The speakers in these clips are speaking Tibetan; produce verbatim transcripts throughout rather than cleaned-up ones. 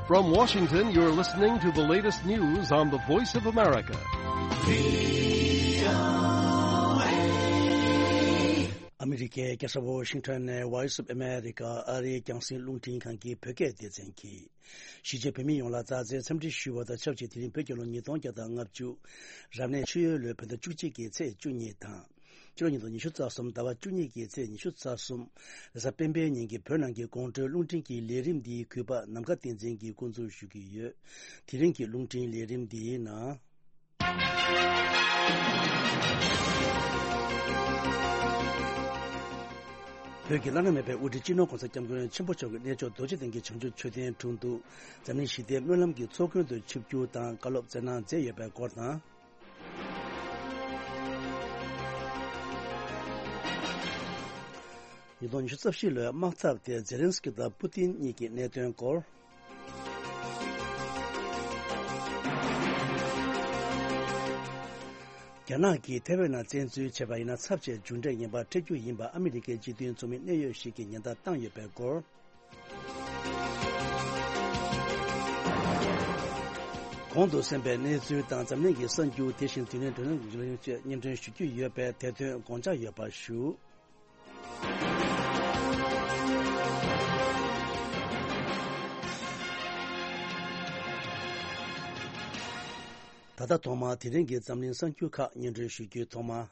From Washington, you're listening to the latest news on the Voice of America. ཨ་མི་རི་ཀའི་རྒྱལ་ས་ཝོ་ཤིང་ཊོན་ནས་Voice of America ཨ་རིའི་རྒྱང་སྲིང་རླུང་འཕྲིན་ཁང་གི་བོད་སྐད་སྡེ་ཚན་གྱིས། གཞིས་བྱེས་བོད་མི་ཡོངས་ལ་མཛའ་བརྩེའི་འཚམས་འདྲི་ཞུ་བ་དང་ཆབས་ཅིག་དེ་རིང་བོད་རྒྱལ་ལོ་ཉིས་སྟོང་བརྒྱ་དང་ལྔ་བཅུ། རབ་གནས་ཆུ་ཡོས་ལོའི་བོད་ཟླ་བཅུ་གཅིག་གི་ཚེས་བཅུ་གཉིས་དང་། ཕྱི་ལོ་ཉིས་སྟོང་ཉི་ཤུ་རྩ་གསུམ་ཟླ་བ་བཅུ་གཉིས་ཀྱི་ཚེས་ཉི་ཤུ་རྩ་གསུམ། རེས་གཟའ་སྤེན་པའི་ཉིན་གྱི་བོད་ནང་གི་དགོང་དྲོའི་རླུང་འཕྲིན་གྱི་ལས་རིམ་འདིའི་གུས་པ་ནམ་མཁའ་བསྟན་འཛིན་གྱིས་འགོ་འཛུགས་ཞུ་གི་ཡོད། དེ་རིང་གི་རླུང་འཕྲིན་ལས་རིམ་འདིའི་ནང་། བོད་ཀྱི་བླ་ན་མེད་པའི་དབུ་ཁྲིད་སྤྱི་ནོར་༸གོང་ས་༸སྐྱབས་མགོན་ཆེན་པོ་མཆོག་གི་གནས་མཆོག་རྡོ་རྗེ་གདན་གྱི་བྱང་ཆུབ་མཆོད་རྟེན་དྲུང་དུ་འཛམ་གླིང་ཞི་བདེའི་སྨོན་ལམ་གྱི་ཚོགས་མགོན་དུ་ཆིབས་བསྒྱུར་དང་བཀའ་སློབ་སྩལ་གནང་མཛད་ཡོད་པའི་སྐོར་དང་། ཉིས་སྟོང་ཉི་ཤུ་རྩ་བཞི་ལོའི་དམག་འཐབ་དེ་ཛེ་ལན་སི་ཀི་དང་པུ་ཏིན་གཉིས་ཀྱི་གནད་དོན་སྐོར། རྒྱ་ནག་གིས་ཐའེ་ཝན་ནང་བཙན་འཛུལ་བྱས་པ་ཡིན་ན་ཚབས་ཆེའི་མཇུག་འབྲས་ངན་པ་འཕྲད་རྒྱུ་ཡིན་པ་ཨ་མི་རི་ཀའི་སྤྱི་མཐུན་ཚོགས་མིའི་གནད་ཡོད་ཞིག་གིས་ཉེན་བརྡ་བཏང་ཡོད་པའི་སྐོར། གོང་དུ་གསན་པའི་གནས་ཚུལ་དང་འཛམ་གླིང་གི་གསར་འགྱུར། དེ་བཞིན་དུས་ནས་དྲན་གསོ་སྙན་སྒྲོན་ཞུ་རྒྱུ་ཡོད་པས་དེ་དོན་དགོངས་འཇགས་ཡོད་པ་ཞུ། ད་ལྟ་ཐོག་མར་དེ་རིང་གི་འཛམ་གླིང་གསར་འགྱུར་ཁག་སྙན་སྒྲོན་ཞུ་རྒྱུའི་ཐོག་མར།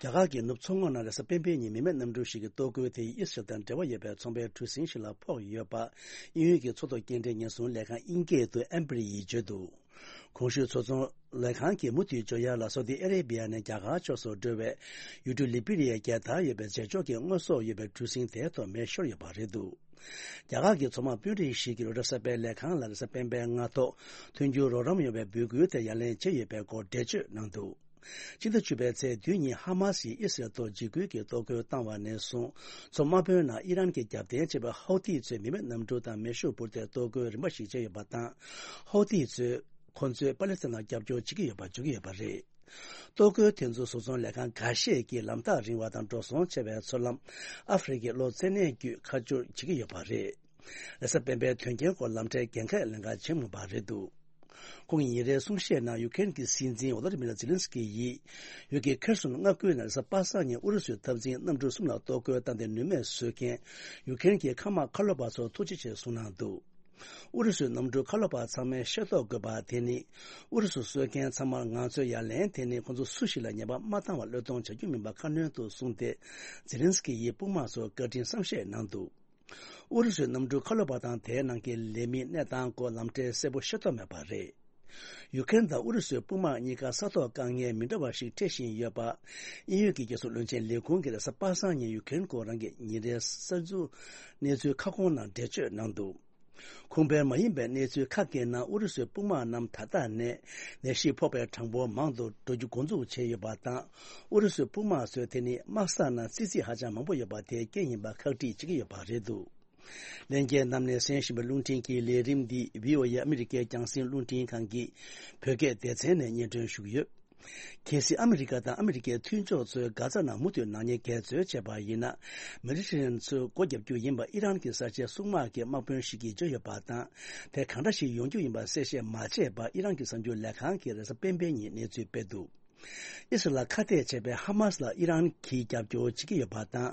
རྒྱ་གར་གྱི་ནུབ་མཚོ་ངོས་ན་རེས་གཟའ་སྤེན་པའི་ཉིན་མི་མེད་གནམ་གྲུ་ཞིག་གི་ལྟོ་གོས་དེ་ཨི་སི་རལ་དང་འབྲེལ་བ་ཡོད་པའི་ཚོང་པའི་གྲུ་གཟིངས་ཤིག་ལ་ཕོག་ཡོད་པ་དབྱིན་ཡུལ་གྱི་མཚོ་ཐོག་སྐྱེལ་འདྲེན་ཉེན་སྲུང་ལས་ཁང་། དབྱིན་སྐད་དུ་ཨེམ་བྷི་རི་ཡིས་བརྗོད་འདུག་གོང་ཞུས་མཚོ་ཚོང་ལས་ཁང་གིས་མུ་མཐུད་ཇོ་ཡ་ལ་སོ་ཏི་ཨ་རེ་བི་ཡ་ནས་རྒྱ་གར་ཕྱོགས་སུ་འགྲོ་བའི་ཡུལ་གྲུ་ལི་བི་རི་ཡའི་རྒྱལ་དར་ཡོད་པའི་རྫས་སྦྱོར་གྱི་དངོས་ཟོག་ཡོད་པའི་གྲུ་གཟིངས་དེའི་ཐོག་མེ་ཤོར་ཡོད་པ་རེད་འདུག་རྒྱ་གར་གྱི་མཚོ་དམག་དཔོན་རིགས་ཤིག་གིས་རོའི་ཊར་གསར་པའི་ལས་ཁང་ལ་རེས་གཟའ་སྤེན་པའི་སྔ་ཐོག་མཐུན་འགྱུར་རོགས་རམ་ཡོང་བའི་འབོད་སྐུལ་དེ་ཡ་ལན་བྱས་ཡོད་པའི་སྐོར་འགྲེལ་བརྗོད་གནང་འདུག་སྤྱི་ཟླ་བཅུ་པའི་ཚེས་བདུན་ཉིན་ཧ་མ་སིས་ཨི་སི་རལ་ཐོག་འཇིགས་སྐུལ་གྱི་གཏོར་རྒོལ་བཏང་བ་ནས་བཟུང་མཚོ་དམག་དཔོན་ནང་ཨི་རན་གྱི་རྒྱབ་རྟེན་བྱས་པའི་ཧའུ་ཐི་ཚོས་མི་མེད་གནམ་གྲུ་དང་མེ་ཤུགས་འབུད་དེ་གཏོར་རྒོལ་རིམ་པ་ཞིག་བྱས་ཡོད་པ་དང་། ཧའུ་ཐི་ཚོས་ཁོ་ཚོས་པ་ལེ་སི་ཐན་ལ་རྒྱབ་སྐྱོར་བྱེད་ཀྱི་ཡོད་པ་བརྗོད་ཀྱི་ཡོད་པ་རེད། གཏོར་རྒོལ་དེ་ཚོ་བཟོ་ཚོང་ལས་ཁང་འགའ་ཤས་ཀྱིས་ལམ་ཐག་རིང་བ་དང་འགྲོ་སོང་ཆེ་བའི་མཚོ་ལམ་ཨ་ཧྥེ་རི་ཁའི་གློ་ཚད་སྣེ་བརྒྱུད་ཁ་སྦྱོར་བྱེད་ཀྱི་ཡོད་པ་རེད། རེས་གཟའ་སྤེན་པའི་དོན་རྐྱེན་སྐོར་ལམ་ཁྲལ་འགན་ཁག་ལེན་ག་བྱེད་མུས་པ་རེད་འདུག་ཁོང་གིས་ཉིན་རེའི་གསུང་བཤད་ནང་ཡུ་ཀེ་རེན་གྱི་སྲིད་འཛིན་ཝོ་ལོ་ཌི་མིར་ཛེ་ལན་སི་ཀི་ཡིས། ཡུལ་གྱི་ཁེར་སོན་མངའ་ཁུལ་ནང་རེས་གཟའ་པ་སངས་ཉིན་ཨུ་རུ་སུའི་འཐབ་འཛིང་གནམ་གྲུ་གསུམ་ལ་གཏོར་རྒོལ་བཏང་སྟེ་ནུས་མེད་བཟོས་མཁན་ཡུ་ཀེ་རེན་གྱི་མཁའ་དམག་མཁའ་སློབ་པ་ཚོར་ཐུགས་རྗེ་ཆེ་གསུངས་གནང་འདུག་ཨུ་རུ་སུའི་གནམ་གྲུ་མཁའ་སློབ་པ་ཚང་མས་ཤེས་རྟོགས་དགོས་པ་དེ་ནི། ཨུ་རུ་སུ་གསོད་མཁན་ཚང་མར་ང་ཚོས་ཡ་ལན་དེ་ནི་ཁོང་ཚོ་སུ་ཞིག་ལ་ཉེས་པ་མ་བཏང་བར་བློས་གཏོང་བྱ་རྒྱུ་མིན་པ་ཁ་སྣོན་དུ་གསུངས་ཏེ། ཛེ་ལན་སི་ཀི་ཡིས་དཔུང་དམག་ཚོར་བཀའ་དྲིན་བསམ་ཤེས་གནང་འདུག་ཨུ་རུ་སུའི་གནམ་གྲུ་མཁའ་སློབ་པ་དང་དེའི་ནང་གི་ལས་མིའི་གནས་སྟངས་སྐོར་ལམ་ཁྲལ་གསལ་པོ་ཤེས་རྟོགས་མེད་པ་རེད། ཡུ་ཀེ་རེན་དང་ཨུ་རུ་སུའི་དཔུང་དམག་གཉིས་ཀ་ས་ཐོག་དཀའ་ངལ་མི་འདྲ་བ་ཞིག་འཕྲད་བཞིན་ཡོད་པ། དབྱིན་ཡུལ་གྱི་རྒྱལ་སྲུང་བློན་ཆེན་ལས་ཁུངས་ཀྱིས་རེས་གཟའ་པ་སངས་ཉིན་ཡུ་ཀེ་རེན་སྐོར་རང་གི་ཉིན་རེའི་གསར་འགྱུར་གནས་ཚུལ་ཁ་སྐོང་ནང་འགྲེལ་བརྗོད་གནང་འདུག་ཁུངས་དཔེ་མ་ཡིན་པའི་གནས་ཚུལ་ཁག་གི་ནང་ཨུ་རུ་སུའི་དཔུང་དམག་རྣམས་ད་ལྟ་ནས་ནད་གཞི་ཕོག་པའི་གྲངས་འབོར་མང་དུ་འགྲོ་རྒྱུ་འགོ་འཛུགས་བྱས་ཡོད་པ་དང་། ཨུ་རུ་སུའི་དཔུང་དམག་ཚོས་དེ་ནི་དམག་ས་ནང་ཙི་ཙི་ཧ་ཅང་མང་པོ་ཡོད་པ་དེའི་རྐྱེན་ཡིན་པ་ཁག་དཀྲི་བྱེད་ཀྱི་ཡོད་པ་རེད་འདུག་ལྷན་རྒྱས་རྣམས་ནས་གསན་བཞིན་པའི་རླུང་འཕྲིན་གྱི་ལས་རིམ་འདི་བྷི་ཨོ་ཨེ་ཨ་མི་རི་ཀའི་རྒྱང་སྲིང་རླུང་འཕྲིན་ཁང་གི་བོད་སྐད་སྡེ་ཚན་ནས་སྙན་སྒྲོན་ཞུ་གི་ཡོད། གལ་སྲིད་ཨ་མི་རི་ཀ་དང་ཨ་མི་རི་ཀའི་མཐུན་ཕྱོགས་ཚོས་གྷ་ཛ་ནང་མུ་མཐུད་ནག་ཉེས་འགལ་འཛོལ་བྱས་པ་ཡིན་ན། མེ་ཌི་ཊེ་རེ་ནན་མཚོའི་སྒོ་བརྒྱབ་རྒྱུ་ཡིན་པ་ཨི་རན་གྱི་གསར་བརྗེའི་སྲུང་དམག་གི་དམག་དཔོན་ཞིག་གིས་བརྗོད་ཡོད་པ་དང་། དེ་གང་འདྲ་ཞིག་ཡོང་རྒྱུ་ཡིན་པ་གསལ་བཤད་མ་བྱས་པར་ཨི་རན་གྱི་གསར་འགྱུར་ལས་ཁང་གིས་རེས་གཟའ་སྤེན་པའི་ཉིན་གནས་ཚུལ་སྤེལ་འདུག་ཨི་སི་རལ་ཁ་གཏད་བྱས་པའི་ཧ་མ་སི་ལ་ཨི་རན་གྱིས་རྒྱབ་སྐྱོར་བྱེད་ཀྱི་ཡོད་པ་དང་།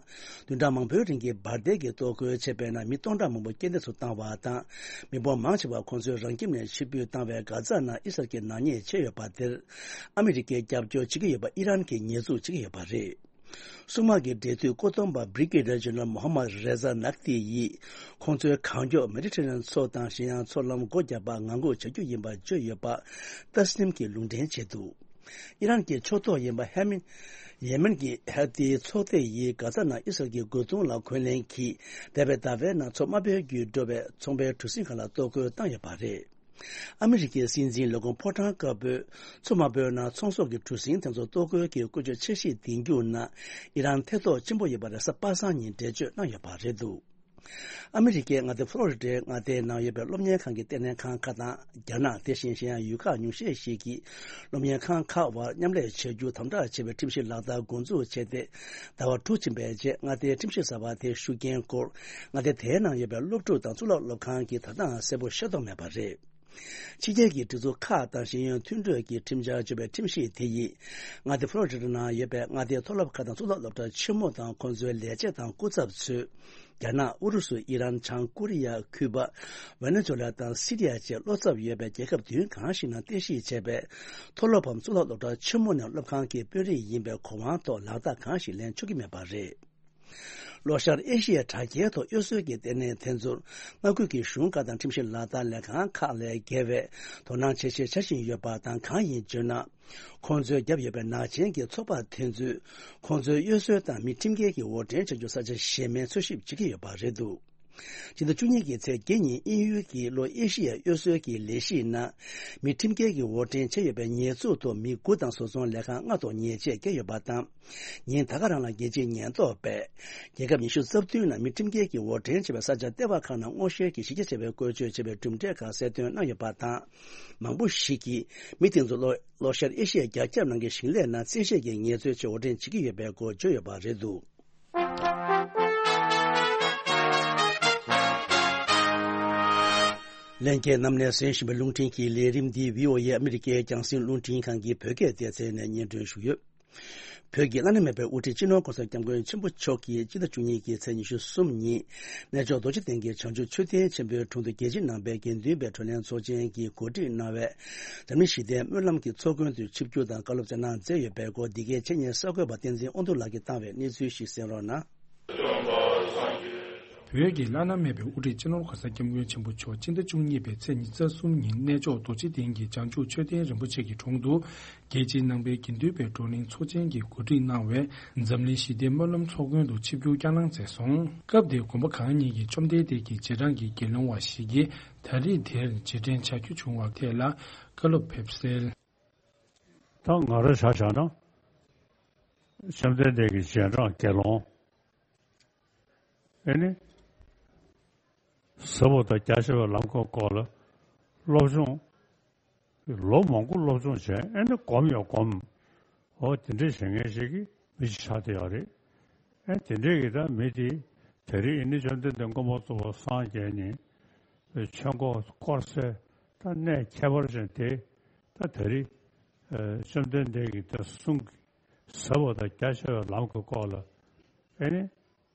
བདུན་ཕྲག་མང་པོའི་རིང་གི་འབར་མདེལ་གྱི་གཏོར་རྒོལ་བྱས་པའི་ནང་མི་སྟོང་ཕྲག་མང་པོ་རྐྱེན་འདས་སུ་བཏང་བ་དང་། མི་འབོར་མང་ཆེ་བ་ཁོང་ཚོས་རང་ཁྱིམ་ནས་ཕྱིར་འབུད་བཏང་བའི་གྷ་ཛ་ནང་ཨི་སི་རལ་གྱི་ནག་ཉེས་བྱས་ཡོད་པ་དེར། ཨ་མི་རི་ཀས་རྒྱབ་སྐྱོར་བྱེད་ཀྱི་ཡོད་པ་ཨི་རན་གྱིས་ཉེས་འཛུགས་བྱེད་ཀྱི་ཡོད་པ་རེད། སྲུང་དམག་གི་འབྲེལ་མཐུད་བཀོད་འདོམས་པ་Brigadier General Mohammad Reza Naqvi ཡིས། ཁོང་ཚོའི་གང་མགྱོགས་མེ་ཌི་ཊེ་རེ་ནན་མཚོ་དང་གཞན་ཡང་མཚོ་ལམ་སྒོ་བརྒྱབ་པར་ངང་སྒུག་བྱ་རྒྱུ་ཡིན་པར་བརྗོད་ཡོད་པ། ཏཱ་སི་ནིམ་གྱིས་ལུང་འདྲེན་བྱས་འདུག་ཨི་རན་གྱི་ཕྱོགས་གཏོགས་ཡིན་པ་ཧེ་མིན། ཡེ་མེན་གྱི་ཧེ་ཏི་ཚོགས་སྡེ་ཡིས་གྷ་ཛ་ནང་ཨི་སི་རལ་གྱི་རྒོལ་རྡུང་ལ་འཁོན་ལན་གྱིས། འདས་པའི་ཟླ་བའི་ནང་མཚོ་དམའ་འབེབས་བརྒྱུད་འགྲོ་བའི་ཚོང་པའི་གྲུ་གཟིངས་ཁག་ལ་གཏོར་རྒོལ་བཏང་ཡོད་པ་རེད། ཨ་མི་རི་ཀའི་སྲིད་འཛིན་ལས་ཁུངས་ཕོ་བྲང་དཀར་པོས། མཚོ་དམའ་བོའི་ནང་ཚོང་ཟོག་གི་གྲུ་གཟིངས་དེ་ཚོ་གཏོར་རྒོལ་གྱི་བཀོལ་སྤྱོད་འཆར་གཞི་འདིང་རྒྱུ་ནང་ཨི་རན་ཐེ་གཏོགས་ཆེན་པོ་ཡོད་པ་རེས་གཟའ་པ་སངས་ཉིན་འགྲེལ་བརྗོད་གནང་ཡོད་པ་རེད་འདུག་ཨ་མི་རི་ཀའི་མངའ་སྡེ་ཕོ་ལོ་རི་ཌའི་མངའ་སྡེའི་ནང་ཡོད་པའི་སློབ་གཉེར་ཁང་གི་ལྟེ་གནས་ཁང་ཁག་དང་། རྒྱ་ནག་དེ་བཞིན་གཞན་ཡང་ཡུལ་ཁག་ཉུང་ཤས་ཤིག་གིས་སློབ་གཉེར་ཁང་ཁག་དབར་མཉམ་ལས་བྱ་རྒྱུ་དམ་དྲག་བྱེད་པའི་ཁྲིམས་གཞི་ལག་བསྟར་འགོ་འཛུགས་བྱས་ཏེ། ཟླ་བ་དྲུག་ཕྱིན་པའི་རྗེས་མངའ་སྡེའི་ཁྲིམས་གཞི་གསར་པ་དེའི་ཤུགས་རྐྱེན་སྐོར་མངའ་སྡེ་དེའི་ནང་ཡོད་པའི་སློབ་ཕྲུག་དང་གཙུག་ལག་སློབ་ཁང་གིས་ད་ལྟའང་གསལ་པོ་ཤེས་རྟོགས་མེད་པ་རེད། ཕྱི་རྒྱལ་གྱི་སྒྲིག་འཛུགས་ཁག་དང་ཞིང་ཡོན་མཐུན་གྲོས་ཀྱི་ཁྲིམས་འཆར་བཅོས་པའི་ཁྲིམས་གཞི་དེ་ཡིས་མངའ་སྡེ་ཕོ་ལོ་རི་ཌ་ནང་ཡོད་པའི་མངའ་སྡེའི་མཐོ་སློབ་ཁག་དང་གཙུག་ལག་སློབ་གྲྭ་ཆེན་མོ་དང་ཁོང་ཚོའི་ལས་བྱེད་དང་སྐུ་ཚབ་ཚོས། རྒྱ་ནག་ཨུ་རུ་སུ། ཨི་རན། བྱང་ཀོ་རི་ཡ། ཁུ་པ། ཝེ་ནེ་ཛུ་ལ་དང་སི་རི་ཡ་བཅས་བློ་འཚབ་ཡོད་པའི་རྒྱལ་ཁབ་བདུན་གང་ཞིག་ནང་རྟེན་གཞི་བྱས་པའི་མཐོ་སློབ་བམ་གཙུག་ལག་སློབ་གྲྭ་ཆེན་མོ་ནས་སློབ་ཁང་གི་དཔོན་རིགས་ཡིན་པའི་གོ་དབང་ཐོག་ལག་རྟགས་གང་ཞིག་ལེན་ཆོག་གི་མེད་པ་རེད། ལྷོ་ཤར་ཨེ་ཤི་ཡའི་དྲ་རྒྱའི་ཐོག་གཡོ་ཟོལ་གྱི་ལྟེ་གནས་དེ་ཚོར་མངའ་ཁུལ་གྱི་གཞུང་ཁག་དང་ཁྲིམས་གཞི་ལག་བསྟར་ལས་ཁང་ཁག་ལས་བརྒལ་བའི་དོ་སྣང་བྱེད་ཤེས་བྱ་བཞིན་ཡོད་པ་དང་། གང་ཡིན་བརྗོད་ན། ཁོང་ཚོའི་རྒྱབ་ཡོད་པའི་ནག་ཅན་གྱི་ཚོགས་པ་དེ་ཚོས་ཁོང་ཚོའི་གཡོ་ཟོལ་དང་མི་ཁྲིམས་འགལ་གྱི་འོར་འདྲེན་བྱ་རྒྱུ་ས་ཆ་གཞན་མའི་འཚོལ་ཞིབ་བྱེད་ཀྱི་ཡོད་པ་རེད་འདུག་སྤྱི་ཟླ་བཅུ་གཉིས་ཀྱི་ཚེས་བརྒྱད་ཉིན་དབྱིན་ཡུལ་གྱི་ལྷོ་ཨེ་ཤི་ཡའི་གཡོ་ཟོལ་གྱི་ལས་གཞིའི་ནང་མི་ཁྲིམས་འགལ་གྱི་འོར་འདྲེན་བྱས་ཡོད་པའི་ཉེས་འཛུགས་ཐོག་མི་དགུ་དང་བཟོ་ཚོང་ལས་ཁང་ལྔ་ཐོག་ཉེས་ཆད་བཀལ་ཡོད་པ་དང་། ཉིན་ད་ག་རང་ལ་རྒྱལ་སྤྱིའི་ཉེན་རྟོག་པས་རྒྱལ་ཁབ་ཉི་ཤུ་རྩ་བདུན་ནང་མི་ཁྲིམས་འགལ་གྱི་འོར་འདྲེན་བྱས་པའི་ས་ཆ་ལྟེ་བ་ཁག་ནང་སྔོག་བཤེར་གྱིས་གཞི་རྒྱ་ཆེ་བའི་བཀོལ་སྤྱོད་བྱས་པའི་གྲུབ་འབྲས་ཁག་གསལ་སྟོན་གནང་ཡོད་པ་དང་། མང་པོ་ཞིག་གིས་མི་དེ་ཚོ་ལྷོ་ལྷོ་ཤར་ཨེ་ཤི་ཡའི་རྒྱ་ཁྱབ་ནང་གི་ཞིང་ལས་ནང་བཙན་ཤེད་ཀྱིས་ངལ་རྩོལ་ཆེད་འོར་འདྲེན་བྱེད་ཀྱི་ཡོད་པའི་སྐོར་བརྗོད་ཡོད་པ་རེད་འདུག་ལྷན་རྒྱས་རྣམས་ནས་གསན་བཞིན་པའི་རླུང་འཕྲིན་གྱི་ལས་རིམ་འདི་བྷི་ཨོ་ཨེ་ཨ་མི་རི་ཀའི་རྒྱང་སྲིང་རླུང་འཕྲིན་ཁང་གི་བོད་སྐད་སྡེ་ཚན་ནས་སྙན་སྒྲོན་ཞུ་ཡོད། བོད་ཀྱི་བླ་ན་མེད་པའི་དབུ་ཁྲིད་སྤྱི་ནོར་༸གོང་ས་༸སྐྱབས་མགོན་ཆེན་པོ་མཆོག་གིས་སྤྱི་ཟླ་བཅུ་གཉིས་ཀྱི་ཚེས་ཉི་ཤུ་གསུམ་ཉིན་གནས་མཆོག་རྡོ་རྗེ་གདན་གྱི་བྱང་ཆུབ་མཆོད་རྟེན་ཆེན་པོའི་དྲུང་དུ་རྒྱལ་སྤྱིའི་ནང་པའི་དགེ་འདུན་པའི་བགྲོ་གླེང་ཚོགས་ཆེན་གྱི་གོ་སྒྲིག་གནང་བའི་འཛམ་གླིང་ཞི་བདེའི་སྨོན་ལམ་གྱི་ཚོགས་མགོན་དུ་ཆིབས་བསྒྱུར་དང་བཀའ་སློབ་སྩལ་གནང་མཛད་ཡོད་པའི་སྐོར། འདི་གའི་ཆེད་གཉེར་གསར་འགོད་པ་བསྟན་འཛིན་དབང་འདུས་ལགས་ཀྱིས་བཏང་བའི་གནས་ཚུལ་ཞིག་གསན་རོགས་གནང་། བོད་ཀྱི་བླ་ན་མེད་པའི་དབུ་ཁྲིད་སྤྱི་ནོར་༸གོང་ས་༸སྐྱབས་མགོན་ཆེན་པོ་མཆོག་སྤྱི་ཟླ་བཅུ་གཉིས་པའི་ཚེས་ཉི་ཤུ་རྩ་གསུམ་ཉིན་གནས་མཆོག་རྡོ་རྗེ་གདན་གྱི་བྱང་ཆུབ་མཆོད་རྟེན་རིན་པོ་ཆེ་གི་དྲུང་དུ་རྒྱལ་སྤྱིའི་ནང་པའི་དགེ་འདུན་པའི་བགྲོ་གླེང་ཚོགས་ཆེན་གྱི་གོ་སྒྲིག་གནང་བའི་འཛམ་གླིང་ཞི་བདེའི་སྨོན་ལམ་ཚོགས་མགོན་དུ་ཆིབས་བསྒྱུར་བསྐྱངས་གནང་མཛད་སོང་། སྐབས་དེར་དགོན་པ་གང་ཉིད་ཀྱི་བཅོམ་ལྡན་འདས་ཀྱི་རྗེས་འབྲང་གི་དགེ་སློང་བ་ཞིག་གིས་ད་རེས་དེར་རྗེས་དྲན་བྱ་རྒྱུ་བྱུང་བ་ཐད་ལ་བཀའ་སློབ་ཕེབས་གསལ། ད་ང་རང་ཆ་བཞག་ན་བཅོམ་ལྡན་འདས་ཀྱི་རྗེས་འབྲང་དགེ་སློང་། ཨེ་ནི། ཟབ་པོ་དང་རྒྱ་ཆེ་བའི་ལམ་གྱི་སྐོར་ལ་སློབ་སྦྱོང་། ལོ་མང་པོ་སློབ་སྦྱོང་བྱས། ཨེ་ནི་སྒོམ་ཡང་སྒོམ། འོ་དེ་འདྲའི་བྱེད་མཁན་ཞིག་གི་མི་ཞིག་ཆགས་བསྡད་ཡོད་རེད། ཨེ་དེ་འདྲའི་གི་ད་མི་དེ་དེ་རིང་ཨེ་ནི་བཅོམ་ལྡན་འདས་མངོན་པར་རྫོགས་པར་སངས་རྒྱས་ནས་ཆོས་འཁོར་བསྐོར་སའི་ད་གནས་ཁྱད་པར་ཅན་དེ་ད་དེ་རིང་བཅོམ་ལྡན་འདས་ཀྱི་ད་གསུང་གི་ཟབ་པ་དང་རྒྱ་ཆེ་བའི་ལམ་གྱི་སྐོར་ལ་ཨེ་ནི།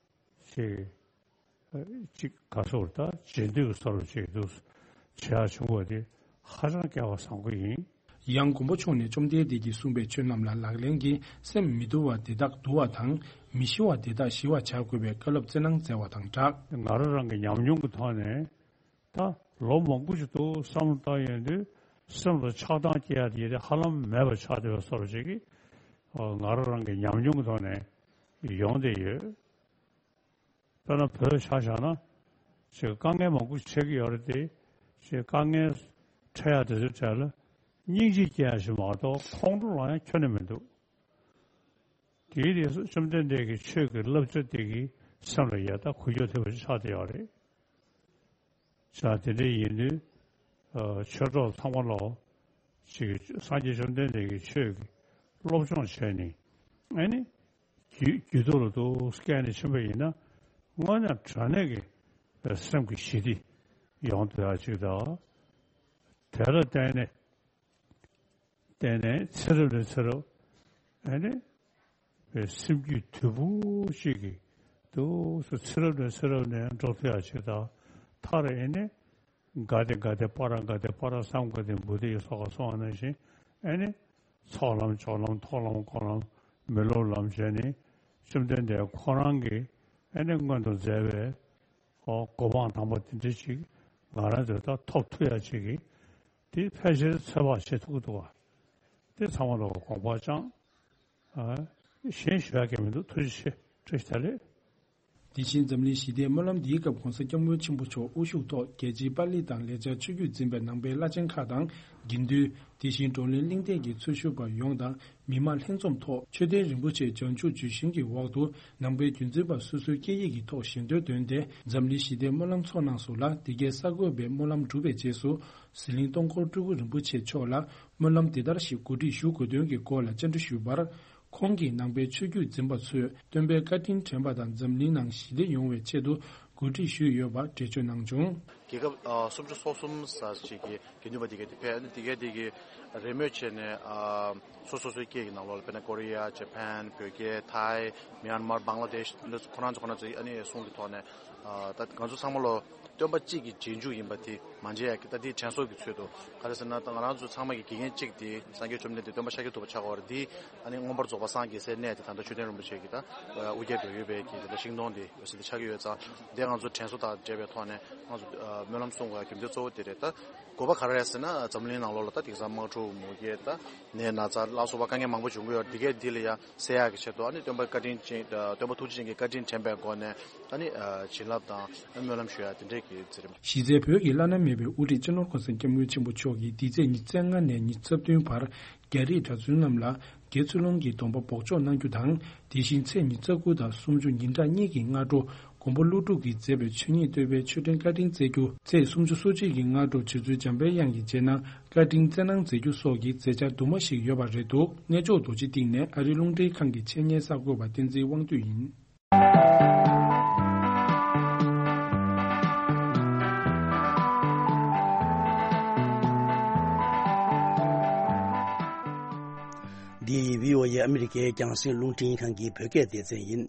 ཅིག་ཅིག་ག་སོར་ད་རྗེས་ཟློས་ཀྱི་སོར་ཅིག་འདུག་བྱེད་ཡག་བྱུང་བ་དེ་ཧ་ཅང་སྐལ་བ་བཟང་པོ་ཡིན། ཡང་མགོན་པོ་མཆོག་ནས་བཅོམ་ལྡན་འདས་ཀྱིས་གསུངས་པའི་ཆོས་རྣམས་ལ་ལག་ལེན་གྱིས་སེམས་མི་དུལ་བ་དེ་དག་དུལ་བ་དང་མི་ཞི་བ་དེ་དག་ཞི་བར་བྱ་དགོས་པའི་བཀའ་སློབ་སྩལ་གནང་མཛད་པ་དང་སྦྲགས། ང་རང་རང་གི་ཉམས་མྱོང་གི་ཐོག་ནས་ད་ལོ་མང་པོ་ཞིག་འདུག་བསམ་བློ་བཏང་ཡོང་དུས་སེམས་ལ་ཆགས་སྡང་སྐྱེ་ཡག་དེ་ཧ་ལམ་མེད་པ་ཆགས་བསྡད་པའི་སོར་ཅིག་གིས་ང་རང་རང་གི་ཉམས་མྱོང་གི་ཐོག་ནས་ཡོང་བསྡད་ཡོད། དཔེར་ན་བོད་ཆ་བཞག་ན་ཅིག་དཀའ་ངལ་མང་པོ་འཕྲད་ཀྱི་ཡོད་རེད་དེ། ཅིག་དཀའ་ངལ་འཕྲད་ཡག་དེ་ཚོའི་གྲས་ལ་སྙིང་རྗེ་སྐྱེ་ཡག་ཞིག་མ་གཏོགས་ཁོང་ཁྲོ་ལངས་ཡག་ཁྱོན་ནས་མི་འདུག་དེའི་རྗེས་སུ་བཅོམ་ལྡན་འདས་ཀྱི་ཆོས་ཀྱི་བསླབ་བྱ་དེ་གིས་སེམས་ལ་ཡག་ད་འགུལ་སྐྱོད་ཐེབས་པ་ཞིག་ཆགས་བསྡད་ཡོད་རེད། ཅག་དེ་འདྲ་ཡིན་དུས། ཆོས་གྲོགས་ཚང་མ་ལོ། ཅིག་སངས་རྒྱས་བཅོམ་ལྡན་འདས་ཀྱི་ཆོས་ཀྱི་སློབ་སྦྱོང་བྱས་ནས། ཨ་ནི། རྒྱུད་རྒྱུད་ཐོག་ལ་འདུག་སྐྱེས་ནས་ཕྱིན་པ་ཡིན་ན། དངོས་གནས་དྲང་གནས་ཀྱི་སེམས་ཀྱི་ཞི་བདེ་ཡོང་ཐུབ་ཡག་ཅིག་དང་། དེ་ལ་བརྟེན་ནས། བརྟེན་ནས་ཚེ་རབས་ནས་ཚེ་རབས། ཨ་ནི། པའི་སེམས་རྒྱུད་དུལ་པོ་ཅིག་གིས་འདུག་སེ་ཚེ་རབས་ནས་ཚེ་རབས་ནས་འགྲོ་ཐུབ་ཡག་ཅིག་དང་། མཐར་ཨེ་ནི། ག་དེ་ག་དེ་པ་ར་ག་དེ་པ་ར་སཾ་ག་དེ་བུ་དྷི་སོགས་ག་གསུངས་པ་ནང་བཞིན། ཨེ་ནི། ཚོགས་ལམ་སྦྱོར་ལམ་ཐོག་ལམ་འཁོར་ལམ་མི་སློབ་ལམ་བྱས་ནས་བཅོམ་ལྡན་འདས་ཁོ་རང་གིས་ཨེ་ནི་སྔོན་དུ་མཛད་པའི་ཨོ་གོ་འཕང་དམ་པ་དེ་འདྲ་ཅིག་ང་རང་ཚོས་ད་ཐོབ་ཐུབ་ཡག་ཅིག་གིས་དེ་ཕལ་ཆེར་ཚོད་དཔག་བྱེད་ཐུབ་ཀྱི་འདུག་བ། དེ་ཚང་མ་ལ་དགོངས་པ་བཅངས། ཨ། གཞན་ཞུ་ཡག་གི་མི་འདུག་ཐུགས་རྗེ་ཆེ། བཀྲ་ཤིས་བདེ་ལེགས། དེ་བཞིན་འཛམ་གླིང་ཞི་བདེའི་སྨོན་ལམ་འདིའི་སྐབས་༧གོང་ས་༧སྐྱབས་མགོན་ཆེན་པོ་མཆོག་དབུ་བཞུགས་ཐོག་རྒྱལ་སྤྱིའི་པཱ་ལི་དང་ལེགས་སྦྱར་ཆོས་བརྒྱུད་འཛིན་པའི་ནང་པའི་བླ་ཆེན་ཁག་དང་དགེ་འདུན། དེ་བཞིན་བགྲོ་གླེང་གླེང་སྟེགས་ཀྱི་ཚོགས་ཞུགས་པ་ཡོངས་དང་མི་མང་ལྷན་འཛོམས་ཐོག་མཆོད་རྟེན་རིན་པོ་ཆེ་བྱང་ཆུབ་ལྗོན་ཤིང་གི་འོག་ཏུ་ནང་པའི་རྒྱུན་འཛིན་པ་སོ་སོའི་སྐད་ཡིག་གི་ཐོག་ཞལ་འདོན་བཏོན་ཏེ་འཛམ་གླིང་ཞི་བདེའི་སྨོན་ལམ་ཚོགས་གནང་སོང་ལ། དེ་གའི་གསར་འགོད་པས་སྨོན་ལམ་གྲུབ་པའི་རྗེས་སུ་ཟི་ལིང་སྟོང་འཁོར་སྤྲུལ་སྐུ་རིན་པོ་ཆེ་མཆོག་ལ་སྨོན་ལམ་འདི་ལྟར་ཞིག་གོ་སྒྲིག་ཞུ་དགོས་དོན་གྱི་སྐོར་ལ་བཅར་འདྲི་ཞུས་པར། ཁོང་གིས་ནང་པའི་ཆོས་བརྒྱུད་འཛིན་པ་ཚོས་སྟོན་པའི་བཀའ་དྲིན་དྲན་པ་དང་འཛམ་གླིང་ནང་ཞི་བདེ་ཡོང་བའི་ཆེད་དུ་གོ་སྒྲིག་ཞུས་ཡོད་པ་འགྲེལ་བརྗོད་གནང་བྱུང་། རྒྱལ་ཁབ་ཨ་སུམ་ཅུ་སོ་གསུམ་ཙམ་ཞིག་གི་དགེ་འདུན་པ་དེ་གའི་དེ་ཕེབས། ཨ་ནི་དེ་གའི་དེ་གི་རེས་མོས་བྱས་ནས་ཨ་སོ་སོ་སོའི་སྐད་ཀྱི་ནང་ལོགས་ལ་དཔེར་ན་ཀོ་རི་ཡ། ཇ་པན། བོད་སྐད། ཐའི། མིའན་མར། བང་ལ་དེཤ། འདི་ཚོ་ཁོ་རང་ཚོ་ཁོ་རང་ཚོའི་ཨ་ནི་གསུང་གི་ཐོག་ནས་ཨ་ད་ང་ཚོ་ཚང་མ་ལོ་སྟོན་པ་གཅིག་གི་རྗེས་འཇུག་ཡིན་པ་དེ་མ་བརྗེད་ཡ་གི་ད་འདི་དྲན་གསོ་གི་ཚུལ་དུ་ག་རེ་ཟེར་ན། ད་ང་རང་ཚོ་ཚང་མ་གི་དགེ་རྒན་གཅིག་དེ་སངས་རྒྱས་བཅོམ་ལྡན་འདས་སྟོན་པ་ཤཱཀྱ་ཐུབ་པ་ཆགས་ཡོད་རེད། འདི་ཨ་ནི་མངོན་པར་རྫོགས་པ་སངས་རྒྱས་སའི་གནས་དེ་ད་ལྟ་མཆོད་རྟེན་རིན་པོ་ཆེ་གི་ད་དབུ་རྒྱན་བོད་ཡུལ་པའི་གི་ད་ལྟ་ཤིང་སྡོང་དེ་ཡོད་སྲིད་དེ་ཆགས་ཀྱི་ཡོད་ཙང་། འདི་ང་ཚོ་དྲན་གསོ་དང་འབྲེལ་བའི་ཐོག་ནས་ང་ཚོ་ཨ་སྨོན་ལམ་གསུང་དགོས་ཡ་རྒྱུ་མཚན་གཙོ་བོ་དེ་རེད། ད་དགོས་པ་ག་རེ་རེད་ཟེར་ན། འཛམ་གླིང་ནང་ལོགས་ལ་ད་དེང་སང་དམག་འཁྲུག་མུ་གེ་ད་ནད་ན་ཚ་ལ་སོགས་པ་དཀའ་ངལ་མང་པོ་འབྱུང་གི་ཡོད་རེད། འདི་གས་འདི་ལ་ཡ་སེལ་ཡག་གི་ཆེད་དུ་ཨ་ནི་སྟོན་པ་བཀའ་དྲིན་ཅན། སྟོན་པ་ཐུགས་རྗེ་ཅན་གྱི་བཀའ་དྲིན་དྲན་པའི་སྒོ་ནས་ཨ་ནི་བྱིན་རླབས་དང་སྨོན་ལམ་ཞུ་ཡ་དེ་འདྲས་ཀྱི་མཛད་རིམ། གཞི་རྩའི་བོད་ཀྱི་བླ་ན་མེད་པའི་དབུ་ཁྲིད་སྤྱི་ནོར་༧གོང་ས་༧སྐྱབས་མགོན་ཆེན་པོ་མཆོག་གིས་འདི་ཚེས་ཉི་ཤུ་རྩ་ལྔ་ནས་ཉི་ཤུ་རྩ་བདུན་བར་རྒྱ་རིགས་གྲྭ་བཙུན་རྣམས་ལ་དགེ་ཚུལ་སློང་གི་སྡོམ་པ་འབོགས་ཆོག་གནང་རྒྱུ་དང་། དེ་བཞིན་ཚེས་ཉི་ཤུ་རྩ་དགུ་དང་སུམ་ཅུ་ཉིན་གྲངས་གཉིས་ཀྱི་སྔ་དྲོ་མགོན་པོ་ཀླུ་སྒྲུབ་ཀྱིས་མཛད་པའི་ཆོས་ཉིད་བསྟོད་པའི་མཆོད་སྤྲིན་བཀའ་དྲིན་སྩལ་རྒྱུ། ཚེས་སུམ་ཅུ་སོ་གཅིག་གི་སྔ་དྲོ་རྗེ་བཙུན་འཇམ་པའི་དབྱངས་ཀྱི་རྗེས་གནང་བཀའ་དྲིན་སྩལ་གནང་མཛད་རྒྱུ་སོགས་ཀྱི་མཛད་འཆར་དུ་མ་ཞིག་ཡོད་པ་རེད་འདུག་གནས་མཆོག་རྡོ་རྗེ་གཏིང་ནས་ཨ་རིའི་རླུང་འཕྲིན་ཁང་གི་ཆེད་གཉེར་གསར་འགོད་པ་བསྟན་འཛིན་དབང་འདུས་ཡིན། འདི་བྷི་ཨོ་ཨེ་ཨ་མི་རི་ཀའི་རྒྱང་སྲིང་རླུང་འཕྲིན་ཁང་གི་བོད་སྐད་སྡེ་ཚན་ཡིན།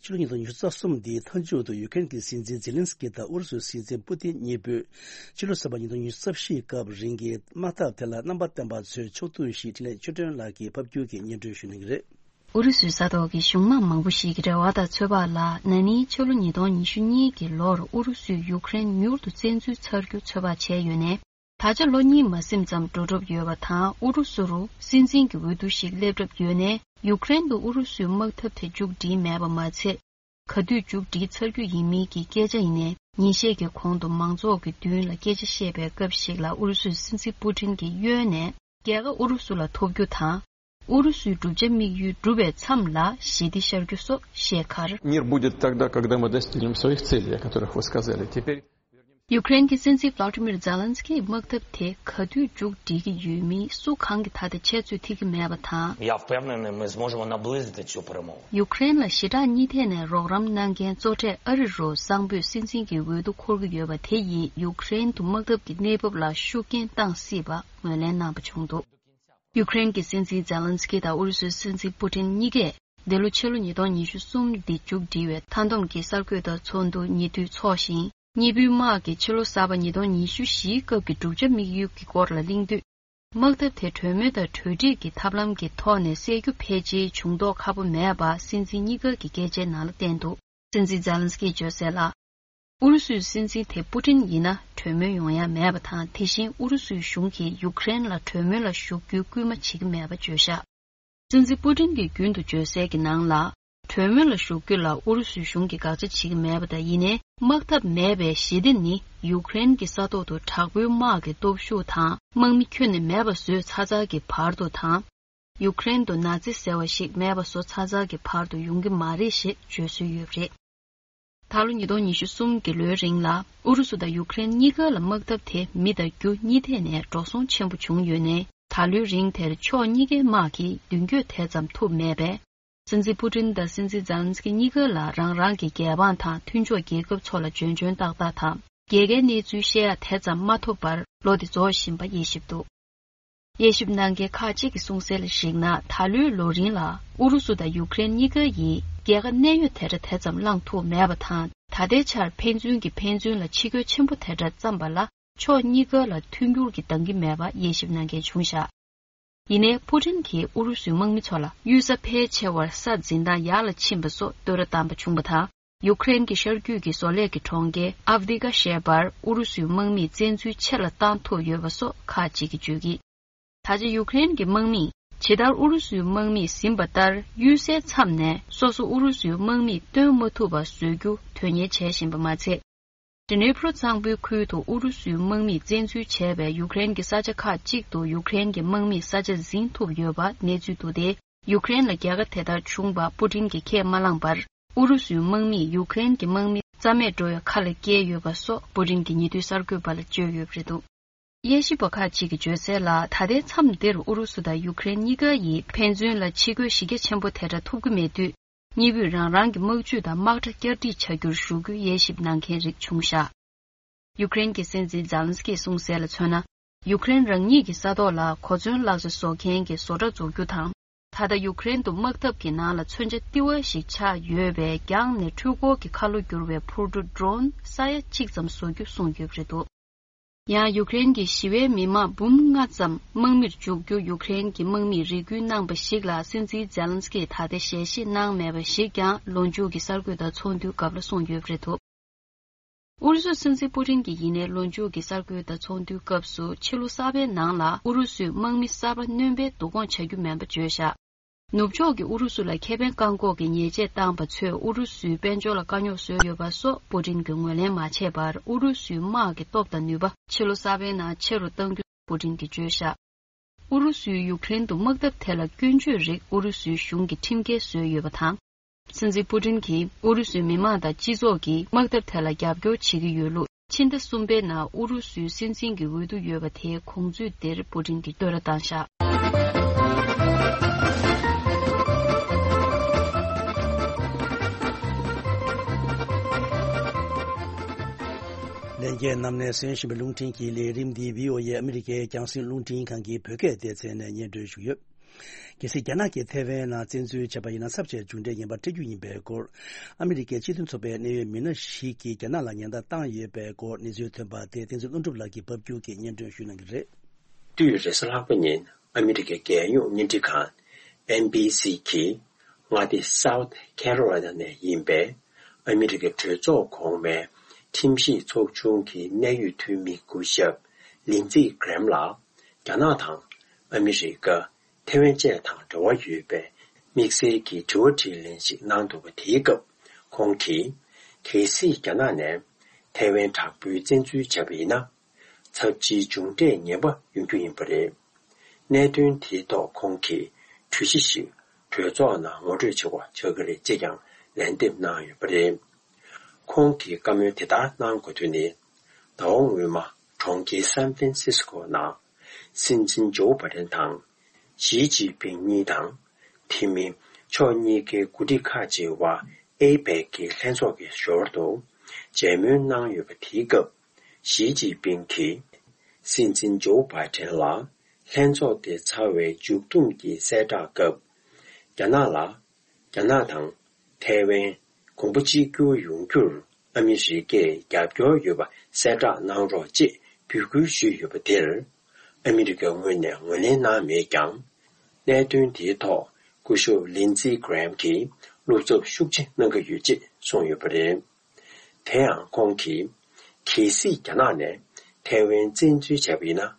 ཕྱི་ལོ་ཉིས་སྟོང་ཉི་ཤུ་རྩ་གསུམ་འདིའི་མཐའ་མཇུག་ཏུ་ཡུ་ཀེ་རེན་གྱི་སྲིད་འཛིན་ཛེ་ལན་སི་ཀི་དང་ཨུ་རུ་སུའི་སྲིད་འཛིན་པུ་ཏིན་གཉིས་པོས་ཕྱི་ལོ་གསར་པ་ཉིས་སྟོང་ཉི་ཤུ་རྩ་བཞིའི་སྐབས་རིང་གི་དམག་འཐབ་དེ་ལ་རྣམ་པ་བསྟན་པ་ཚོས་ཕྱོགས་བསྡུས་ཤིག་འཕྲིན་ལས་ཆོས་སྒྲོན་ལགས་ཀྱིས་ཕབ་སྒྱུར་གྱིས་སྙན་སྒྲོན་ཞུ་གནང་གི་རེད། ཨུ་རུ་སུའི་ས་ཐོག་གི་གཞུང་མང་མང་པོ་ཞིག་གི་རེ་བ་དང་ཚོད་དཔག་ལ། ན་ནིང་ཕྱི་ལོ་ཉིས་སྟོང་ཉི་ཤུ་གཉིས་ཀྱི་ལོར་ཨུ་རུ་སུས་ཡུཀ་རེན་མྱུར་དུ་བཙན་འཛུལ་ཚར་རྒྱུ་ཚོད་དཔག་བྱས་ཡོད་ནའི། ད་ཆ་ལོ་གཉིས་མ་ཟིན་ཙམ་འགྲོ་གྲབས་ཡོད་པ་དང་། ཨུ་རུ་སུ་རུ་སྲིད་འཛིན་གྱི་འོས་བསྡུ་ཞིག་སླེབས་གྲབས་ཡོད་ནའི། ཡུཀ་རེན་དུ་ཨུ་རུ་སུའི་དམག་འཐབ་དེ་མཇུག་སྒྲིལ་མེད་པ་མ་ཚད། ག་དུས་མཇུག་སྒྲིལ་ཚར་རྒྱུ་ཡིན་མིན་གྱི་སྐད་ཆ་ཡིན་ནའི། ཉིན་ཤས་ཀྱི་གོང་དུ་མང་ཚོགས་ཀྱི་མདུན་ལ་སྐད་ཆ་བཤད་པའི་སྐབས་ཤིག་ལ། ཨུ་རུ་སུའི་སྲིད་འཛིན་པུ་ཏིན་གྱིས་གཡོལ་ནས་རྒྱལ་ཁ་ཨུ་རུ་སུ་ལ་ཐོབ་རྒྱུ་དང་། ཨུ་རུ་སུའི་བསྒྲུབ་བྱ་དམིགས་ཡུལ་འགྲུབ་པའི་མཚམས་ལ་ཞི་བདེ་ཤར་རྒྱུ་སོགས་བཤད་ཁར། Мир будет тогда, когда мы достигнем своих целей, о которых вы сказали. Теперь ཡུཀ་རེན་གྱི་སྲིད་འཛིན་ཝ་ལ་ཏི་མིར་ཛེ་ལན་སི་ཀིས་དམག་འཐབ་དེ་ག་དུས་མཇུག་སྒྲིལ་གྱི་ཡོད་མིན་སུ་གང་གིས་ད་ལྟ་འཆད་རྩོད་ཐེབས་ཀྱི་མེད་པ་དང་། Я впевнений, ми зможемо наблизити цю перемогу. ཡུཀ་རེན་ལ་ཞི་དྲག་གཉིས་ཐད་ནས་རོགས་རམ་གནང་མཁན་གཙོ་གྲས་ཨ་རི་རུ་གསང་ཕོད་སྲིད་འཛིན་གྱི་འོས་བསྡུ་འཁོར་གྱི་ཡོད་པ་དེ་ཡིས་ཡུཀ་རེན་དུ་དམག་འཐབ་ཀྱི་གནས་བབ་ལ་ཤུགས་རྐྱེན་བཏང་སྲིད་པ་ངོས་ལེན་གནང་པ་བྱུང་འདུག་ཡུཀ་རེན་གྱི་སྲིད་འཛིན་ཛེ་ལན་སི་ཀི་དང་ཨུ་རུ་སུའི་སྲིད་འཛིན་པུ་ཏིན་གཉིས་ཀས། འདི་ལོ་ཕྱི་ལོ་ཉིས་སྟོང་ཉི་ཤུ་གསུམ་འདི་མཇུག་སྒྲིལ་བའི་མཐའ་བསྡོམས་ཀྱི་གསར་འགོད་པ་ཚོགས་འདུ་ཉེ་དུས་འཚོགས་ཤིང་། གཉིས་པོའི་དམག་གིས་ཕྱི་ལོ་གསར་པ་ཉིས་སྟོང་ཉི་ཤུ་བཞིའི་སྐབས་ཀྱི་བསྒྲུབ་བྱ་དམིགས་ཡུལ་གྱི་སྐོར་ལ་གླེང་དུས། དམག་འཐབ་དེ་གྲོས་མོལ་དང་གྲོས་སྒྲིག་གི་ཐབས་ལམ་གྱི་ཐོག་ནས་སེལ་རྒྱུ་ཕལ་ཆེར་བྱུང་མདོག་ཁ་པོ་མེད་པ་སྲིད་འཛིན་གཉིས་ཀ་གི་སྐད་ཆའི་ནང་ལ་བསྟན་འདུག་སྲིད་འཛིན་ཛེ་ལན་སི་ཀིས་བརྗོད་གསལ་ལ། ཨུ་རུ་སུའི་སྲིད་འཛིན་དེ་པུ་ཏིན་ཡིན་ན་གྲོས་མོལ་ཡོང་ཡ་མེད་པ་དང་། དེ་བཞིན་ཨུ་རུ་སུའི་གཞུང་གིས་ཡུཀ་རེན་ལ་གྲོས་མོལ་ལ་ཞུགས་རྒྱུའི་སྐུལ་མ་བྱེད་ཀྱི་མེད་པ་བརྗོད་བཞག་སྲིད་འཛིན་པུ་ཏིན་གྱིས་རྒྱུན་དུ་བརྗོད་གསལ་གྱི་ནང་ལ། གྲོས་མོལ་ལ་ཞུགས་རྒྱུ་ལ་ཨུ་རུ་སུའི་གཞུང་གིས་དགག་བྱ་བྱེད་ཀྱི་མེད་པ་དང་། ཡིན་ནའི་དམག་འཐབ་མེད་པའི་ཞི་བདེ་ནི་ཡུཀ་རེན་གྱི་ས་ཐོག་ཏུ་དྲག་པོའི་དམག་གི་སྟོབས་ཤུགས་དང་། དམག་མི་ཁྱོན་ནས་མེད་པ་བཟོས་ཚར་ཚར་གྱི་བར་དུ་དང་། ཡུཀ་རེན་དུ་ན་ཛི་ཟེར་བ་ཞིག་མེད་པ་བཟོ་ཚར་ཚར་གྱི་བར་དུ་ཡོང་གི་མ་རེད་ཞེས་བརྗོད་སྲོལ་ཡོད་པ་རེད། ད་ལོ་ཉིས་སྟོང་ཉི་ཤུ་གསུམ་གྱི་ལོའི་རིང་ལ་ཨུ་རུ་སུ་དང་ཡུཀ་རེན་གཉིས་ཀ་ལ་དམག་འཐབ་དེ་མི་དང་རྒྱུ་གཉིས་ཐད་ནས་འགྲོ་སོང་ཆེན་པོ་བྱུང་ཡོད་ནའི། ད་ལོའི་རིང་དེར་ཕྱོགས་གཉིས་ཀའི་དམག་གིས་མདུན་སྐྱོད་དེ་ཙམ་ཐུབ་མེད་པས། སྲིད་འཛིན་པུ་ཏིན་དང་སྲིད་འཛིན་ཛེ་ལན་སི་ཀི་གཉིས་ཀ་ལ་རང་རང་གི་རྒྱལ་འབངས་དང་མཐུན་ཕྱོགས་རྒྱལ་ཁབ་ཚོ་ལ་འཇོན་འཇོན་ཏག་ཏག་དང་། རྒྱལ་ཁའི་གནས་ཚུལ་བཤད་ཡ་དེ་ཙམ་མ་ཐོབ་པར་ལོ་འདི་རྫོགས་བཞིན་པ་དབྱེ་ཞིབ་འདུག་དབྱེ་ཞིབ་གནང་མཁན་ཁག་ཅིག་གི་གསུང་གསལ་ལ་གཞིགས་ན། ད་ལོའི་ལོ་རིང་ལ་ཨུ་རུ་སུ་དང་ཡུཀ་རེན་གཉིས་ཀ་ཡིས་རྒྱལ་ཁ་གནད་ཡོད་དེ་འདྲ་དེ་ཙམ་བླངས་ཐུབ་མེད་པ་དང་། ད་ལྟའི་ཆར་ཕན་ཚུན་གྱིས་ཕན་ཚུན་ལ་འཆི་སྐྱོན་ཆེན་པོ་དེ་འདྲ་བརྩམས་པ་ལ་ཕྱོགས་གཉིས་ཀ་ལ་མཐུན་འགྱུར་གྱི་འདང་གི་མེད་པ་དབྱེ་ཞིབ་གནང་མཁན་བྱུང་བཞག་ཡིན་ནའི་པུ་ཏིན་གྱིས་ཨུ་རུ་སུའི་དམག་མི་ཚོ་ལ་གཡུལ་ས་ཕལ་ཆེ་བར་ས་འཛིན་སྟངས་ཡག་ལ་ཕྱིན་པ་སོགས་བསྟོད་ར་བཏང་པ་བྱུང་བ་དང་། ཡུཀ་རེན་གྱི་ཤར་རྒྱུད་ཀྱི་བཟོ་ལས་ཀྱི་གྲོང་ཁྱེར་ཨབ་དི་ཀ་ཞེས་པར་ཨུ་རུ་སུའི་དམག་མིས་བཙན་འཛུལ་ཆེ་ལ་བཏང་ཐུབ་ཡོད་པ་སོགས་ཁག་ཅིག་གིས་བརྗོད་ཀྱིས། ད་ཆ་ཡུཀ་རེན་གྱི་དམག་མིས་ ཇི་ལྟར་ཨུ་རུ་སུའི་དམག་མིས་ཟིན་པ་ལྟར། གཡུལ་སའི་མཚམས་ནས་སོ་སོ་ཨུ་རུ་སུའི་དམག་མིས་བཏོན་མ་ཐུབ་པ་བཟོ་རྒྱུ་དོན་གཉེར་བྱེད་བཞིན་པ་མ་ཚད། ཌི་ནེ་པྲོ་གཙང་པོའི་ཁུལ་དུ་ཨུ་རུ་སུའི་དམག་མིས་བཙན་འཛུལ་བྱས་པའི་ཡུཀ་རེན་གྱི་ས་ཆ་ཁག་ཅིག་ཏུ་ཡུཀ་རེན་གྱི་དམག་མིས་ས་ཆ་ཟིན་ཐུབ་ཡོད་པ་གནས་ཚུལ་འདུག་སྟེ། ཡུཀ་རེན་ལ་རྒྱལ་ཁ་དེ་ལྟར་བྱུང་བ་པུ་ཏིན་གྱིས་ཁས་མ་བླངས་པར། ཨུ་རུ་སུའི་དམག་མིས་ཡུཀ་རེན་གྱི་དམག་མི་རྩ་མེད་འགྲོ་བའི་ཁ་ལ་བཀལ་ཡོད་པ་སོགས་པུ་ཏིན་གྱིས་ཉེ་དུས་གསར་འགོད་པ་ལ་བརྗོད་ཡོད་པ་རེད་འདུག་དབྱེ་ཞིབ་པ་ཁག་ཅིག་གིས་བརྗོད་གསལ་ལ། ད་ལྟའི་མཚམས་འདིར་ཨུ་རུ་སུ་དང་ཡུཀ་རེན་གཉིས་ཀ་ཡིས་ཕན་ཚུན་ལ་ཕྱི་རྒོལ་གཞི་རྒྱ་ཆེན་པོ་དེ་འདྲ་ཐོབ་ཀྱི་མེད་དུས། གཉིས་པོས་རང་རང་གི་དམག་ཇུས་དང་དམག་གྲ་བསྐྱར་སྒྲིག་བྱ་རྒྱུར་ཞུགས་རྒྱུའི་དབྱེ་ཞིབ་གནང་མཁན་རིགས་བྱུང་བཞག་ཡུཀ་རེན་གྱི་སྲིད་འཛིན་ཛེ་ལན་སི་ཀིས་གསུངས་གསལ་ལ་མཚོན་ན། ཡུཀ་རེན་རང་ཉིད་ཀྱི་ས་ཐོག་ལ་གོ་མཚོན་ལག་ཆ་བཟོ་མཁན་གྱི་བཟོ་གྲྭ་འཛུགས་རྒྱུ་དང་། ད་ལྟ་ཡུཀ་རེན་དུ་དམག་འཐབ་ཀྱི་ནང་ལ་མཚོན་ཆ་ལྟེ་བ་ཞིག་ཆགས་ཡོད་པའི་རྒྱང་ནས་འཕྲུལ་འཁོར་གྱི་ཁ་ལོ་བསྒྱུར་བའི་འཕུར་གྲུ་ཌོ་རོན་ས་ཡ་གཅིག་ཙམ་བཟོ་རྒྱུ་གསུངས་ཡོད་པ་རེད་འདུག་ཡང་ཡུཀ་རེན་གྱི་ཞི་བའི་མི་མང་འབུམ་ལྔ་ཙམ་དམག་མིར་འཇུག་རྒྱུ་ཡུཀ་རེན་གྱི་དམག་མིས་རེ་སྐུལ་གནང་པ་ཞིག་ལ། སྲིད་འཛིན་ཛེ་ལན་སི་ཀིས་ད་ལྟ་ཞལ་བཞེས་གནང་མེད་པ་ཞིག་ཀྱང་ལོ་མཇུག་གི་གསར་འགོད་དང་ཚོགས་འདུའི་སྐབས་ལ་གསུངས་ཡོད་པ་རེད་འདུག་ཨུ་རུ་སུའི་སྲིད་འཛིན་པུ་ཏིན་གྱིས་ཡིན་ནའི་ལོ་མཇུག་གི་གསར་འགོད་དང་ཚོགས་འདུའི་སྐབས་སུ། ཕྱི་ལོ་གསར་པའི་ནང་ལ་ཨུ་རུ་སུས་དམག་མི་གསར་པ་སྣོན་པའི་བསྡུ་སྐོང་བྱ་རྒྱུ་མིན་པ་བརྗོད་བཞག་ནུབ་ཕྱོགས་ཀྱིས་ཨུ་རུ་སུ་ལ་ཁེ་ཕན་བཀག་འགོག་གི་ཉེས་ཆད་བཏང་པ་ཚོས་ཨུ་རུ་སུའི་དཔལ་འབྱོར་ལ་དཀའ་རྙོག་བཟོས་ཡོད་པ་སོགས་པུ་ཏིན་གྱིས་ངོས་ལེན་མ་བྱས་པར། ཨུ་རུ་སུའི་དམག་གི་སྟོབས་དང་ནུས་པ་ཕྱི་ལོ་གསར་པའི་ནང་ཆེ་རུ་གཏང་རྒྱུ་པུ་ཏིན་གྱིས་བརྗོད་བཞག་ཨུ་རུ་སུས་ཡུཀ་རེན་དུ་དམག་འཐབ་དེ་ལ་སྐྱོན་བརྗོད་རིགས་ཨུ་རུ་སུའི་གཞུང་གིས་ཁྲིམས་འགལ་བཟོས་ཡོད་པ་དང་། སྲིད་འཛིན་པུ་ཏིན་གྱིས་ཨུ་རུ་སུའི་མི་མང་དང་སྤྱི་ཚོགས་ཀྱིས་དམག་འཐབ་དེ་ལ་རྒྱབ་སྐྱོར་བྱེད་ཀྱི་ཡོད་ལུགས། ཕྱི་ཟླ་གསུམ་པའི་ནང་ཨུ་རུ་སུའི་སྲིད་འཛིན་གྱི་འོས་བསྡུ་ཡོད་པ་དེའི་གོང་ཚུད་འདིར་པུ་ཏིན་གྱིས་བསྟོད་ར་བཏང་བཞག་ལྷན་རྒྱས་རྣམས་ནས་གསན་བཞིན་པའི་རླུང་འཕྲིན་གྱི་ལས་རིམ་འདི་བྷི་ཨོ་ཨེ་ཨ་མི་རི་ཀའི་རྒྱང་སྲིང་རླུང་འཕྲིན་ཁང་གི་བོད་སྐད་སྡེ་ཚན་ནས་སྙན་སྒྲོན་ཞུ་གི་ཡོད། གལ་སྲིད་རྒྱ་ནག་གིས་ཐེ་ཝན་ནང་བཙན་འཛུལ་བྱས་པ་ཡིན་ན། ཚབས་ཆེའི་མཇུག་འབྲས་ངན་པ་འཕྲད་རྒྱུ་ཡིན་པའི་སྐོར། ཨ་མི་རི་ཀའི་སྤྱི་མཐུན་ཚོགས་པའི་གནད་ཡོད་མི་སྣ་ཞིག་གིས་རྒྱ་ནག་ལ་ཉེན་བརྡ་བཏང་ཡོད་པའི་སྐོར་གནས་ཚུལ་ཐོན་པ་དེ་བསྟན་འཛིན་ཀླུ་སྒྲུབ་ལགས་ཀྱིས་ཕབ་སྒྱུར་གྱིས་སྙན་སྒྲོན་ཞུ་གནང་གི་རེད། དུས་རེས་གཟའ་ལྷག་པ་ཉིན་ཨ་མི་རི་ཀའི་རྒྱལ་ཡོངས་བརྙན་འཕྲིན་ཁང་ཨེན་བྷི་སི་གིས། མངའ་སྡེ་South Carolina ནས་ཡིན་པའི་ཨ་མི་རི་ཀའི་གྲོས་ཚོགས་གོང་མའི་ཁྲིམས་ཞིབ་ཚོགས་ཆུང་གི་གནད་ཡོད་འཐུས་མི་སྐུ་ཞབས་ལིན་ཙི་གྷི་རེམ་ལགས། རྒྱ་ནག་དང་ཨ་མི་རི་ཀ། ཐེ་ཝན་བཅས་དང་འབྲེལ་བ་ཡོད་པའི་དམིགས་བསལ་གྱི་དྲི་བ་དྲིས་ལན་ཞིག་གནང་འདུག་པ། དེའི་སྐབས་ཁོང་གིས། གལ་སྲིད་རྒྱ་ནག་ནས་ཐེ་ཝན་དྲག་པོའི་བཙན་འཛུལ་བྱས་པ་ཡིན་ན། ཚབས་ཆེའི་མཇུག་འབྲས་ངན་པ་ཡོང་རྒྱུ་ཡིན་པ་རེད། གནད་དོན་དེའི་ཐོག་ཁོང་གིས་གྲོས་གཞི་ཞིག་གྲོས་ཚོགས་ནང་ངོ་སྤྲོད་བྱེད་དགོས་ཆགས་ཀྱི་རེད་ཅེས་ཀྱང་ལན་འདེབས་གནང་ཡོད་པ་རེད། ཁོང་གིས་བཀའ་མོལ་དེ་ལྟར་གནང་དགོས་དོན་ནི། ཟླ་བ་སྔོན་མ་གྲོང་ཁྱེར་སན་ཧྥན་སིས་ཀོ་ནང་སྲིད་འཛིན་ཇོ་བྷའི་ཌེན་དང་། ཞི་ཅིན་ཕིང་གཉིས་དང་། དེ་མིན་ཕྱོགས་གཉིས་ཀའི་འགོ་ཁྲིད་ཁག་ཅིག་དབར་ཨེ་པེག་གི་ལྷན་ཚོགས་ཀྱི་ཞོར་དུ་མཇལ་མོལ་གནང་ཡོད་པ། དེའི་སྐབས་ཞི་ཅིན་ཕིང་གིས་སྲིད་འཛིན་ཇོ་བྷའི་ཌེན་ལ་ལྷན་ཚོགས་དེ་ཚར་བའི་མཇུག་བསྡོམས་ཀྱི་གསལ་བསྒྲགས་སྐབས། རྒྱ་ནག་ལ། རྒྱ་ནག་དང་ཐའེ་ཝན་གོང་བུ་གཅིག་གྱུར་ཡོང་རྒྱུར་ཨ་མི་རི་ཀས་རྒྱབ་སྐྱོར་ཡོད་པ་གསལ་བསྒྲགས་གནང་རོགས་ཅེས་འབོད་སྐུལ་ཞུས་ཡོད་པ་དེར། ཨ་མི་རི་ཀའི་ངོས་ནས་ངོས་ལེན་གནང་མེད་ཀྱང་། གནད་དོན་དེའི་ཐོག་སྐུ་ཞབས་ལིན་ཙི་གྷི་རེམ་གྱིས་བློ་འཚབ་ཤུགས་ཆེ་གནང་གི་ཡོད་ཅེས་གསུངས་ཡོད་པ་རེད། དེ་ཡང་ཁོང་གིས། གལ་སྲིད་རྒྱ་ནག་ནས་ཐའེ་ཝན་བཙན་འཛུལ་བྱས་པ་ཡིན་ན།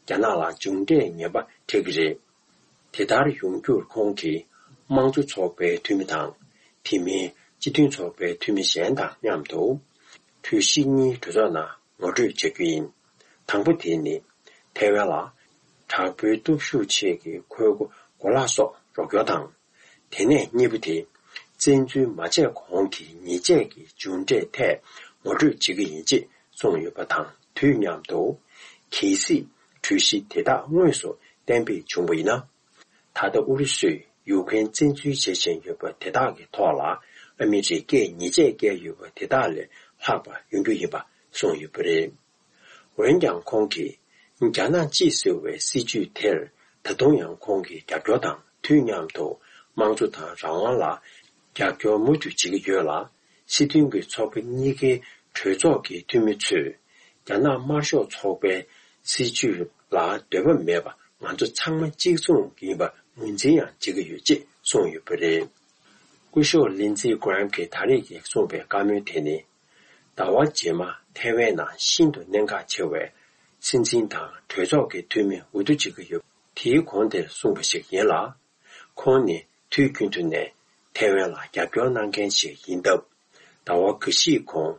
རྒྱ་ནག་ལ་མཇུག་འབྲས་ངན་པ་འཕྲད་ཀྱི་རེད། དེ་ལྟར་ཡོང་རྒྱུར་ཁོང་གིས་དམངས་གཙོ་ཚོགས་པའི་འཐུས་མི་དང་། དེ་མིན་སྤྱི་མཐུན་ཚོགས་པའི་འཐུས་མི་གཞན་དང་མཉམ་དུ། གྲོས་གཞི་གཉིས་གྲོས་ཚོགས་ནང་ངོ་སྤྲོད་བྱ་རྒྱུ་ཡིན། དང་པོ་དེ་ནི། ཐའེ་ཝན་ལ་དྲག་པོའི་སྟོབས་ཤུགས་ཆེད་ཀྱི་འཁོར་སྒོ་གོ་ལག་སོགས་རོགས་སྐྱོར་དང་། དེ་ནས་གཉིས་པ་དེ། བཙན་འཛུལ་མ་བྱས་གོང་གི་ཉེས་ཆད་ཀྱི་མཇུག་འབྲས་ཐད་ངོ་སྤྲོད་བྱེད་ཀྱི་ཡིན་ཅེས་གསུངས་ཡོད་པ་དང་དུས་མཉམ་དུ། གལ་སྲིད་གྲོས་གཞི་དེ་དག་དངོས་སུ་གཏན་འབེབས་བྱུང་བ་ཡིན་ན། ད་ལྟ་ཨུ་རུ་སུས་ཡུཀ་རེན་བཙན་འཛུལ་བྱེད་བཞིན་ཡོད་པ་དེ་དག་གི་ཐོག་ལ་ཨ་མི་རི་ཀས་ཉེས་ཆད་བཀལ་ཡོད་པ་དེ་དག་ལས་ལྷག་པ་ཡོང་རྒྱུ་ཡིན་པ་གསུངས་ཡོད་པ་རེད། འོན་ཀྱང་ཁོང་གིས་རྒྱ་ནག་གཅིག་ཟེར་བའི་སྲིད་བྱུས་དེར་ད་དུང་ཡང་ཁོང་གིས་རྒྱབ་སྐྱོར་དང་དུས་མཉམ་དུ་དམངས་གཙོ་དང་རང་དབང་ལ་རྒྱབ་སྐྱོར་མུ་མཐུད་བྱེད་ཀྱི་ཡོད་ལ། སྲིད་དོན་གྱི་ཚོགས་པ་གཉིས་ཀའི་གྲོས་ཚོགས་ཀྱི་འཐུས་མི་ཚོས་རྒྱ་ནག་དམར་ཤོག་ཚོགས་པའི་སྲིད་བྱུས་ལ་འདོད་པ་མེད་པ་ང་ཚོ་ཚང་མ་གཅིག་མཚུངས་ཡིན་པ་ངོས་འཛིན་ཡང་བྱེད་ཀྱི་ཡོད་ཅེས་གསུངས་ཡོད་པ་རེད། སྐུ་ཞབས་ལིན་ཙི་གྷི་རེམ་གྱིས་ད་རེས་ཀྱི་གསུངས་པའི་བཀའ་མོལ་དེ་ནི། ཟླ་བ་རྗེས་མ་ཐའེ་ཝན་ནང་ཤིན་ཏུ་གནད་འགག་ཆེ་བའི་སྲིད་འཛིན་དང་གྲོས་ཚོགས་ཀྱི་འཐུས་མི་འོས་བསྡུ་བྱེད་ཀྱི་ཡོད། དེའི་གོང་དེར་གསུངས་པ་ཞིག་ཡིན་ལ། ཁོང་ནི་དུས་རྒྱུན་དུ་ནས་ཐའེ་ཝན་ལ་རྒྱབ་སྐྱོར་གནང་མཁན་ཞིག་ཡིན་སྟབས། ཟླ་བ་འགའ་ཞིག་གོང་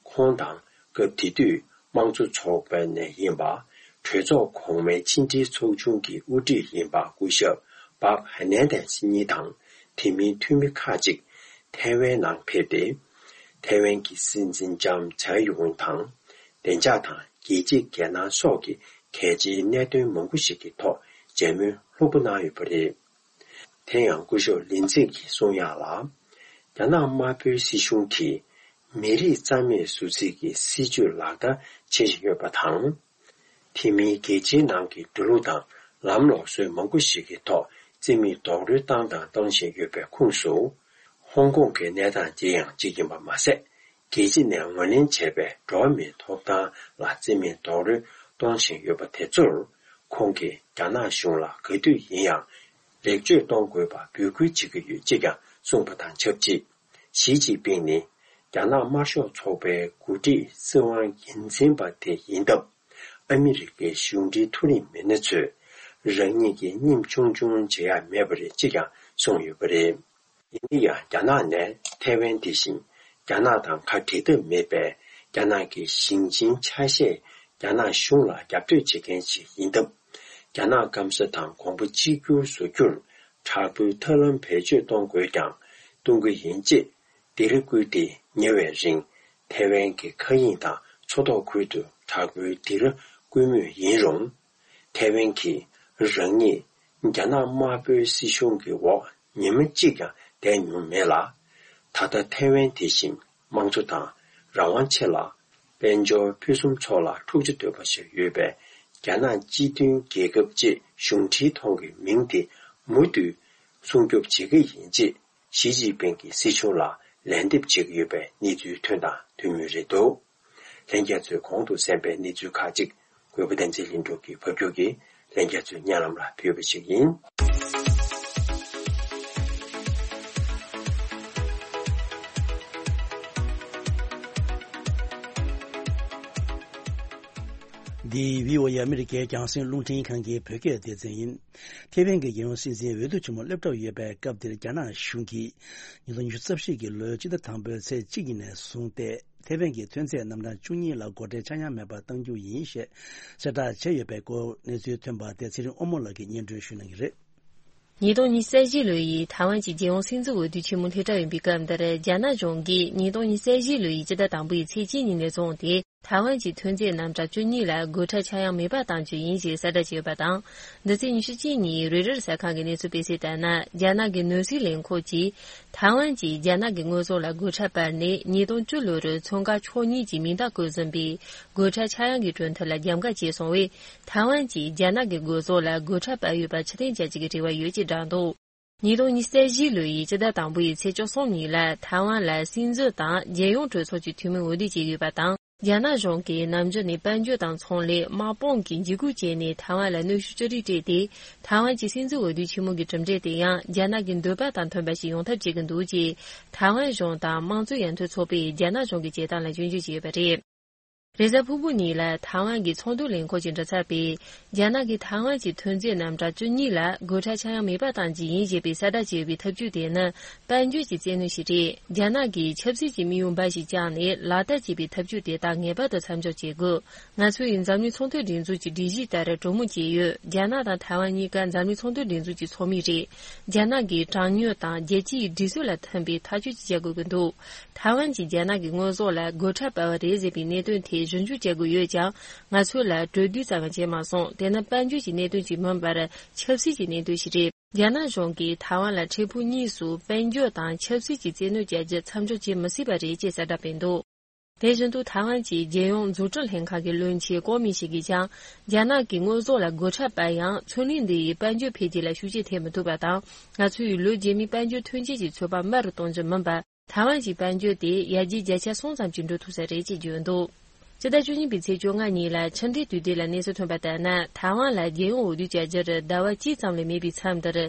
ཁོང་དང་སྐབས་དེ་དུས་དམངས་གཙོ་ཚོགས་པ་ནས་ཡིན་པ། གྲོས་ཚོགས་གོང་མའི་ཕྱི་འབྲེལ་ཚོགས་ཆུང་གི་དབུ་ཁྲིད་ཡིན་པ་སྐུ་ཞབས་པག་ཧ་ནན་དེས་གཉིས་དང་། དེ་མིན་འཐུས་མི་ཁག་ཅིག་ཐའེ་ཝན་ནང་ཕེབས་ཏེ། ཐའེ་ཝན་གྱི་སྲིད་འཛིན་ལྕམ་ཚའེ་ཡུང་དང་། བདེ་འཇགས་དང་རྒྱལ་སྤྱིའི་འགལ་སྣང་སོགས་ཀྱི་གལ་ཆེའི་གནད་དོན་མང་པོ་ཞིག་གི་ཐོག་མཇལ་མོལ་ལྷུག་པོ་གནང་ཡོད་པ་རེད། དེ་ཡང་སྐུ་ཞབས་ལིན་ཙིག་གིས་གསུངས་ཡག་ལ། རྒྱ་ནག་དམར་པོའི་སྲིད་གཞུང་གིས་མི་རིགས་རྩ་མེད་བཟོ་རྩིས་ཀྱི་སྲིད་བྱུས་ལག་བསྟར་བྱེད་བཞིན་ཡོད་པ་དང་། དེ་མིན་རྒྱལ་སྤྱིའི་ནང་གི་འགྲོ་ལུགས་དང་ལམ་ལུགས་སྲོལ་མང་པོ་ཞིག་གི་ཐོག་རྩིས་མེད་རྡོག་རོལ་བཏང་དང་གཏོང་བཞིན་ཡོད་པའི་ཁོངས་སུ། ཧོང་ཀོང་གི་གནས་སྟངས་དེ་ཡང་གཅིག་ཡིན་པ་མ་ཟད། རྒྱལ་སྤྱི་ནས་ངོས་ལེན་བྱས་པའི་འགྲོ་བ་མིའི་ཐོབ་ཐང་ལ་རྩིས་མེད་རྡོག་རོལ་གཏོང་བཞིན་ཡོད་པ་དེ་ཚོར། ཁོང་གིས་རྒྱ་ནག་གཞུང་ལ་ག་དུས་ཡིན་ཡང་ལེགས་བཅོས་གཏོང་དགོས་པ་འབོད་སྐུལ་བྱེད་ཀྱི་ཡོད་ཅེས་ཀྱང་གསུངས་པ་དང་ཆབས་ཅིག། ཞི་ཅིན་ཕིང་ནི་རྒྱ་ནག་དམར་ཤོག་ཚོགས་པའི་འགོ་ཁྲིད་སྲིད་དབང་འགན་འཛིན་པ་དེ་ཡིན་སྟབས། ཨ་མི་རི་ཀའི་གཞུང་འབྲེལ་མཐོ་རིམ་མི་སྣ་ཚོས་རང་ཉིད་ཀྱི་བསྙེམས་ཆུང་ཆུང་བྱེད་ཡ་མེད་པ་རེད་ཅེས་ཀྱང་གསུངས་ཡོད་པ་རེད། ཡིན་ན་ཡང་རྒྱ་ནག་ནས་ཐའེ་ཝན་དེ་བཞིན་རྒྱ་ནག་དང་ཁ་བྲལ་ཐབས་མེད་པའི་རྒྱ་ནག་གི་ཞིང་ཆེན་ཆ་ཤས་རྒྱ་ནག་གཞུང་ལ་རྒྱབ་གཏོད་བྱེད་མཁན་ཞིག་ཡིན་སྟབས། རྒྱ་ནག་སྐམ་ས་དང་གོང་བུ་གཅིག་གྱུར་བཟོ་རྒྱུར་དྲག་པོའི་ཐབས་ལམ་བེད་སྤྱོད་གཏོང་དགོས་ཀྱང་གཏོང་གི་ཡིན་ཅེས་འདིར་བསྐུལ་ཏེ། ཉེ་བའི་རིང་ཐའེ་ཝན་གྱི་མཁའ་དབྱིངས་དང་མཚོ་ཐོག་ཁུལ་དུ་དྲག་པོའི་འདིར་བསྐུལ་མུས་ཡིན་རུང་། ཐའེ་ཝན་གྱིས་རང་ཉིད་རྒྱ་ནག་དམར་པོའི་སྲིད་གཞུང་གི་འོག་ཉི་མ་གཅིག་ཀྱང་བསྡད་མྱོང་མེད་ལ། ད་ལྟ་ཐའེ་ཝན་དེ་བཞིན་དམངས་གཙོ་དང་རང་དབང་ཆེ་ལ། དཔལ་འབྱོར་ཕུན་སུམ་ཚོགས་ལ་འཁྲུག་ཆ་དོད་པ་ཞིག་ཡོད་པའི་རྒྱ་ནག་སྤྱི་མཐུན་རྒྱལ་ཁབ་ཅེས་གཞུང་འབྲེལ་ཐོག་གི་མིང་དེ་མུ་མཐུད་སྲུང་སྐྱོབ་བྱེད་ཀྱི་ཡིན་ཅེས། ཞི་ཅིན་ཕིང་གིས་སྲིད་གཞུང་ལ་ལན་འདེབས་བྱེད་ཀྱི་ཡོད་པའི་གནས་ཚུལ་ཐོན་དང་ཐོན་མུས་རེད་འདུག། ལྷན་རྒྱས་ཚོས་གོང་དུ་གསན་པའི་གནས་ཚུལ་ཁག་ཅིག་གུས་པ་བསྟན་འཛིན་ལྷུན་གྲུབ་ཀྱིས་ཕབ་སྒྱུར་གྱིས་ལྷན་རྒྱས་ཚོའི་སྙན་ལམ་ལ་ཕུལ་བ་ཞིག་ཡིན། འདི་བྷི་ཨོ་ཨེ་ཨ་མི་རི་ཀའི་རྒྱང་སྲིང་རླུང་འཕྲིན་ཁང་གི་བོད་སྐད་སྡེ་ཚན་ཡིན། ཐེ་ཝན་གྱི་རྒྱལ་ཡོངས་སྲིད་འཛིན་འོས་བསྡུ་ཆེན་མོ་སླེབས་གྲབས་ཡོད་པའི་སྐབས་འདིར་རྒྱ་ནག་གཞུང་གིས་ཉིས་སྟོང་ཉི་ཤུ་རྩ་བཞི་གི་ལོའི་སྤྱི་ཟླ་དང་པོའི་ཚེས་གཅིག་ཉིན་ནས་བཟུང་སྟེ་ཐེ་ཝན་གྱི་ཐོན་རྫས་རྣམ་གྲངས་བཅུ་གཉིས་ལ་སྒོ་ཁྲལ་ཆག་ཡང་མེད་པར་གཏང་རྒྱུ་ཡིན་ཞེས་གསལ་བསྒྲགས་བྱས་ཡོད་པའི་སྐོར་གནས་ཚུལ་ཐོན་པ་དེ་ཚེ་རིང་དབང་མོ་ལགས་ཀྱིས་སྙན་སྒྲོན་ཞུ་གནང་གི་རེད། ཉིས་སྟོང་ཉི་ཤུ་རྩ་བཞི་ལོ་ཡི་ཐའེ་ཝན་གྱི་རྒྱལ་ཡོངས་སྲིད་འཛིན་འོས་བསྡུ་ཆེན་མོ་སླེབས་གྲབས་ཡིན་པའི་སྐབས་འདིར་རྒྱ་ནག་གཞུང་གིས་ཉིས་སྟོང་ཉི་ཤུ་རྩ་བཞི་ལོ་ཡི་སྤྱི་ཟླ་དང་པོའི་ཚེས་གཅིག་ཉིན་ནས་བཟུང་སྟེ། ཐའེ་ཝན་གྱི་ཐོན་རྫས་རྣམ་གྲངས་བཅུ་གཉིས་ལ་སྒོ་ཁྲལ་ཆག་ཡང་མེད་པར་གཏང་རྒྱུ་ཡིན་ཞེས་གསལ་བསྒྲགས་བྱས་ཡོད་པ་དང་། འདི་ཚེས་ཉི་ཤུ་གཅིག་ཉིན་རོའི་ཊར་གསར་ཁང་གི་གནས་ཚུལ་སྤེལ་གསལ་ལྟར་ན། རྒྱ་ནག་གི་ནོར་སྲིད་ལས་ཁུངས་ཀྱིས་ཐའེ་ཝན་གྱིས་རྒྱ་ནག་གི་དངོས་ཟོག་ལ་སྒོ་ཁྲལ་སྤར་ནས་ཉིས་སྟོང་བཅུ་ལོར་ཚོང་ཁང་ཕྱོགས་གཉིས་ཀྱི་མིང་རྟགས་བཀོད་ཟིན་པའི་སྒོ་ཁྲལ་ཆག་ཡང་གི་གྲོས་མཐུན་ལ་རྒྱབ་འགལ་བྱས་སོང་བས། ཐའེ་ཝན་གྱིས་རྒྱ་ནག་གི་དངོས་ཟོག་ལ་སྒོ་ཁྲལ་སྤར་ཡོད་པར་ཕྱིར་འཐེན་བྱ་རྒྱུ་གི་རེ་བ་ཡོད་ཅེས་བསྒྲགས་འདུག། ཉིས་སྟོང་ཉི་ཤུ་རྩ་བཞི་ལོ་ཡི་སྤྱི་ཟླ་དང་པོ་ཡི་ཚེས་བཅུ་གསུམ་ཉིན་ལ་ཐའེ་ཝན་ལ་སྲིད་འཛིན་དང་རྒྱལ་ཡོངས་གྲོས་ཚོགས་ཀྱི་འཐུས་མི་འོས་བསྡུ་བྱས་ཡོད་པ་དང་། རྒྱ་ནག་གཞུང་གིས་ནམ་རྒྱུན་ནས་དཔལ་འབྱོར་དང་ཚོང་ལས་དམག་དཔུང་གི་འཇིགས་སྐུལ་བྱས་ནས་ཐའེ་ཝན་ལ་གནོན་ཤུགས་ཅི་རིགས་སྤྲད་དེ། ཐའེ་ཝན་གྱི་སྲིད་འཛིན་འོས་བསྡུ་ཆེན་མོ་གི་གྲུབ་འབྲས་དེ་ཡང་རྒྱ་ནག་གི་འདོད་པ་དང་མཐུན་པ་ཞིག་ཡོང་ཐབས་བྱེད་ཀྱི་འདུག་ཅེས་ཐའེ་ཝན་གཞུང་དང་དམངས་གཙོ་ཡར་ཐོན་ཚོགས་པས་རྒྱ་ནག་གཞུང་གི་བྱེད་སྟངས་ལ་སྐྱོན་བརྗོད་བྱས་ཡོད་པ་རེད། རེས་གཟའ་ཕུར་བུ་ཉིན་ལ་ཐའེ་ཝན་གྱི་ཚོང་དོན་ལས་ཁུངས་ཀྱི་མགྲིན་ཚབ་པས། རྒྱ་ནག་གིས་ཐའེ་ཝན་གྱི་ཐོན་རྫས་རྣམ་གྲངས་བཅུ་གཉིས་ལ་སྒོ་ཁྲལ་ཆག་ཡང་མེད་པར་གཏང་རྒྱུ་ཡིན་ཞེས་པའི་གསལ་བསྒྲགས་བྱས་ཡོད་པའི་ཐབས་ཇུས་དེ་ནི་དཔལ་འབྱོར་གྱི་བཙན་གནོན་ཞིག་རེད། རྒྱ་ནག་གིས་ཆབ་སྲིད་ཀྱི་དམིགས་ཡུལ་འབའ་ཞིག་བཅངས་ནས་ལག་བསྟར་བྱས་པའི་ཐབས་ཇུས་དེ་དག་ངེས་པར་དུ་མཚམས་འཇོག་བྱེད་དགོས། ང་ཚོ་ཡིས་འཛམ་གླིང་ཚོང་དོན་སྒྲིག་འཛུགས་ཀྱི་སྒྲིག་གཞི་ལྟར་གྲོས་མོལ་བྱས་ཡོད། རྒྱ་ནག་དང་ཐའེ་ཝན་གཉིས་ཀ་འཛམ་གླིང་ཚོང་དོན་སྒྲིག་འཛུགས་ཀྱི་ཚོགས་མི་རེད། རྒྱ་ནག་གིས་དྲང་སྙོམས་དང་རྒྱལ་སྤྱིའི་སྒྲིག་སྲོལ་ལ་མཐུན་པའི་ཐག་གཅོད་ཅིག་བྱ་དགོས་ཀྱི་འདུག། ཐའེ་ཝན་གྱིས་རྒྱ་ནག་གི་དངོས་ཟོག་ལ་སྒོ་ཁྲལ་སྤར་བ་རེད་ཟེར་བའི་གནད་དོན་དེ་ཞིབ་འཇུག་བྱ་དགོས་ཡོད་ཀྱང་། ང་ཚོ་ལ་གྲོས་བསྡུར་ཙམ་ཡང་བྱས་མ་སོང་། དེ་ནི་དཔལ་འབྱོར་གྱི་གནད་དོན་ཞིག་མིན་པར་ཆབ་སྲིད་ཀྱི་གནད་དོན་ཞིག་རེད། རྒྱ་ནག་གཞུང་གིས་ཐའེ་ཝན་ལ་འཕྲལ་ཕུགས་གཉིས་སུ་དཔལ་འབྱོར་དང་ཆབ་སྲིད་ཀྱི་བཙན་གནོན་བྱ་རྒྱུ་མཚམས་འཇོག་བྱེད་མི་སྲིད་པ་རེད་ཅེས་གསལ་བསྒྲགས་སྤེལ་འདུག། དེ་བཞིན་དུ་ཐའེ་ཝན་གྱི་རྒྱལ་ཡོངས་འཛུགས་སྐྲུན་ལྷན་ཁང་གི་བློན་ཆེན་ཀོ་མིན་ཞིག་གིས་ཀྱང་། རྒྱ་ནག་གིས་དངོས་ཟོག་ལ་སྒོ་ཁྲལ་སྤར་ཡང་། ཚོང་ལས་འདི་ཡིས་དཔལ་འབྱོར་འཕེལ་རྒྱས་ལ་ཤུགས་རྐྱེན་ཐེབས་མི་ཐུབ་པ་དང་། ང་ཚོ་ཡིས་ལོ་རྗེས་མའི་དཔལ་འབྱོར་ཐོན་སྐྱེད་ཀྱི་ཚོད་དཔག་དམའ་རུ་གཏོང་རྒྱུ་མིན་པར། ཐའེ་ཝན་གྱི་དཔལ་འབྱོར་དེ་ཡར་རྒྱས་བརྒྱ་ཆ་སུམ་ཙམ་ཞིག་འགྲོ་ཐུབ་ས་རེད་ཅེས་བརྗོད་འདུག། སྤྱི་ཟླ་བཅུ་གཉིས་པའི་ཚེས་བཅོ་ལྔ་ཉིན་ལ་ཕྱི་འབྲེལ་དུས་དེབ་ལ་གནས་ཚུལ་ཐོན་པ་ལྟར་ན། ཐའེ་ཝན་ལ་རྒྱལ་ཡོངས་འོས་བསྡུ་བྱ་རྒྱུར་ཟླ་བ་གཅིག་ཙམ་ལས་མེད་པའི་མཚམས་འདིར།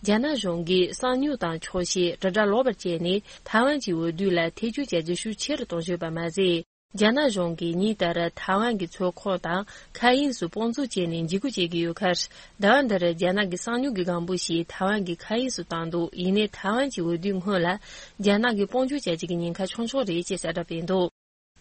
རྒྱ་ནག་གཞུང་གིས་གསང་མྱུལ་དང་འཁྱོག་བཤད། དྲིལ་བསྒྲགས་ལོག་པར་བྱས་ནས། ཐའེ་ཝན་གྱི་འོས་བསྡུ་ལ་ཐེ་བྱུས་བྱ་རྒྱུ་ཤུགས་ཆེ་རུ་གཏོང་བཞིན་ཡོད་པ་མ་ཟད། རྒྱ་ནག་གཞུང་གིས་ཉིན་ལྟར་ཐའེ་ཝན་གྱི་མཚོ་ཁོངས་དང་མཁའ་དབྱིངས་སུ་དཔུང་འཛུགས་བྱས་ནས་འཇིགས་སྐུལ་བྱེད་ཀྱི་ཡོད་ཁར། ཟླ་བ་འདིར་རྒྱ་ནག་གི་གསང་མྱུལ་གྱི་སྒམ་པོ་ཞིག་ཐའེ་ཝན་གྱི་མཁའ་དབྱིངས་སུ་བཏང་འདུག་ཡིན་ནའི་ཐའེ་ཝན་གྱི་འོས་བསྡུའི་སྔོན་ལ་རྒྱ་ནག་གིས་དཔུང་འཇུག་བྱ་རྒྱུ་གི་ཉེན་ཁ་ཆུང་ཆུང་རེད་ཅེས་གསལ་བསྒྲགས་སྤེལ་འདུག་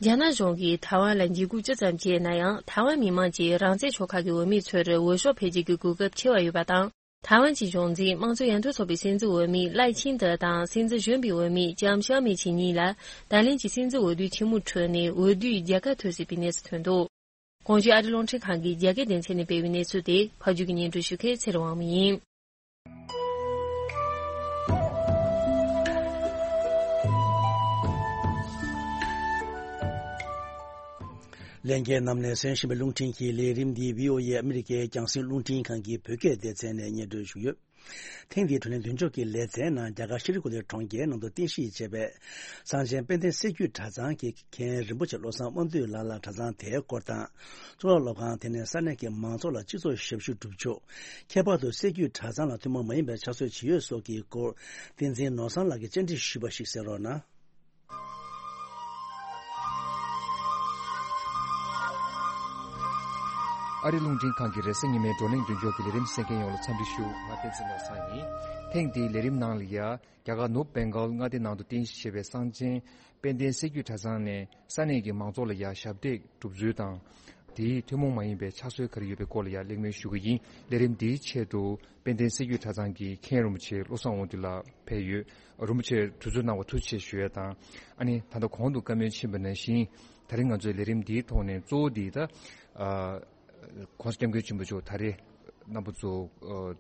རྒྱ་ནག་གཞུང་གིས་ཐའེ་ཝན་ལ་འཇིགས་སྐུལ་ཅི་ཙམ་བྱས་ན་ཡང་། ཐའེ་ཝན་མི་མང་གིས་རང་བཙན་ཆོལ་ཁ་གི་འོས་མི་ཚོར་འོས་ཤོག་འཕེན་རྒྱུ་གི་གོ་སྐབས་ཆེ་བ་ཡོད་པ་དང་། ཐའེ་ཝན་གྱི་གཞུང་འཛིན་དམངས་གཙོ་ཡར་ཐོན་ཚོགས་པའི་སྲིད་འཛིན་འོས་མི་ལའེ་ཆིང་ཏེ་དང་སྲིད་འཛིན་གཞོན་པའི་འོས་མི་ལྕམ་ཤའོ་མེ་ཆི་གཉིས་ལ་ད་ལན་གྱི་སྲིད་འཛིན་འོས་བསྡུའི་ཆེན་མོའི་ཁྲོད་ནས་འོས་བསྡུའི་རྒྱལ་ཁ་ཐོབ་སྲིད་པའི་གནས་ཚུལ་ཐོན་འདུག་གོང་ཞུས་ཨ་རི་རླུང་འཕྲིན་ཁང་གི་རྒྱ་སྐད་སྡེ་ཚན་ནས་སྤེལ་བའི་གནས་ཚུལ་དེ་ཕབ་སྒྱུར་གྱིས་སྙན་སྒྲོན་ཞུ་མཁན་ཚེ་རིང་དབང་མོ་ཡིན། ལྷན་རྒྱས་རྣམས་ནས་གསན་བཞིན་པའི་རླུང་འཕྲིན་གྱི་ལས་རིམ་འདི་བྷི་ཨོ་ཨེ་ཨ་མི་རི་ཀའི་རྒྱང་སྲིང་རླུང་འཕྲིན་ཁང་གི་བོད་སྐད་སྡེ་ཚན་ནས་སྙན་སྒྲོན་ཞུས་ཡོད། ཐེངས་འདིའི་བགྲོ་གླེང་མདུན་ལྕོག་གི་ལེ་ཚན་ནང་རྒྱ་གར་ཤྲི་ཁུ་ལི་གྲོང་ཁྱེར་ནང་དུ་རྟེན་གཞི་བྱས་པའི་གསང་ཆེན་དཔལ་ལྡན་སྲད་རྒྱུད་གྲྭ་ཚང་གི་མཁན་རིན་པོ་ཆེ་བློ་བཟང་དབང་འདུས་ལགས་ལ་གྲྭ་ཚང་དེའི་སྐོར་དང་། གཙུག་ལག་སློབ་ཁང་དེ་ནས་ས་གནས་ཀྱི་མང་ཚོགས་ལ་སྤྱི་ཚོགས་ཞབས་ཞུ་སྒྲུབ་ཕྱོགས། ཁྱད་པར་དུ་སྲད་རྒྱུད་གྲྭ་ཚང་ལ་ཐུན་མོང་མ་ཡིན་པའི་ཕྱག་སྲོལ་ཇི་ཡོད་སོགས་ཀྱི་སྐོར། བསྟན་འཛིན་ནོར་བཟང་ལགས་ཀྱིས་བཅར་འདྲི་ཞུས་པ་ཞིག་གསན་རོགས་གནང་། ཨ་རི་རླུང་འཕྲིན་ཁང་གི་རེས་གཟའ་ཉི་མའི་བགྲོ་གླེང་མདུན་ལྕོག་གི་ལས་རིམ་གསན་མཁན་ཡོངས་ལ་འཚམས་འདྲི་ཞུ། ང་བསྟན་འཛིན་ནོར་བཟང་ཡིན། ཐེངས་འདིའི་ལས་རིམ་ནང་ལ་ཡ། རྒྱ་གར་ནུབ་བེང་གཱལ་མངའ་སྡེ་ནང་དུ་རྟེན་གཞི་བྱས་པའི་གསང་ཆེན་དཔལ་ལྡན་སྲད་རྒྱུད་གྲྭ་ཚང་ནས་ས་གནས་ཀྱི་མང་ཚོགས་ལ་ཡ་ཞབས་སྟེགས་སྒྲུབ་ཚུལ་དང་། དེའི་ཐུན་མོང་མ་ཡིན་པའི་ཕྱག་སྲོལ་ག་རེ་ཡོད་པའི་སྐོར་ལ་ཡ་གླེང་མོལ་ཞུ་གི་ཡིན། ལས་རིམ་འདིའི་ཆེད་དུ་དཔལ་ལྡན་སྲད་རྒྱུད་གྲྭ་ཚང་གི་མཁན་རིན་པོ་ཆེ་བློ་བཟང་དབང་འདུས་ལགས་ཕེབས་ཡོད། རིན་པོ་ཆེ་དུས་ཚོད་གནང་བར་ཐུགས་རྗེ་ཆེ་ཞུ་ཡ་དང་། ཨ་ནི་ད་ལྟ་གོང་དུ་བཀའ་མོལ་ཕྱིན་པ་ནང་བཞིན། ད་རིང་ང་ཚོའི་ལས་རིམ་འདིའི་ཐོག་ནས་གཙོ་བོ་འདི་ད། ཨ། ༸གོང་ས་༸སྐྱབས་མགོན་ཆེན་པོ་མཆོག་ད་རེས་རྣམ་པ་ཚོ། ཨ།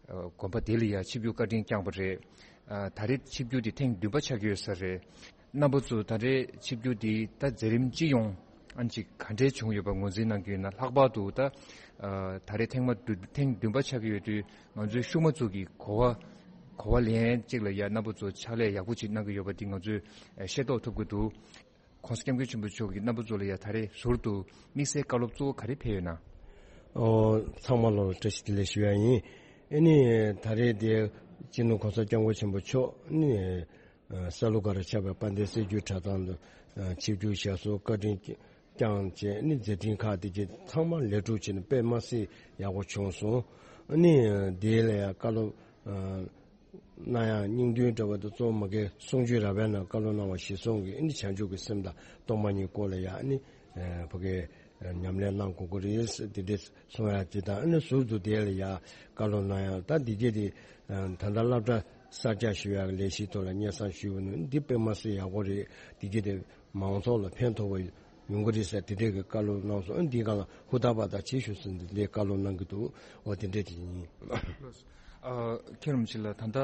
ཨ། དགོན་པ་དེ་ལ་ཡ་ཆིབས་བསྒྱུར་བཀའ་དྲིན་བསྐྱངས་པ་རེད། ཨ། ད་རེས་ཆིབས་བསྒྱུར་དེ་ཐེངས་བདུན་པ་ཆགས་ཀྱི་ཡོད་ས་རེད། རྣམ་པ་ཚོ་ད་རེས་ཆིབས་བསྒྱུར་དེ་ད་མཛད་རིམ་སྤྱི་ཡོངས་ཨ་ནི་ཅིག་ག་འདྲས་བྱུང་ཡོད་པ་ངོས་འཛིན་གནང་གི་ཡོད་ན། ལྷག་པར་དུ་ད། ཨ། ད་རེས་ཐེངས་མ་བདུན། ཐེངས་བདུན་པ་ཆགས་ཀྱི་ཡོད་དུས་ང་ཚོའི་ཤུལ་མ་ཚོ་གི་གོ་བ། གོ་བ་ལེན་ཅིག་ལ་ཡ་རྣམ་པ་ཚོ་ཕྱག་ལས་ཡག་པོ་ཅིག་གནང་གི་ཡོད་པ་འདི་ང་ཚོས་ཤེས་རྟོགས་ཐུབ་ཀྱི་འདུག ༸གོང་ས་༸སྐྱབས་མགོན་ཆེན་པོ་མཆོག་གིས་རྣམ་པ་ཚོ་ལ་ཡ་ད་རེས་ཟུར་དུ་དམིགས་བསལ་བཀའ་སློབ་གཙོ་བོ་ག་རེ་ཕེབས་ཡོད་ན། ཨོ། ཚང་མ་ལ་བཀྲ་ཤིས་བདེ་ལེགས་ཞུ་ཡ་ཡིན། ཨ་ནི་ད་རེས་དེ་སྤྱི་ནོར་༸གོང་ས་༸སྐྱབས་མགོན་ཆེན་པོ་མཆོག་ནི་ཨ་ས་ལུ་སྒར་ཆགས་པའི་དཔལ་ལྡན་སྲད་རྒྱུད་གྲྭ་ཚང་དུ་ཨ་ཆིབས་བསྒྱུར་ཞབས་སོར་བཀའ་དྲིན་བསྐྱངས་བྱས། ཨ་ནི་མཛད་འཕྲིན་ཁག་དེ་གྱད་ཚང་མ་ལེགས་གྲུབ་བྱས་ནས་དཔེ་མ་སྲིད་ཡག་པོ་བྱུང་སོང་། ཨ་ནི་དེ་ལ་ཡ་བཀའ་སློབ་ཨ། གནང་ཡང་སྙིང་དོན་འདྲ་བ་དང་གཙོ་བོ་མ་གི་གསུང་ཆོས་རབ་པའི་ནང་བཀའ་སློབ་གནང་བ་གཞིར་བཟུང་གིས་ཨ་ནི་བྱང་ཆུབ་ཀྱི་སེམས་དང་སྟོང་པ་ཉིད་སྐོར་ལ་ཡང་ཨ་ནི་ཕ་གི་ཉམས་ལེན་གནང་དགོས་ཀྱི་རེད་ཟེར་དེ་འདྲས་གསུང་ཡ་དེ་དང་། ཨ་ནི་ཟུར་དུ་དེ་ལ་ཡང་བཀའ་སློབ་གནང་ཡང་ད་འདི་གྱད་དེ་ད་ལྟ་སློབ་གྲྭ་གསར་རྒྱག་ཞུ་ཡག་ལས་གཞིའི་ཐོག་ལ་སྙན་སེང་ཞུས་པ་ནི་འདི་དཔེ་མ་སྲིད་ཡག་པོ་རེད། འདི་གྱད་དེ་མང་ཚོགས་ལ་ཕན་ཐོགས་པ་ཡོང་གི་རེད་ཟེར་དེ་འདྲས་ཀྱི་བཀའ་སློབ་གནང་སོང་། ཨ་ནི་འདིའི་སྒང་ལ་ཧུར་ཐག་པ་དང་བྱེད་ཤོག་ཟེར་འདི་འདྲའི་བཀའ་སློབ་གནང་གི་འདུག་འོ་དེ་འདྲས་དེ་ཡིན། ཨ། མཁན་རིན་པོ་ཆེ་ལགས། ད་ལྟ་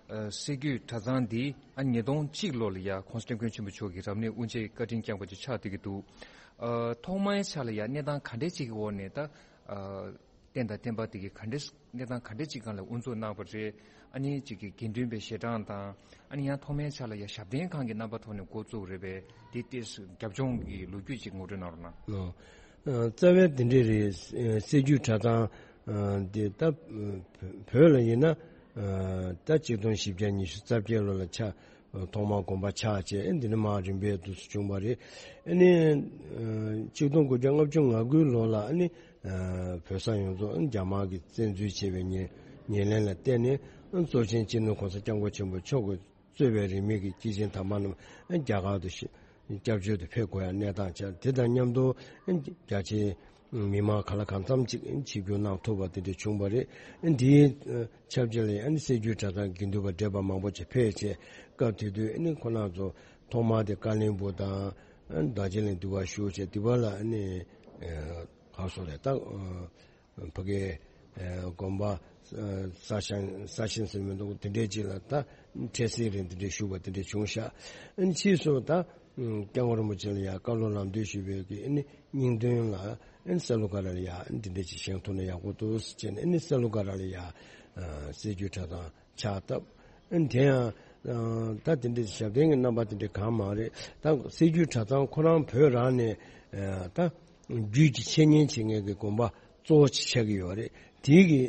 ཨ་སྲད་རྒྱུད་གྲྭ་ཚང་འདི་ཨ་ཉིས་སྟོང་གཅིག་ལོ་ལ་ཡ་༸གོང་ས་༸སྐྱབས་མགོན་ཆེན་པོ་མཆོག་གིས་རབ་གནས་དབུ་འབྱེད་བཀའ་དྲིན་བསྐྱངས་པ་ཅིག་ཆགས་བསྡད་ཀྱི་འདུག་ཨ། ཐོག་མའི་ཆ་ལ་ཡ་གནས་སྟངས་ག་འདྲས་ཅིག་གི་འོག་ནས་ད་ཨ་རྟེན་དང་བརྟེན་པ་དེ་གི་ག་འདྲས་གནས་སྟངས་ག་འདྲས་ཅིག་སྒང་ལ་དབུ་འཛུགས་གནང་བ་རེད། ཨ་ནི་ཅིག་གི་དགེ་འདུན་པའི་ཞལ་གྲངས་དང་། ཨ་ནི་ཡང་ཐོག་མའི་ཆ་ལ་ཡ་ཞབས་བརྟན་ཁང་གི་རྣམ་པ་ཐོག་ནས་འགོ་བཙུགས་རེད་པས། དེ་ཏོག་ཙམ་རྒྱབ་ལྗོངས་ཀྱི་ལོ་རྒྱུས་ཅིག་ངོ་སྤྲོད་གནང་རོགས་གནང་། ཨོ། ཨ། རྩ་བའི་དེ་འདྲས་རེད། ཨ། སྲད་རྒྱུད་གྲྭ་ཚང་ཨ་འདི་ད་བོད་ལ་ཡིན་ན་ཨ་ད་གཅིག་སྟོང་བཞི་བརྒྱ་ཉི་ཤུ་རྩ་བརྒྱད་ལོ་ལ་ཆགས། ཐོག་མར་དགོན་པ་ཆགས་བྱས། ཨ། འདི་ནས་མར་རིམ་པས་འདུག་སེ་བྱུང་བ་རེད། ཨ་ནི་ཨ་གཅིག་སྟོང་དགུ་བརྒྱ་ལྔ་བཅུ་ང་དགུའི་ལོ་ལ་ཨ་ནི་ཨ་བོད་ས་ཡོངས་རྫོགས་ཨ་རྒྱ་དམར་གྱིས་བཙན་འཛུལ་བྱས་པའི་ཉེ་ཉེར་ལེན་ལ་བརྟེན་ནས། ཨ། གཙོ་ཆེན་སྤྱི་ནོར་༸གོང་ས་༸སྐྱབས་མགོན་ཆེན་པོ་མཆོག་གིས་གཙོས་པའི་རིས་མེད་ཀྱི་སྐྱེས་ཆེན་དམ་པ་རྣམས་རྒྱ་གར་དུ་ཞི་སྐྱབས་བཅོལ་དུ་ཕེབས་དགོས་ཡ་གནས་སྟངས་ཆགས། དེ་དང་མཉམ་དུ་རྒྱ་ཆེའི་མི་མང་ག་ལ་གང་འཚམ་ཅིག་ཆིབས་བསྒྱུར་གནང་ཐུབ་པ་དེ་འདྲ་བྱུང་བ་རེད། འདིའི་ཆབས་ཅིག་ལ་ཡང་སྲད་རྒྱུད་གྲྭ་ཚང་དགེ་འདུན་པ་བགྲེས་པ་མང་པོ་ཅིག་ཕེབས་བྱས། སྐབས་དེ་དུས་ཁོ་རང་ཚོ་ཐོག་མར་དེ་ཀ་བློན་སྦུག་དང་རྡོ་རྗེ་གླིང་འདི་པར་བཞུགས་བྱས། འདི་པ་ལ་ག་རེ་ཟེར་རེད་ད། ཕ་གིའི་དགོན་པ་གསར་བཞེངས་གསར་བཞེངས་ཟེར་མི་འདུག་དེ་འདྲའི་ཅིག་ལ་ད་འཕྲལ་སེལ་རེད། དེ་འདྲའི་བཞུགས་པ་དེ་འདྲ་བྱུང་ཤག་ཨ་ནི་ཕྱིས་སུ་ད་སྐྱབས་མགོན་རིན་པོ་ཆེ་ལ་ཡང་བཀའ་སློབ་ལམ་སྟོན་ཞུས་པའི་གི་ཨ་ནི་སྙིང་དོན་ལ་ཨ་ནི་ས་ལུ་སྒར་ལ་ཡང་ཨ་ནི་དེ་འདྲ་ཅིག་བཞེངས་ཐུབ་ན་ཡག་པོ་འདུག་ཟེར་བྱས་ནས། ཨ་ནི་ས་ལུ་སྒར་ལ་ཡང་སྲད་རྒྱུད་གྲྭ་ཚང་ཆགས་སྟབས། ཨ་ནི་དེ་ཡང་ད་དེ་འདྲའི་ཞབས་བརྟན་གྱི་རྣམ་པ་དེ་འདྲ་གང་མ་རེད། ད་སྲད་རྒྱུད་གྲྭ་ཚང་ཁོ་རང་བོད་རང་ནས་ད་རྒྱུད་ཀྱི་འཆད་ཉན་བྱེད་མཁན་གྱི་དགོན་པ་གཙོ་བོ་ཅིག་ཆགས་ཀྱི་ཡོད་རེད། དེའི་གི་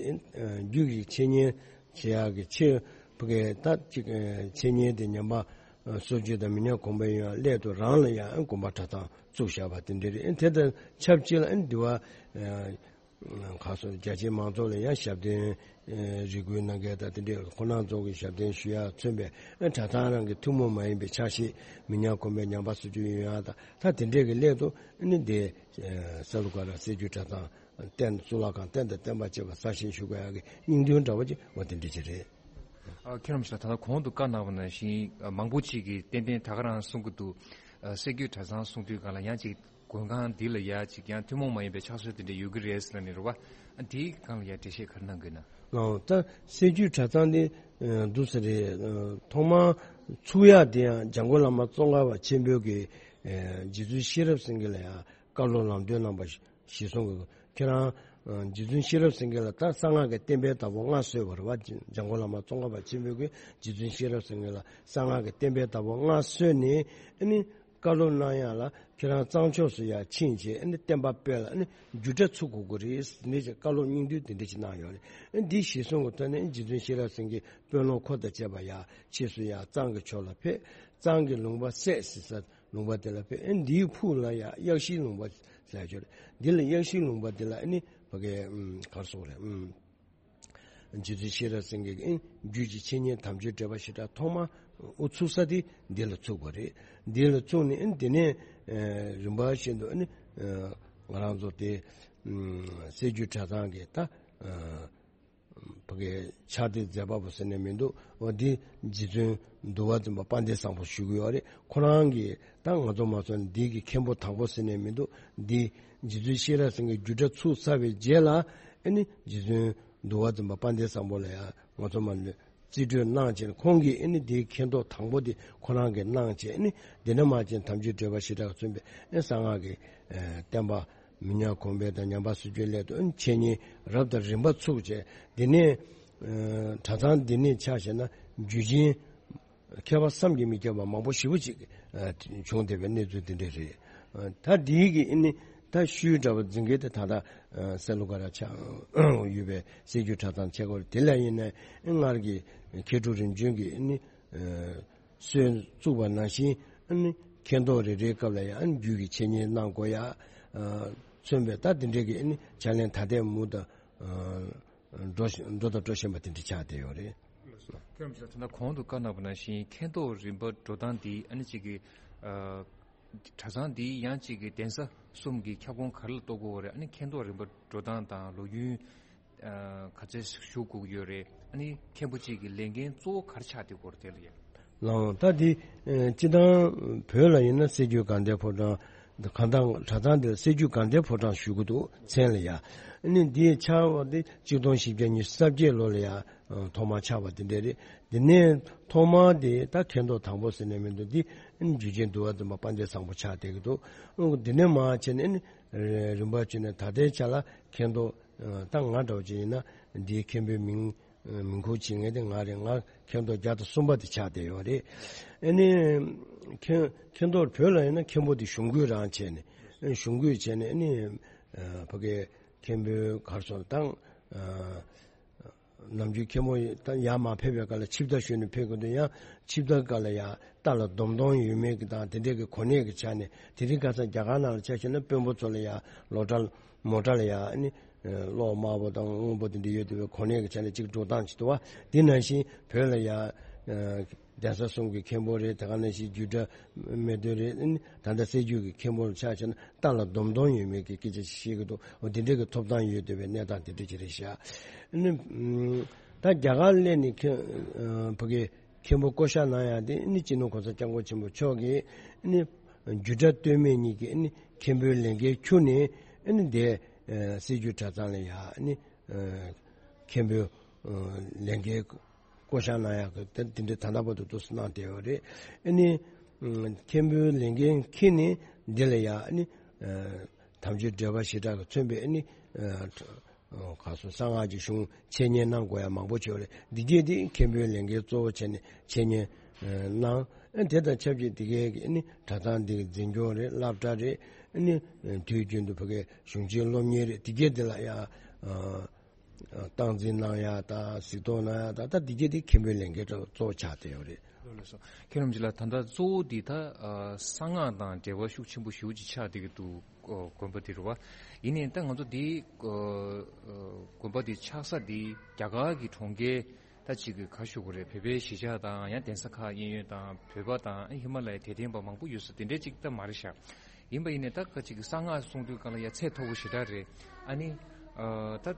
རྒྱུད་ཀྱི་འཆད་ཉན་བྱེད་ཡག་གི་ཆེད་ཕ་གིའི་ད་ཅིག་འཆད་ཉན་དེ་ཉམས་པ་ སྲོལ་རྒྱུན་དང་མི་ཉམས་གོང་འཕེལ་ཡོང་ཡ་སླད་དུ་རང་ལ་ཡང་དགོན་པ་གྲྭ་ཚང་བཙུགས་བཞག་པ་དེ་འདྲ་རེད། དེ་དང་ཆབས་ཅིག་ལ་འདི་བ་ཁ་སོ་རྒྱ་ཆེའི་མང་ཚོགས་ལ་ཡང་ཞབས་བརྟན་རེ་སྐུལ་གནང་མཁན་དང་དེ་འདྲའི་ཁོ་རང་ཚོ་གི་ཞབས་བརྟན་ཞུ་ཡ་མཚོན་པའི་གྲྭ་ཚང་རང་གི་ཐུན་མོང་མ་ཡིན་པའི་ཕྱག་བཞེས་མི་ཉམས་གོང་འཕེལ་ཉམས་པ་སོར་ཆུད་ཡོང་ཡ་དང་ད་དེ་འདྲའི་གི་སླད་དུ་འདི་ས་ལུ་ཀ་ར་སྲོལ་རྒྱུན་གྲྭ་ཚང་རྟེན་གཙུག་ལག་ཁང་རྟེན་དང་བརྟེན་པ་བཅས་པ་གསར་བཞེངས་ཞུ་དགོས་ཡག་གི་སྙིང་དོན་འདྲ་བོ་ཅིག་འོ་དེ་འདྲ་ཅིག་རེད། ཨ། ཁྱེད་རང་ཞིག་ལ་ད་ལྟ་གོང་དུ་བཀའ་གནང་བ་ནང་བཞིན་མང་པོ་ཅིག་གིས་ཏན་ཏན་ད་ག་རང་གསུང་གི་འདུག་ཨ། སྲོལ་རྒྱུན་གྲྭ་ཚང་གསུང་དུས་སྒང་ལ་ཡང་ཅིག་དགོན་ཁང་འདི་ལ་ཡ་ཅིག་ཡང་ཐུན་མོང་མ་ཡིན་པའི་ཕྱག་སྲོལ་དེ་འདྲ་ཡོད་ཀྱི་རེད་ཟེར་ལབ་ནས་རེད་བ། ཨ། དེའི་སྒང་ལ་ཡ་འགྲེལ་བཤད་ག་རེ་གནང་གི་ན། ཨོ། ད་སྲོལ་རྒྱུན་གྲྭ་ཚང་འདི་འདུག་ས་རེད། ཐོག་མར་ཚུགས་ཡག་དེ་ཡང་འཇམ་མགོན་བླ་མ་ཙོང་ཁ་པ་ཆེན་པོའི་གི་རྗེ་བཙུན་ཤེས་རབ་སེང་གེ་ལ་ཡང་བཀའ་སློབ་ལམ་སྟོན་གནང་པ་ཞིག་གསུང་གི། ཁྱེད་རང་རྗེ་བཙུན་ཤེས་རབ་སེང་གེ་ལ་ད་གསང་སྔགས་ཀྱི་བསྟན་པའི་བདག་པོ་མངའ་གསོལ་བ་རེད་བ། འཇམ་མགོན་བླ་མ་ཙོང་ཁ་པ་ཆེན་པོས་ཀྱི་རྗེ་བཙུན་ཤེས་རབ་སེང་གེ་ལ་གསང་སྔགས་ཀྱི་བསྟན་པའི་བདག་པོ་མངའ་གསོལ་ནས་ཨ་ནི་བཀའ་སློབ་གནང་ཡག་ལ་ཁྱེད་རང་གཙང་ཕྱོགས་སུ་ཡར་ཕྱིན་བྱས་ཨ་ནི་བསྟན་པ་སྤེལ་ལ་ཨ་ནི་རྒྱུད་གྲྭ་ཚུགས་དགོས་ཀྱི་རེད་ཟེར་ནས་བཀའ་སློབ་སྙིང་བསྡུས་དེ་འདྲ་ཞིག་གནང་ཡོད་རེད། ཨ་འདི་གཞིར་བཟུང་གི་ཐོག་ནས་རྗེ་བཙུན་ཤེས་རབ་སེང་གེ་དཔོན་སློབ་འཁོར་དང་བཅས་པ་ཡར་ཕྱིས་སུ་ཡར་གཙང་གི་ཕྱོགས་ལ་ཕེབས། གཙང་གི་ལུང་པ་སད་ཟེར་ས། ལུང་པ་དེ་ལ་ཕེབས། ཨེ་འདིའི་ཕུག་ལ་ཡ་གཡག་ཤིང་ལུང་པ་ཟེར་ཡ་ཅིག་ཡོད་རེད། འདི་ལ་གཡག་ཤིང་ལུང་པ་འདི་ལ་ཨ་ནི་ཕ་གི་ཨམ་ག་རེ་ཟེར་དགོས་རེད། ཨམ་རྗེ་བཙུན་ཤེས་རབ་སེང་གེ་གི་ཨེ་རྒྱུད་ཀྱི་འཆད་ཉན་དམ་ཆོས་འགྲེལ་པ་ཞེ་དྲག་ཐོག་མ་དབུ་ཚུགས་ས་དེ་འདི་ལ་ཚུགས་པ་རེད། འདི་ལ་ཚུགས་ནས་ཨེ་འདི་ནས་ཨེ་རིམ་པ་བཞིན་དུ་ཨ་ནི་ཨེ་ང་རང་ཚོ་དེ་ཨམ་སྲོལ་རྒྱུན་གྲྭ་ཚང་གི་ད་ཨེ་ཕ་གི་ཕྱག་དེབ་མཛད་པ་པོ་ཟེར་ནས་མི་འདུག་འོ་འདི་རྗེ་བཙུན་འདུལ་བ་འཛིན་པ་དཔལ་ལྡན་བཟང་པོ་ཞུ་གི་ཡོད་རེད། ཁོ་རང་གིས་ད་ང་ཚོ་མ་སོང་འདི་གི་མཁན་པོ་དང་པོ་ཟེར་ནས་མི་འདུག་འདི་རྗེ་བཙུན་ཤེས་རབ་སེང་གེ་རྒྱུད་གྲྭ་ཚུགས་ཚར་བའི་རྗེས་ལ་ཨ་ནི་རྗེ་བཙུན་འདུལ་བ་འཛིན་པ་དཔལ་ལྡན་བཟང་པོ་ལ་ཡང་ང་ཚོ་མ་ནི་རྩིས་སྤྲོད་གནང་བྱས་ནས་ཁོང་གིས་ཨ་ནི་འདིའི་མཁན་ཐོག་དང་པོ་དེ་ཁོ་རང་གིས་གནང་བྱས་ཨ་ནི་འདི་ནས་མར་བྱས་དམ་ཆོས་འགྲེལ་པ་ཞེ་དྲག་མཚོན་པའི་ཨ་གསང་སྔགས་ཀྱི་ཨ་བསྟན་པ། མི་ཉམས་གོང་འཕེལ་དང་ཉམས་པ་སོར་ཆུད་སླད་དུ་འཆད་ཉན་རབ་དང་རིམ་པ་ཚུགས་བྱས། འདི་ནས་ཨ་གྲྭ་ཚང་འདི་ནས་ཆ་བཞག་ན་རྒྱུད་ཆེན་མཁས་པ་བསམ་གྱིས་མི་ཁྱབ་པ་མང་པོ་ཞེ་པོ་ཅིག་ཨ་བྱུང་བསྡད་པའི་གནས་ཚུལ་འདི་འདྲ་རེད། ཨ་ད་འདིའི་གི་ཨ་ནི་ད་ཤུལ་འདྲ་བ་འཛིན་མཁན་དེ་ད་ལྟ་ཨ་སེ་ལུ་ཀ་ར་ཆགས་ཡོད་པའི་སྲོལ་རྒྱུན་གྲྭ་ཚང་ཆེ་སྐོར་དེ་ལ་ཡིན་ན་ཨ་སྔར་གྱི་མཁས་གྲུབ་རིམ་བྱོན་གྱི་ཨ་ནི་ཨ། སྲོལ་བཙུགས་པ་ནང་བཞིན་ཨ་ནི་མཁན་ཐོག་རེ་རེའི་སྐབས་ལ་ཡང་ཨ་ནི་རྒྱུད་ཀྱི་འཆད་ཉན་གནང་དགོས་ཡ། ཨ་མཚོན་པའི་ད་དེ་འདྲའི་གི་ཨ་ནི་ཕྱག་ལེན་ད་ལྟའི་མུ་མཐུད་ཨ་འགྲོ་བཞིན་འགྲོ་དང་འགྲོ་བཞིན་པ་དེ་འདྲ་ཆགས་བསྡད་ཡོད་རེད། ཁྱེད་རང་ཚོ་ད་ལྟ་གོང་དུ་བཀའ་གནང་བ་ནང་བཞིན་མཁན་ཐོག་རིམ་པ་འགྲོ་སྟངས་འདི་ཨ་ནི་གཅིག་གི་ཨ་གྲྭ་ཚང་འདི་ཡང་གཅིག་གི་གདན་ས་གསུམ་གྱི་ཁྱབ་ཁོངས་ག་རེ་ལ་གཏོགས་དགོས་རེད། ཨ་ནི་མཁན་ཐོག་རིམ་པ་འགྲོ་སྟངས་དང་ལོ་རྒྱུས། ཨ་ག་ཚད་ཞུ་དགོས་ཀྱི་ཡོད་རེད། ཨ་ནི་མཁན་པོ་གཅིག་གི་ལས་འགན་གཙོ་བོ་ག་རེ་ཆགས་བསྡད་ཀྱི་ཡོད་རེད་དེ་ལ་ཡ། ལགས་ད་འདི་ཨ་སྤྱིར་བཏང་བོད་ལ་ཡིན་ན་སྲོལ་རྒྱུན་དགའ་ལྡན་ཕོ་བྲང་གང་ལྟར་གྲྭ་ཚང་འདིར་སྲོལ་རྒྱུན་དགའ་ལྡན་ཕོ་བྲང་ཞུ་གི་འདུག་མཚན་ལ་ཡ། ཨ་ནི་འདི་ཆགས་པ་འདི་གཅིག་སྟོང་བཞི་བརྒྱ་ཉི་ཤུ་རྩ་བརྒྱད་ལོ་ལ་ཡ་ཐོག་མར་ཆགས་པ་འདི་འདྲ་རེད། འདི་ནས་ཐོག་མར་འདི་ད་མཁན་ཐོག་དང་པོ་ཟེར་ནས་མི་འདུག་འདི་ཨ་ནི་རྒྱུད་ཆེན་འདུལ་བ་འཛིན་པ་དཔལ་ལྡན་བཟང་པོ་ཆགས་བསྡད་ཀྱི་འདུག་འདི་ནས་མར་བྱས་ནས་ཨ་ནི་རིམ་པ་བྱས་ནས་ད་ལྟའི་ཆ་ལ་མཁན་ཐོག་ད་ང་འདྲ་བོ་ཅིག་ཡིན་ན་འདིའི་མཁན་པོའི་མིང་མིང་ཁུར་བྱེད་མཁན་དེ་ང་རེད། ང་མཁན་ཐོག་བརྒྱ་དང་གསུམ་པ་དེ་ཆགས་བསྡད་ཡོད་རེད། ཨ་ནི་མཁན་མཁན་ཐོག་བོད་ལ་ཡིན་ན་མཁན་པོ་དེ་གཞུང་སྐུའི་རང་བྱས་ནས་གཞུང་སྐུའི་བྱས་ནས་ཨ་ནི་ཕ་གའི་མཁན་པོའི་གར་སོང་དང་ནམ་རྒྱུན་མཁན་པོ་ཡང་མ་ཕེབས་པའི་སྐབས་ལ་ཆིབས་རྟ་ཞོན་ནས་ཕེབས་དགོས་དུས་ཡང་ཆིབས་རྟ་སྒང་ལ་ཡང་རྟ་ལ་སྡོམ་སྡོམ་ཡོད་མེད་ཀྱི་དང་དེ་འདྲའི་གི་གོ་གནས་ཀྱི་ཆ་ནས་དེ་རིང་ཁ་སང་རྒྱ་གར་ནང་ལ་ཆ་བཞག་ན་དཔོན་པོ་ཚོ་ལ་ཡང་ལོ་གྲྭ་མོ་གྲྭ་ལ་ཡང་ཨ་ནི་གློག་དམར་པོ་དང་སྔོན་པོ་དེ་འདྲ་ཡོད་དུས་གོ་གནས་ཀྱི་ཆ་ནས་གཅིག་འགྲོ་སྟངས་ཅིག་འདུག་བ། དེ་ནང་བཞིན་བོད་ལ་ཡང་གདན་ས་གསུམ་གྱི་མཁན་པོ་རེད། དེ་ག་ནང་བཞིན་རྒྱུད་གྲྭ་སྨད་དོན་རེད། ཨ་ནི་ད་ལྟ་སྲོལ་རྒྱུན་གྱི་མཁན་པོ་ལ་ཆ་བཞག་ན་རྟ་ལ་སྡོམ་སྡོམ་ཡོད་མེད་ཀྱི་སྐད་ཆ་ཞིག་བཤད་ཀྱི་འདུག་འོ་དེ་འདྲའི་གི་ཐོབ་ཐང་ཡོད་བསྡད་པའི་གནས་སྟངས་དེ་འདྲ་ཅིག་རེད་ཤག་ཨ་ནི་ད་རྒྱ་གར་སླེབས་ནས་མཁན་ཕ་གི་མཁན་པོ་བསྐོ་བཞག་གནང་ཡག་དེ་ཨ་ནི་སྤྱི་ནོར་གོང་ས་སྐྱབས་མགོན་ཆེན་པོ་མཆོག་གིས་ཨ་ནི་རྒྱུད་གྲྭ་སྟོད་སྨད་གཉིས་ཀྱི་ཨ་ནི་མཁན་པོའི་ལས་འགན་འཁྱུར་ནས་ཨ་ནི་འདི་སྲོལ་རྒྱུན་གྲྭ་ཚང་ལ་ཡ་ཨ་ནི་མཁན་པོའི་ལས་འགན་བསྐོ་བཞག་གནང་ཡག་གི་དེ་འདྲའི་ད་ལྟ་བར་དུ་འདུག་སེ་གནང་བསྡད་ཡོད་རེད། ཨ་ནི་མཁན་པོའི་ལས་འགན་འཁྱེར་ནས་འདི་ལ་ཡ་ཨ་ནི་དམ་ཆོས་འགྲེལ་པ་ཞེ་དྲག་གིས་མཚོན་པའི་ཨ་ནི་ག་སོ་གསང་སྔགས་ཀྱི་གཞུང་འཆད་ཉན་གནང་དགོས་ཡ་མང་པོ་བྱས་ཡོད་རེད། འདི་གས་དེ་མཁན་པོའི་ལས་འགན་གཙོ་བོ་བྱས་ནས་འཆད་ཉན་གནང་། ཨ་དེ་དང་ཆབས་ཅིག་འདི་གས་ཀྱི་ཨ་ནི་གྲྭ་ཚང་འདི་གི་འཛིན་སྐྱོང་རེད། སློབ་གྲྭ་རེད། ཨ་ནི་དུས་རྒྱུན་དུ་ཕ་གའི་གཞུང་ཆེན་སློབ་གཉེར་རེད། འདི་གས་འདི་ལ་ཡ། སྟངས་འཛིན་གནང་ཡག་དང་གཟིགས་རྟོག་གནང་ཡག་དང་ད་འདི་གས་དེ་མཁན་པོའི་ལས་འགན་གཙོ་བོ་ཆགས་བསྡད་ཡོད་རེད། ལགས་སོ། མཁན་རིན་པོ་ཆེ་ལགས། ད་ལྟ་གཙོ་བོ་འདི་ད་ཨ་གསང་སྔགས་དང་འབྲེལ་བ་ཤུགས་ཆེན་པོ་ཞེ་པོ་ཅིག་ཆགས་བསྡད་ཀྱི་འདུག་ཨ་དགོན་པ་འདི་རེད་བ། ཡིན་ནའི་ད་ང་ཚོ་འདི་ཨ་ཨ་དགོན་པ་འདི་ཆགས་ས་འདི་རྒྱ་གར་གྱི་གྲོང་ཁྱེར་ད་ཅིག་གི་ག་ཞུ་དགོས་རེད། བོད་པའི་གཞིས་ཆགས་དང་ཡང་གདན་ས་ཁག་གཡས་གཡོན་དང་བོད་པ་དང་ཨ་ཧི་མ་ལ་ཡའི་དད་ལྡན་པ་མང་པོ་ཡོད་ས་དེ་འདྲའི་ཅིག་ད་མ་རེད་ཤག་ཡིན་པ་ཡིན་ནའི་ད་ག་ཅིག་གི་གསང་སྔགས་གསུང་དུས་སྒང་ལ་ཡ་ཚད་མཐོ་པོ་ཞེ་དྲག་རེད། ཨ་ནི་ཨ་ད་ཨ་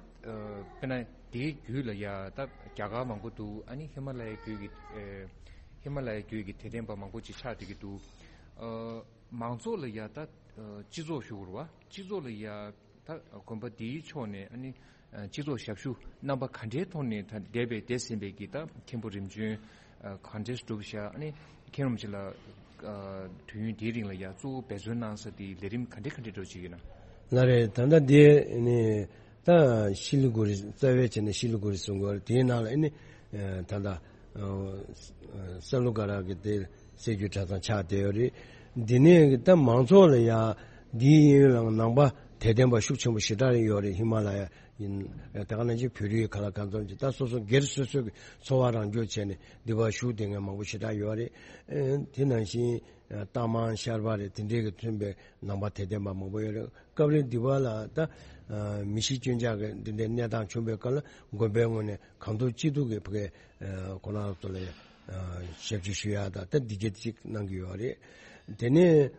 དཔེར་ན་དེའི་བརྒྱུད་ལ་ཡ་ད་རྒྱ་གར་མང་པོ་འདུག་ཨ་ནི་ཧི་མ་ལ་ཡའི་བརྒྱུད་ཀྱི་ཨ་ཧི་མ་ལ་ཡའི་བརྒྱུད་ཀྱི་དད་ལྡན་པ་མང་པོ་ཅིག་ཆགས་བསྡད་ཀྱི་འདུག་ཨ་མང་ཚོགས་ལ་ཡ་ད་ཨ་སྤྱི་ཚོགས་ཞུ་དགོས་རེད་བ། སྤྱི་ཚོགས་ལ་ཡ་ད་དགོན་པ་འདིའི་ཕྱོགས་ནས་ཨ་ནི་ཨ་སྤྱི་ཚོགས་ཞབས་ཞུ་རྣམ་པ་ག་འདྲའི་ཐོག་ནས་ད་འདས་པའི་འདས་ཟིན་པའི་གི་ད་མཁན་པོ་རིམ་བྱོན་ཨ་ག་འདྲས་སྒྲུབ་བཞག་ཨ་ནི་མཁན་རིན་པོ་ཆེ་ལགས་ཨ་དུས་ཡུན་འདིའི་རིང་ལ་ཡ་གཙོ་བོ་འབད་བརྩོན་གནང་ས་དེ་ལས་རིམ་ག་འདྲ་ག་འདྲ་འགྲོ་བྱེད་ཀྱི་ན། ལགས་རེད། ད་ལྟ་དེ་ནི་ད་ཤི་ལི་གུ་རི་རྩ་བའི་བྱས་ནས་ཤི་ལི་གུ་རི་གསུང་གི་ཡོད་རེད། དེའི་ནང་ལ་ཨ་ནི་ཨ་ད་ལྟ་ཨ་ས་ལུ་ག་ར་གི་དེ་སྲད་རྒྱུད་གྲྭ་ཚང་ཆགས་བསྡད་ཡོད་རེད། འདི་ནས་ད་མང་ཚོགས་ལ་ཡ་འདིའི་གཡས་གཡོན་ལ་ནང་པ་དད་ལྡན་པ་ཤུགས་ཆེན་པོ་ཞེ་དྲག་ཡོད་རེད། ཧི་མ་ལ་ཡ་ཡིན། ད་ག་ནང་བཞིན་བོད་རིགས་ག་ལ་གང་འཚམ་ཅིག་ད་སོ་སོ་སྒེར་སོ་སོ་གི་འཚོ་བ་རང་སྐྱོང་བྱས་ནས་འདི་པར་བཞུགས་བསྡད་མཁན་མང་པོ་ཞེ་དྲག་ཡོད་རེད། ཨ་དེ་ནང་བཞིན་ཨ་རྟ་མང་ཤར་པ་རེད། དེ་འདྲའི་གི་མཚོན་པའི་ནང་པ་དད་ལྡན་པ་མང་པོ་ཡོད་རེད། སྐབས་རེ་འདི་པར་ལ་ད་ཨ་མི་ཤི་རྐྱེན་ཆག་གི་འདི་འདྲའི་གནས་སྟངས་བྱུང་བའི་སྐབས་ལ་དགོན་པའི་ངོས་ནས་གང་ཐུབ་ཅི་ཐུབ་ཀྱིས་ཕ་གི་ཨ་ཁོ་རང་ཚོ་ལ་ཨ་ཞབས་ཕྱི་ཞུ་ཡག་དང་ད་འདི་གྱད་ཅིག་གནང་གི་ཡོད་རེད། དེ་ནས་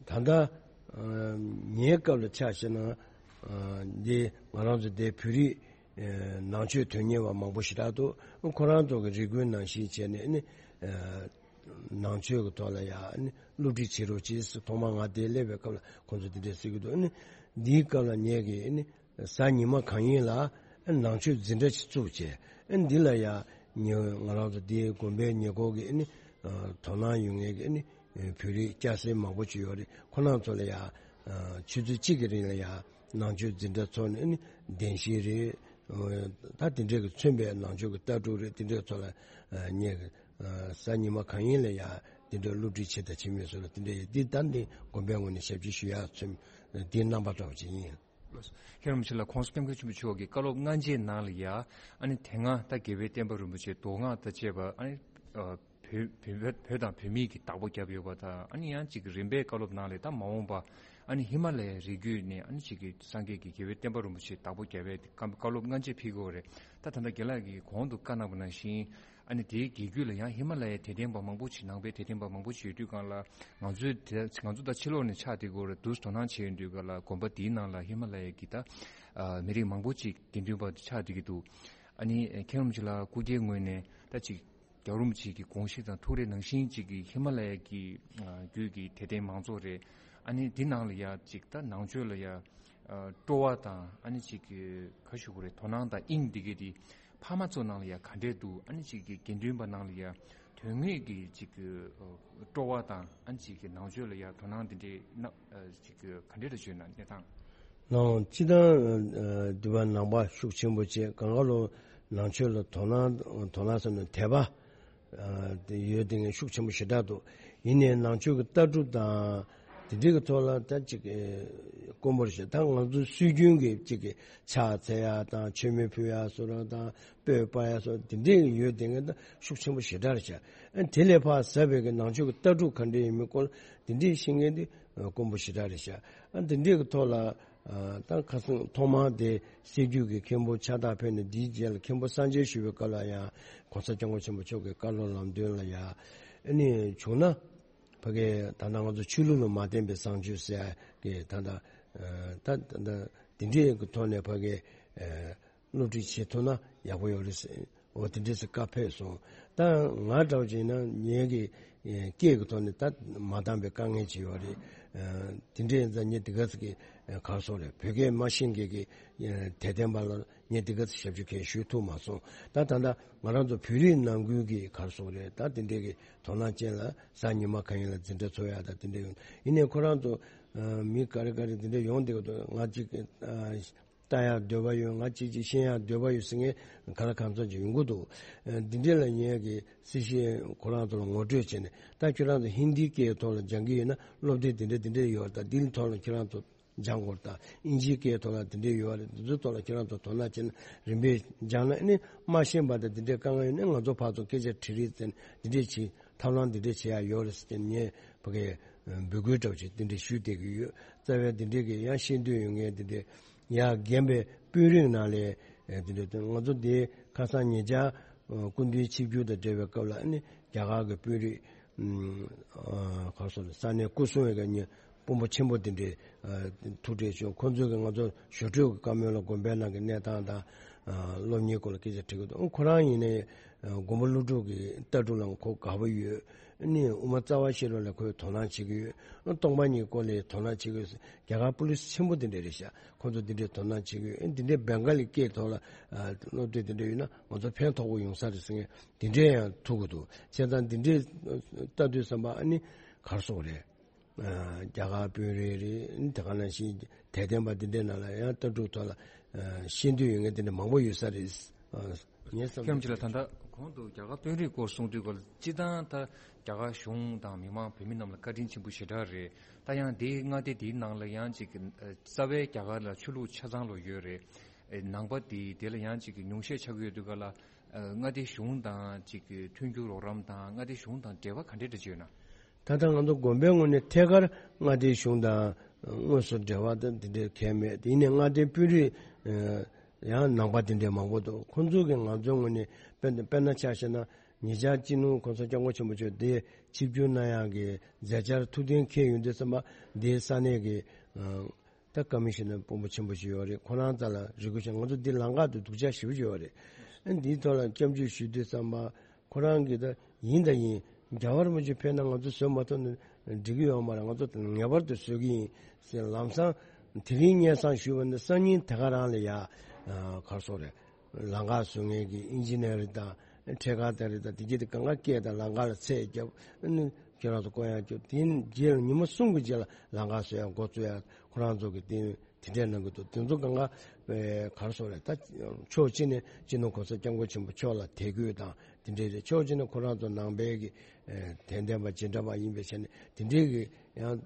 ཨ་ད་ལྟ་ཨ་ཉེ་སྐབས་ལ་ཆ་བཞག་ན་ཨ་འདི་ང་རང་ཚོ་འདི་བོད་རིགས་ཨ་ནང་ཆོས་དོན་གཉེར་བ་མང་པོ་ཞེ་དྲག་འདུག་ཁོ་རང་ཚོ་གི་རེ་སྐུལ་ནང་བཞིན་བྱས་ནས་ནི་ཨ་ནང་ཆོས་ཀྱི་ཐོག་ལ་ཡ་ནི་སློབ་ཁྲིད་བྱེད་རོགས་གྱིས་ཟེར། ཐོག་མར་ང་དེ་སླེབས་པའི་སྐབས་ལ་ཁོང་ཚོ་དེ་འདྲས་ཟེར་གྱི་འདུག་ཨ་ནི་འདིའི་སྐབས་ལ་ངེད་ཀྱིས་ཨ་ནི་གཟའ་ཉི་མ་གང་ཡིན་ལ་ཨ་ནང་ཆོས་འཛིན་གྲྭ་ཞིག་བཙུགས་བྱས། ཨ་འདི་ལ་ཡ་ཉེ་ང་རང་ཚོ་དེའི་དགོན་པའི་ཉེ་འཁོར་གྱི་ཨ་ནི་ཨ་དོ་སྣང་ཡོད་མཁན་གྱི་ཨ་ནི་ཨ་བོད་རིགས་སྐྱ་སེར་མང་པོ་ཅིག་ཡོད་རེད། ཁོ་རང་ཚོ་ལ་ཡ་ཨ་ཆུ་ཚོད་གཅིག་གི་རིང་ལ་ཡ་ནང་ཆོས་འཛིན་གྲྭ་ཚོགས་ནས་ཨ་ནི་བདེན་བཞི་རེད། ཨ་ད་དེ་འདྲས་ཀྱི་མཚོན་པའི་ནང་ཆོས་ཀྱི་ལྟ་གྲུབ་རེད། དེ་འདྲས་ཚོ་ལ་ཨ་ངེད་ཀྱི་ཨ་གཟའ་ཉི་མ་གང་ཡིན་ལ་ཡ་དེ་འདྲའི་སློབ་ཁྲིད་བྱེད་དང་བྱེད་མུས་སུ་ལ་དེ་འདྲའི་འདི་ལྟར་འདི་དགོན་པའི་ངོས་ནས་ཞབས་ཕྱི་ཞུ་ཡག་ཚུལ་འདིའི་རྣམ་པ་འདྲ་བ་ཅིག་ཡིན། མཁན་རིན་པོ་ཆེ་ལགས། ༸གོང་ས་༸སྐྱབས་མགོན་ཆེན་པོ་མཆོག་གི་བཀའ་སློབ་སྔ་རྗེས་ནང་ལ་ཡ་ཨ་ནི་དེ་སྔ་ད་རྒྱལ་བའི་བསྟན་པ་རིན་པོ་ཆེ་མདོ་སྔགས་དང་བཅས་པ་ཨ་ནི་ཨ་བོད་བོད་བོད་བོད་དང་བོད་མིའི་གི་བདག་པོ་བརྒྱབ་ཡོད་པ་དང་། ཨ་ནི་ཡང་ཅིག་གི་རིམ་པས་བཀའ་སློབ་ནང་ལ་ད་མ་འོངས་པ་ཨ་ནི་ཧི་མ་ལ་ཡའི་རི་རྒྱུད་ནས་ཨ་ནི་ཅིག་གི་སངས་རྒྱས་ཀྱི་རྒྱལ་བའི་བསྟན་པ་རིན་པོ་ཆེ་བདག་པོ་བརྒྱབ་པའི་བཀའ་བཀའ་སློབ་སྔ་རྗེས་ཕེབས་ཀྱི་ཡོད་རེད། ད་ད་ལྟ་རྒན་ལགས་ཀྱིས་གོང་དུ་བཀའ་གནང་བ་ནང་བཞིན། ཨ་ནི་དེའི་རྒྱུད་ལ་ཡང་ཧི་མ་ལ་ཡའི་དད་ལྡན་པ་མང་པོ་ཅིག་ནང་པའི་དད་ལྡན་པ་མང་པོ་ཅིག་ཡོད་དུས་སྒང་ལ། ང་ཚོའི་དེ་ང་ཚོ་ད་ཕྱི་ལོགས་ནས་ཆགས་བསྡད་ཀྱི་ཡོད་རེད་འདུག་དོ་སྣང་བྱས་ཡོང་དུས་སྒང་ལ་དགོན་པ་འདིའི་ནང་ལ་ཧི་མ་ལ་ཡ་གི་ད་ཨ་མི་རིགས་མང་པོ་ཅིག་དགེ་འདུན་པ་ཆགས་བསྡད་ཀྱི་འདུག་ཨ་ནི་མཁན་རིན་པོ་ཆེ་ལགས་སྐུ་སྒེར་ངོས་ནས་ད་ཅིག་རྒྱལ་བ་རིན་པོ་ཆེ་གི་དགོངས་གཞི་དང་ཐུགས་རེ་ནང་བཞིན་ཅིག་གི་ཧི་མ་ལ་ཡ་གི་ཨ་རྒྱུད་ཀྱི་དད་ལྡན་མང་ཚོགས་རེད། ཨ་ནི་འདི་ནང་ལ་ཡ་ཅིག་ད་ནང་ཆོས་ལ་ཡ་ཨ་སྤྲོ་བ་དང་ཨ་ནི་ཅིག་གི་ག་ཞུ་དགོས་རེད། དོ་སྣང་དང་དབྱིངས་འདི་གས་དེ་ཕ་མ་ཚོ་ནང་ལ་ཡ་ག་འདྲས་འདུག་ཨ་ནི་ཅིག་གི་དགེ་འདུན་པ་ནང་ལ་ཡ་དོན་དངོས་ཀྱི་ཅིག་གི་ཨ་སྤྲོ་བ་དང་ཨ་ནི་ཅིག་གི་ནང་ཆོས་ལ་ཡ་དོ་སྣང་འདི་འདྲས་ན་ཨ་ཅིག་གི་ག་འདྲས་རེད་བརྗོད་ན་གནས་སྟངས། ནང་སྤྱི་དང་ཨ་འདི་པ་ནང་པ་ཤུགས་ཆེན་པོ་བྱས། གང་ག་ལོ་ནང་ཆོས་ལ་དོ་སྣང་དོ་སྣང་ཟེར་ན་དད་པ་ཨ་དེ་ཡོད་དེ་ངས་ཤུགས་ཆེན་པོ་ཞེ་དྲག་འདུག་ཡིན་ནའི་ནང་ཆོས་ཀྱི་ལྟ་གྲུབ་དང་དེ་འདྲའི་གི་ཐོག་ལ་ད་ཅིག་ཨེ་དཀོན་པོར་བཤད། ད་ང་ཚོ་སྲོལ་རྒྱུན་གྱི་ཅིག་གི་ཕྱག་འཚལ་ཡ་དང་མཆོད་མེ་ཕུལ་ཡ་བཟོ་འདྲ་དང་སྤོས་སྤར་ཡ་བཟོ་འདྲ་དེ་འདྲའི་ཡོད་དེ་ངས་ད་ཤུགས་ཆེན་པོ་ཞེ་དྲག་རེད་བྱ། ཨ་དེ་ལས་ཕར་ཟབ་པའི་གི་ནང་ཆོས་ཀྱི་ལྟ་གྲུབ་ག་འདྲ་ཡིན་མིན་སྐོར་དེ་འདྲའི་ཤེས་མཁན་དེ་དཀོན་པོ་ཞེ་དྲག་རེད་བྱ། ཨ་དེ་འདྲའི་གི་ཐོག་ལ། ཨ་ད་ཁ་སང་ཐོག་མར་དེ་སྲད་རྒྱུད་ཀྱི་མཁན་པོ་ཕྱག་རྟགས་ཕུལ་ནས་དེའི་རྗེས་ལ་མཁན་པོ་གསང་མཇལ་ཞུ་བའི་སྐབས་ལ་ཡང་༸གོང་ས་༸སྐྱབས་མགོན་ཆེན་པོ་མཆོག་གི་བཀའ་སློབ་ལམ་སྟོན་ལ་ཡ། ཨ་ནི་བྱུང་ན་ཕ་གི་ད་ལྟ་ང་ཚོ་ཆོས་ལུགས་ལ་མ་བརྟེན་པའི་བཟང་སྤྱོད་ཟེར་ཡ་གི་ད་ལྟ་ཨ་ད་ད་ལྟ་དེ་འདྲའི་གི་ཐོག་ནས་ཕ་གི་ཨ་སློབ་ཁྲིད་བྱེད་ཐུབ་ན་ཡག་པོ་ཡོད་རེད་ཟེར། འོ་དེ་འདྲས་སུ་བཀའ་ཕེབས་སོང་། ད་ང་འདྲ་བོ་བྱས་ན་ངེད་ཀྱི་ཨེ་སྐད་ཀྱི་ཐོག་ནས་ད་མ་འདང་པའི་དཀའ་ངལ་ཅིག་ཡོད་རེད། ཨ་དེ་འདྲས་ཡིན་ཙང་ངས་དེ་ག་ཙམ་གྱི་ཨ་ག་རེ་ཟེར་དགོས་རེད། བོད་སྐད་མ་ཤེས་མཁན་གྱི་ཨ་དད་ལྡན་པ་ལ་ངས་དེ་ག་ཙམ་ཞབས་ཞུ་གང་ཞུ་ཐུབ་མ་སོང་། ད་ད་ལྟ་ང་རང་ཚོ་བོད་རིགས་ནང་ཁུལ་གྱི་ག་རེ་ཟེར་དགོས་རེད། ད་དེ་འདྲས་ཀྱི་དོ་སྣང་ཅན་ལ་གཟའ་ཉི་མ་གང་ཡིན་ལ་འཛིན་གྲྭ་ཚོགས་ཡག་ད་དེ་འདྲས་ཡོང་། ཡིན་ནའི་ཁོ་རང་ཚོ་ཨ་མི་ག་རེ་ག་རེ་དེ་འདྲས་ཡོང་བསྡད་ཀྱི་འདུག་ང་གཅིག་ཨ་ལྟ་ཡག་འདོད་པ་ཡོད། ང་གཅིག་གཅིག་ཤེས་ཡག་འདོད་པ་ཡོད་ཟེར་མཁན་ག་ལ་གང་འཚམ་ཅིག་ཡོང་གི་འདུག་ཨ་འདི་འདྲས་ལ་ངེད་ཀྱིས་སྲིད་ཞིའི་ཁོ་རང་ཚོ་ལ་ངོ་སྤྲོད་བྱས་ནས། ད་ཁྱོད་རང་ཚོ་ཧིན་དིའི་སྐད་ཐོག་ལ་སྦྱང་གི་ཡོད་ན་སློབ་དེབ་འདི་འདྲས་འདི་འདྲས་ཡོད། ད་འདིའི་ཐོག་ལ་ཁྱོད་རང་ཚོ་ སྦྱང་དགོས་དང་། ཨིན་ཇིའི་སྐད་ཐོག་ལ་དེ་འདྲས་ཡོད་རེད། འདི་ཚོའི་ཐོག་ལ་ཁྱེད་རང་ཚོ་དོ་སྣང་བྱས་ན། རིམ་པས་སྦྱངས་ན་ཨ་ནི་མ་ཤེས་པ་དང་དེ་འདྲས་དཀའ་ངལ་ཡོད་ན། ང་ཚོ་ཕར་ཚུར་སྐད་ཆ་དྲི་རེས་བྱས་ན་དེ་འདྲས་བྱེད། ཐབས་ལམ་འདི་འདྲས་བྱེད་ཡ་ཡོད་རེད་ཟེར་ཏེ་ངས་ཕ་གིར་འབོད་སྐུལ་འདྲ་བོ་ཅིག་འདི་འདྲས་ཞུས་བསྡད་ཀྱི་ཡོད། རྩ་བའི་འདི་འདྲས་ཀྱི་ཡང་ཤེས་འདོད་ཡོད་མཁན་འདི་འདྲས་ཡ་རྒན་པའི་དཔོན་རིགས་ནང་ལས་འདི་འདྲས་ང་ཚོ་འདི་ཁ་སང་ཉེ་ཆར་སྐུ་མདུན་ཆིབས་བསྒྱུར་དང་འབྲེལ་བའི་སྐབས་ལ་ཨ་ནི་རྒྱ་གར་གྱི་དཔོན་རིགས་ག་རེ་ཟེར་ས་གནས་སྐུ་སྲུང་བའི་གི་དཔོན་པོ་ཆེན་པོ་དེ་འདྲའི་ཐུག་འཕྲད་བྱུང་། ཁོང་ཚོས་ཀྱིས་ང་ཚོ་ཞོ་སྤྲེལ་གྱི་བཀའ་མོལ་ལ་དགོན་པའི་ནང་གི་གནས་སྟངས་དང་སློབ་གཉེར་སྐོར་ལ་སྐད་ཆ་དྲི་གི་འདུག་ཁོ་རང་ཡིན་ནའི་དགོན་པ་སློབ་ཕྲུག་གི་ལྟ་གྲུབ་ལ་ཁོ་དགའ་པོ་ཡོད། ཨ་ནི་དབུ་མ་རྩ་བ་ཤེས་རབ་ལ་ཁོས་དོ་སྣང་བྱེད་ཀྱི་ཡོད། སྟོང་པ་ཉིད་སྐོར་ལ་དོ་སྣང་བྱེད་ཀྱི་ཡོད། རྒྱ་གར་པུ་ལིས་ཆེན་པོ་དེ་འདྲ་རེད་ཤག་ཁོང་ཚོ་དེ་འདྲའི་དོ་སྣང་བྱེད་ཀྱི་ཡོད། དེ་འདྲའི་བེང་ག་ལི་སྐད་ཐོག་ལ་སློབ་གྲྭ་དེ་འདྲ་ཡོད་ན་ང་ཚོ་ཕན་ཐོགས་པོ་ཡོང་ས་རེད་ཟེར་མཁན་དེ་འདྲའི་ཡང་ཐུག་གི་འདུག་བྱས་ཙང་དེ་འདྲའི་ལྟ་དུས་ཙམ་པ་ཨ་ནི་ག་རེ་ཟེར་དགོས་རེད། རྒྱ་གར་དཔོན་རིགས་རེད། དེ་ག་ནང་བཞིན་དད་ལྡན་པ་དེ་འདྲའི་ནང་ལ་ཡང་ལྟ་གྲུབ་ཐོག་ལ་ཤེས་འདོད་ཡོད་མཁན་དེ་འདྲ་མང་པོ་ཡོད་ས་རེད། ངས་བསམ་ཁྱོད་ཀྱིས་ལ་ད་ལྟ་གོང་དུ་རྒྱ་གར་དཔོན་རིགས་སྐོར་གསུངས་དུས་སྐབས་ལ་སྤྱིར་བཏང་ད་རྒྱ་གར་གཞུང་དང་མི་མང་བོད་མི་རྣམས་ལ་བཀའ་དྲིན་ཆེན་པོ་ཞེ་དྲག་རེད། ད་ཡང་དེའི་མངའ་སྡེ་དེའི་ནང་ལ་ཡང་ཅིག་གི་རྩ་བའི་རྒྱ་གར་ལ་ཆོས་ལུགས་ཆ་ཚང་ལོ་ཡོད་རེད། ནང་པ་དེ་དེ་ལ་ཡང་ཅིག་གི་ཉུང་ཤས་ཆགས་ཀྱི་ཡོད་དུས་སྐབས་ལ། མངའ་སྡེ་གཞུང་དང་ཅིག་གི་མཐུན་འགྱུར་རོགས་རམ་དང་མངའ་སྡེ་གཞུང་དང་འབྲེལ་བ་ག་འདྲས་འདྲ་ཅིག་ཡོད་ན། ད་ལྟ་ང་ཚོ་དགོན་པའི་ངོས་ནས་ཐད་ཀར་མངའ་སྡེ་གཞུང་དང་དངོས་སུ་འབྲེལ་བ་དང་དེ་འདྲའི་གང་ཡང་མེད། ཡིན་ནའི་མངའ་སྡེའི་དཔོན་རིགས་ཡང་ནང་པ་དེ་འདྲའི་མང་པོ་འདུག་ཁོང་ཚོ་གིས་ང་ཚོའི་ངོས་ནས་དཔེར་ན་དཔེར་ན་ཆ་བཞག་ན། ཉེ་ཆར་སྤྱི་ནོར་གོང་ས་སྐྱབས་མགོན་ཆེན་པོ་མཆོག་དེ་ཆིབས་བསྒྱུར་གནང་ཡག་གི་མཛད་འཆར་ཐུགས་གཏན་འཁེལ་ཡོང་དུས་ཙམ་པ། དེའི་ས་གནས་ཀྱི་ད་ཀ་མི་ཤི་ནར་དཔོན་པོ་ཆེན་པོ་ཞིག་ཡོད་རེད། ཁོ་རང་རྩ་ལ་རེ་སྐུལ་བྱས། ང་ཚོ་འདི་ལམ་ཁ་དེ་སྡུག་ཅག་ཞེ་པོ་ཅིག་ཡོད་རེད། ཨ་འདིའི་ཐོག་ལ་སྐྱབས་འཇུག་ཞུ་དུས་ཙམ་པ་ཁོ་རང་གིས་ད་ཡིན་ད་ཡིན། རྒྱལ་བ་རིན་པོ་ཆེ་ཕེབས་ན་ང་ཚོ་བཟོད་མ་ཐུབ་ན་འགྲིག་གི་ཡོད་མ་རེད། ང་ཚོ་ངེས་པར་དུ་བཟོད་ཀྱི་ཡིན་ཟེར། ལམ་སང་དེ་རིང་སྙན་སེང་ཞུས་པ་ནི་སང་ཉིན་དེ་ག་རང་ལ་ཡ་ག་རེ་ཟེར་དགོས་རེད། ལམ་ཁ་བཟོ་མཁན་གྱི་ཨིན་ཇི་ནེར་དང་འཕྲེད་ཀར་དེ་རེད་དང་། དེ་གྱད་དེ་གང་ག་སྐད་དང་ལམ་ཁ་ལ་ཚད་བརྒྱབ། ཨ་ནི་ཁྱེད་རང་ཚོ་བསྐོ་ཡག་བརྒྱབ། དེ་རྗེས་ལ་ཉི་མ་གསུམ་གྱི་རྗེས་ལ་ལམ་ཁ་བཟོ་ཡག་འགོ་བཙུགས་ཡག་ཁོ་རང་ཚོ་གིས་དེ་དེ་འདྲས་གནང་གི་འདུག་དེ་ཚོ་གང་ག་ག་རེ་ཟེར་དགོས་རེད། ད་ཕྱོགས་གཅིག་ནས་སྤྱི་ནོར་གོང་ས་སྐྱབས་མགོན་ཆེན་པོ་མཆོག་ལ་དད་གུས་དང་དེ་འདྲས་རེད། ཕྱོགས་གཅིག་ནས་ཁོ་རང་ཚོ་ནང་པའི་གི་དད་ལྡན་པ་རྗེས་འབྲང་པ་ཡིན་པའི་ཆ་ནས་དེ་འདྲས་གི་ཡང་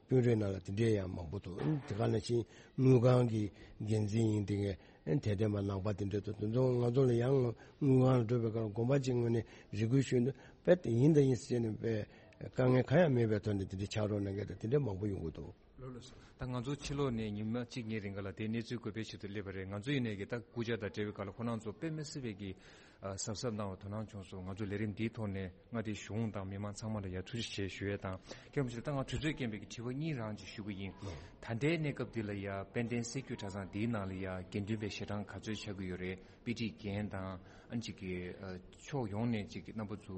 དཔོན་རིགས་ནང་ལ་དེ་འདྲས་ཡང་མང་པོ་འདུག་དེ་ག་ནང་བཞིན་དངུལ་ཁང་གི་འགན་འཛིན་ཡིན་དེ་གས། ཨེ་དད་ལྡན་པ་ནང་པ་དེ་འདྲ་དང་དེ་ཚོ་ང་ཚོ་ལ་ཡང་དངུལ་ཁང་ལ་འགྲོ་བའི་སྐབས་ལ་དགོན་པ་གཅིག་ངོས་ནས་རེ་སྐུལ་ཞུས་འདུག་དཔེ་དེ་ཡིན་དང་ཡིན་ཟེར་ནས་དཔེ་དཀའ་ངལ་གང་ཡང་མེད་པའི་ཐོག་ནས་དེ་འདྲ་ཕྱག་རོགས་གནང་མཁན་དང་དེ་འདྲ་མང་པོ་ཡོང་གི་འདུག་ལགས་ལགས་སོ། ད་ང་ཚོ་ཕྱི་ལོགས་ནས་ཉི་མ་གཅིག་གཉིས་རིང་ག་ལ་དེ་གནས་ཚུལ་འགོད་པའི་ཆེད་དུ་སླེབས་པ་རེད། ང་ཚོ་ཡིན་ནའི་གི་ད་སྐུ་ཕྱྭ་དང་འབྲེལ་བའི་སྐབས་ལ་ཁོ་རང་ཚོ་དཔེ་མི་སྲིད་པའི་གི་གཟབ་གཟབ་གནང་བ་དོ་སྣང་བྱུང་སོང་། ང་ཚོ་ལས་རིམ་འདིའི་ཐོག་ནས་མངའ་སྡེའི་གཞུང་དང་མི་མང་ཚང་མ་ལ་ཡ་ཐུགས་རྗེ་ཆེ་ཞུ་ཡས་དང་། མཁན་པོ་ཆེ་ད་ང་དུས་ཚོད་རྐྱེན་པས་ཀྱི་དྲི་བ་གཉིས་རང་ཅིག་ཞུ་གི་ཡིན། ད་ལྟའི་གནས་སྐབས་འདི་ལ་ཡ་དཔལ་ལྡན་སྲིད་བྱུས་གྲྭ་ཚང་འདིའི་ནང་ལ་ཡ་དགེ་འདུན་པའི་ཞལ་གྲངས་ག་ཚོད་ཆགས་ཀྱི་ཡོད་རེད། དཔེ་ཁྲིད་མཁན་དང་ཨ་ཅིག་གི་ཕྱོགས་ཡོངས་ནས་ཅིག་གི་རྣམ་པ་ཚོ་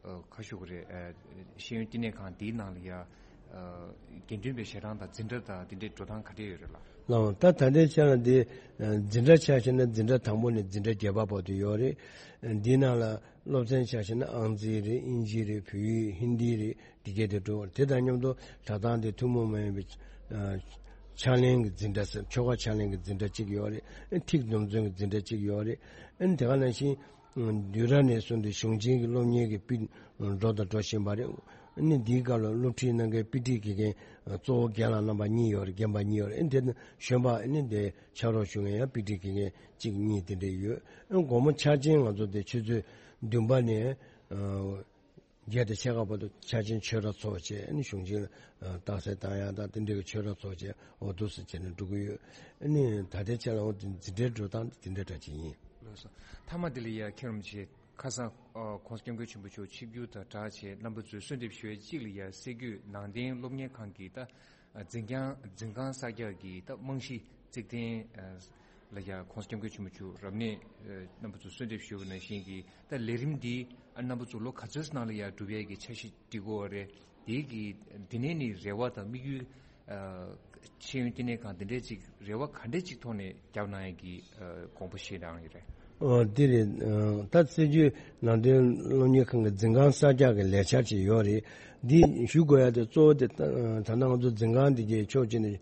ག་ཞུ་གི་རེད། ཤེས་ཡོན་བསྟི་གནས་ཁང་འདིའི་ནང་ལ་ཡ་དགེ་འདུན་པའི་ཞལ་གྲངས་དང་འཛིན་གྲྭ་དང་དེ་འདྲའི་འགྲོ་སྟངས་ག་འདྲས་ཡོད་རེད་ལགས། ལགས། ད་ད་ལྟའི་ཆ་ལ་འདི་འཛིན་གྲྭ་ཆ་བཞག་ན་འཛིན་གྲྭ་དང་པོ་ནས་འཛིན་གྲྭ་བརྒྱད་པ་བར་དུ་ཡོད་རེད། འདིའི་ནང་ལ་སློབ་ཚན་ཆ་བཞག་ན་ཨང་རྩིས་རེད། ཨིན་ཇི་རེད། བོད་ཡིག་ཧིན་དི་རེད། འདི་གས་དེ་འགྲོ་བར། དེ་དང་མཉམ་དུ་གྲྭ་ཚང་དེ་ཐུན་མོང་མ་ཡིན་པའི་ཕྱག་ལེན་གྱི་འཛིན་གྲྭ་ཟེར། ཆོ་ག་ཕྱག་ལེན་གྱི་འཛིན་གྲྭ་གཅིག་ཡོད་རེད། ཐིག་འཛོམས་ཚུལ་གྱི་འཛིན་གྲྭ་གཅིག་ཡོད་རེད། དེ་ག་ནང་བཞིན་བསྡུས་གྲྭ་ནས་བཟུང་སྟེ་གཞུང་ཆེན་གྱི་སློབ་གཉེར་གྱི་དཔེ་འགྲོ་དང་འགྲོ་བཞིན་པ་རེད། ཨ་ནི་འདིའི་སྐབས་ལ་སློབ་ཁྲིད་གནང་མཁན་དཔེ་ཁྲིད་དགེ་རྒན་གཙོ་བོ་རྒན་ལགས་རྣམ་པ་གཉིས་ཡོད་རེད། རྒན་པ་གཉིས་ཡོད་རེད། ཨ་ནི་དེ་གཞོན་པ་ཨ་ནི་དེ་ཕྱག་རོགས་ཞུ་མཁན་ཡང་དཔེ་ཁྲིད་དགེ་རྒན་གཅིག་གཉིས་དེ་འདྲས་ཡོད། ཨ་ནི་དགོང་མོ་ཆར་ཆེན་ང་ཚོ་དེ་ཆུ་ཚོད་བདུན་པ་ནས་ཨ་བརྒྱད་དང་ཕྱེད་ཀ་བར་དུ་ཆར་ཆེན་ཆོས་ར་ཚོགས་བྱས། ཨ་ནི་གཞུང་ཆེན་ལ་རྟགས་གསལ་བཏང་ཡག་དང་དེ་འདྲས་ཀྱི་ཆོས་ར་ཚོགས་བྱས། འོ་འདུག་སེ་བྱས་ནས་འགྲོ་གི་ཡོད། ཨ་ནི་ད་ལྟའི་ཆ་ལ་འོ་དེ་འཛིན་གྲྭའི་འགྲོ་སྟངས་དེ་འདྲ་འདྲ་ཅིག་ཡིན། ལགས་སོ། མཐའ་མ་དེ་ལ་ཡ་མཁན་རིན་པོ་ཆེ། ཁ་སང་ཨ་༸གོང་ས་༸སྐྱབས་མགོན་ཆེན་པོ་མཆོག་ཆིབས་བསྒྱུར་དང་སྦྲགས་བྱས་རྣམ་པ་ཚོས་གསོལ་འདེབས་ཞུ་ཡས་གཅིག་ལ་ཡ་སྲིད་བྱུས་ནང་བསྟན་སློབ་གཉེར་ཁང་གི་ད་འཛིན་ཁང་འཛིན་ཁང་གསར་རྒྱག་གི་ད་རྨང་གཞི་བརྩེགས་ཐང་ལ་ཡ་༸གོང་ས་༸སྐྱབས་མགོན་ཆེན་པོ་མཆོག་རབ་གནས་རྣམ་པ་ཚོས་གསོལ་འདེབས་ཞུ་བ་ནང་བཞིན་གྱི་ད་ལས་རིམ་འདི་རྣམ་པ་ཚོ་ལོ་ག་ཚོད་ནང་ལ་ཡ་སྒྲུབ་ཡས་ཀྱི་འཆར་གཞི་སྒྲིག་དགོས་པ་རེད། དེའི་གི་དེ་ནས་ནི་རེ་བ་དང་དམིགས་ཡུལ། ཤེས་ཡོན་བསྟི་གནས་ཁང་འདི་འདྲས་ཅིག་རེ་བ་ག་འདྲས་ཅིག་ཐོག་ནས་བརྒྱབ་གནང་ཡས་ཀྱི་དགོངས་པ་བཞེས་གནང་ཡོད་རེད། ཨོ་འདི་རེད། ད་སྲིད་བྱུས་ནང་བསྟན་སློབ་གཉེར་ཁང་གི་འཛིན་ཁང་གསར་རྒྱག་གི་ལས་འཆར་ཅིག་ཡོད་རེད། འདི་ཞུ་དགོས་ཡ་དེ་གཙོ་བོ་དེ་ད་ལྟ་ང་ཚོ་འཛིན་ཁང་འདི་གའི་ཕྱོགས་གཅིག་ནས་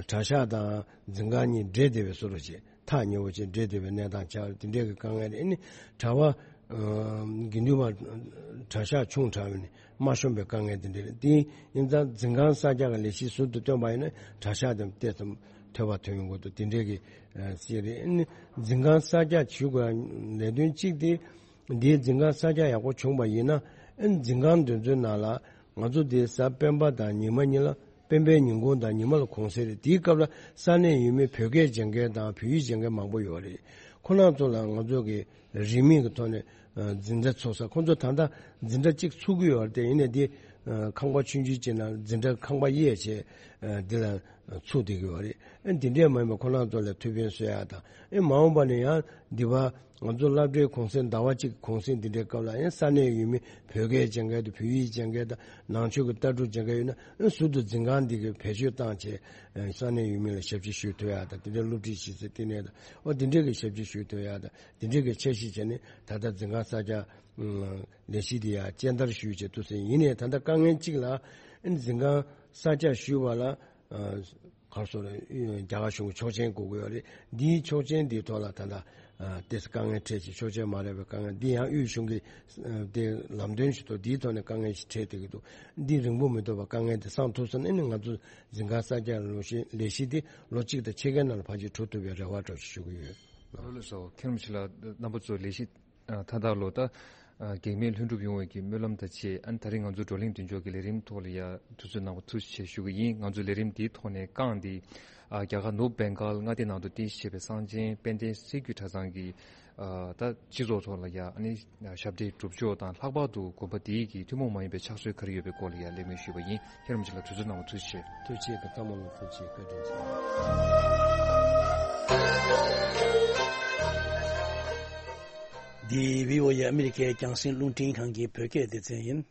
གྲྭ་ཤག་དང་འཛིན་ཁང་གཉིས་འདྲེས་བསྡད་པའི་བཟོ་འདྲ་ཅིག་ཐག་ཉེ་བོ་ཅིག་འདྲེས་བསྡད་པའི་གནས་སྟངས་ཆགས་རེད། དེ་འདྲས་ཀྱི་དཀའ་ངལ་རེད། ཨ་ནི་གྲྭ་པ་ དགེ་འདུན་པ་གྲྭ་ཤག་ཆུང་དྲགས་པས་ནི་མ་ཤོང་པའི་དཀའ་ངལ་དེ་འདྲ་རེད། དེ་ཡིན་ཙང་འཛིན་ཁང་གསར་རྒྱག་གི་ལས་གཞི་ཟུར་དུ་བཏོན་པ་ཡིན་ན་གྲྭ་ཤག་དེ་ཏོག་ཙམ་ཐོལ་པ་ཐོན་ཡོང་གི་འདུག་དེ་འདྲའི་གི་ཨ་ཅིག་རེད། ཨ་ནི་འཛིན་ཁང་གསར་རྒྱག་བྱེད་དགོས་ལས་དོན་གཅིག་དེ། འདིའི་འཛིན་ཁང་གསར་རྒྱག་ཡག་པོ་བྱུང་པ་ཡིན་ན། ཨ་ནི་འཛིན་ཁང་འདི་ཚོའི་ནང་ལ་ང་ཚོ་འདི་གཟའ་སྤེན་པ་དང་ཉི་མ་གཉིས་ལ། སྤེན་པའི་ཉིན་གུང་དང་ཉི་མ་ལ་གུང་སེང་རེད། དེའི་སྐབས་ལ་ས་གནས་ཡུལ་མི་བོད་སྐད་སྦྱང་མཁན་དང་བོད་ཡིག་སྦྱང་མཁན་མང་པོ་ཡོད་རེད། ཁོ་རང་ཚོ་ལ་ང་ཚོ་གི་རིན་མེད་ཀྱི་ཐོག་ནས་འཛིན་གྲྭ་ཚུགས་ས། ཁོ་ཚོ་ད་ལྟ་འཛིན་གྲྭ་གཅིག་ཚུགས་ཀྱི་ཡོད་རེད་དེ། ཡིན་ནའི་འདི་ཁང་པ་ཆུང་ཆུང་ཅིག་ནང་འཛིན་གྲྭ་ཁང་པ་གཡས་བྱས་འདི་ལ་ཚུགས་བསྡད་ཀྱི་ཡོད་རེད། ཨ་འདི་འདྲས་མ་ཡིན་པ་ཁོ་རང་ཚོ་ལ་ཐུགས་ཕན་གསོས་ཡག་དང་། ཨེ་མ་འོངས་པ་ནས་ཡང་འདི་བ་ང་ཚོ་སློབ་གྲྭའི་གུང་སེང་ཟླ་བ་གཅིག་གུང་སེང་འདི་འདྲའི་སྐབས་ལ་ཡང་ས་གནས་ཡུལ་མི་བོད་སྐད་སྦྱང་མཁན་དང་བོད་ཡིག་སྦྱང་མཁན་དང་ནང་ཆོས་ཀྱི་ལྟ་གྲུབ་སྦྱང་མཁན་ཡོད་ན། ཨེ་ཟུར་དུ་འཛིན་ཁང་འདི་གི་བེད་སྤྱོད་བཏང་བྱས་ཨེ་ས་གནས་ཡུལ་མི་ལ་ཞབས་ཕྱི་ཞུ་ཐུབ་ཡག་དང་། དེ་འདྲའི་སློབ་ཁྲིད་བྱེད་སའི་ལྟེ་གནས་དང་། ཨོ་འདི་འདྲའི་གི་ཞབས་ཕྱི་ཞུ་ཐུབ་ཡག་དང་། འདི་འདྲའི་གི་འཆར་གཞི་བྱས་ནས་ད་ལྟ་འཛིན་ཁང་གསར་རྒྱག་ལས་གཞི་འདི་ཡང་སྤྱན་བསྟར་ཞུས་བྱས་འདུག་ཟེར། ཡིན་ནའི་ད་ལྟ་དཀའ་ངལ་གཅིག་ལ། ཨེ་འཛིན་ཁང་གསར་རྒྱག་ཞུས་པ་ལ། ག་རེ་ཟེར། རྒྱ་གར་གཞུང་གི་ཆོག་མཆན་དགོས་ཀྱི་ཡོད་རེད། འདིའི་ཆོག་མཆན་འདིའི་ཐོག་ལ་ད་ལྟ་ཏོག་ཙམ་དཀའ་ངལ་འཕྲད་ཅིང་། ཆོག་མཆན་མ་རག་པའི་དཀའ་ངལ་འདི་ཡང་དབུས་གཞུང་གི་དེ་ལམ་སྟོན་ཞིག་ཐོག་འདིའི་ཐོག་ནས་དཀའ་ངལ་ཞིག་འཕྲད་བསྡད་ཀྱི་འདུག་འདི་རིང་པོ་མི་ཐོགས་པར་དཀའ་ངལ་འདི་སངས་ཐུབ་སོང་ན་ནི་ང་ཚོ་འཛིན་ཁང་གསར་རྒྱག་ལས་གཞི་འདི་ལོ་གཅིག་དང་ཕྱེད་ཀའི་ནང་ལ་ཕལ་ཆེར་གྲུབ་ཐུབ་པའི་རེ་བ་འདྲ་ཞིག་ཞུ་གི་ཡོད། ལགས་སོ། མཁན་རིན་པོ་ཆེ་ལགས། རྣམ་པ་ཚོ་ལས་གཞི་མཐའ་དག་ལ་ད་གེགས་མེད་ལྷུན་གྲུབ་ཡོང་བའི་གི་སྨོན་ལམ་དང་བཅས། ཨ་ནི་ད་རེས་ང་ཚོ་བགྲོ་གླེང་མདུན་ལྕོག་གི་ལས་རིམ་ཐོག་ལ་ཡ་དུས་ཚོད་གནང་བ་ཐུགས་རྗེ་ཆེ་ཞུ་གི་ཡིན། ང་ཚོ་ལས་རིམ་འདིའི་ཐོག་ནས་རྐང་འདི་རྒྱ་གར་ནུབ་བེང་གལ་མངའ་སྡེ་ནང་དུ་རྟེན་གཞི་བྱས་པའི་གསང་ཆེན་དཔལ་ལྡན་གསེར་གྱི་གྲྭ་ཚང་གི་ད་སྤྱི་ཚོགས་ཐོག་ལ་ཡ་ཨ་ནི་ཞབས་གྲྭའི་སྒྲུབ་ཕྱོགས་དང་། ལྷག་པར་དུ་དགོན་པ་འདིའི་གི་ཐུན་མོང་མ་ཡིན་པའི་ཕྱག་སྲོལ་ག་རེ་ཡོད་པའི་སྐོར་ལ་ཡ་གླེང་མོལ་ཞུས་པ་ཡིན། མཁན་རིན་པོ་ཆེ་ལགས་དུས་ཚོད་གནང་བ་ཐུགས་རྗེ་ཆེ། ཐུགས་རྗེ་ཆེ། ཚང་མ་ལ་ཐུགས་རྗེ་ཆེ། བཀའ་དྲིན་ཆེ། འདི་བྷི་ཨོ་ཨེ་ཨ་མི་རི་ཀའི་རྒྱང་སྲིང་རླུང་འཕྲིན་ཁང་གི་བོད་སྐད་སྡེ་ཚན་ཡིན།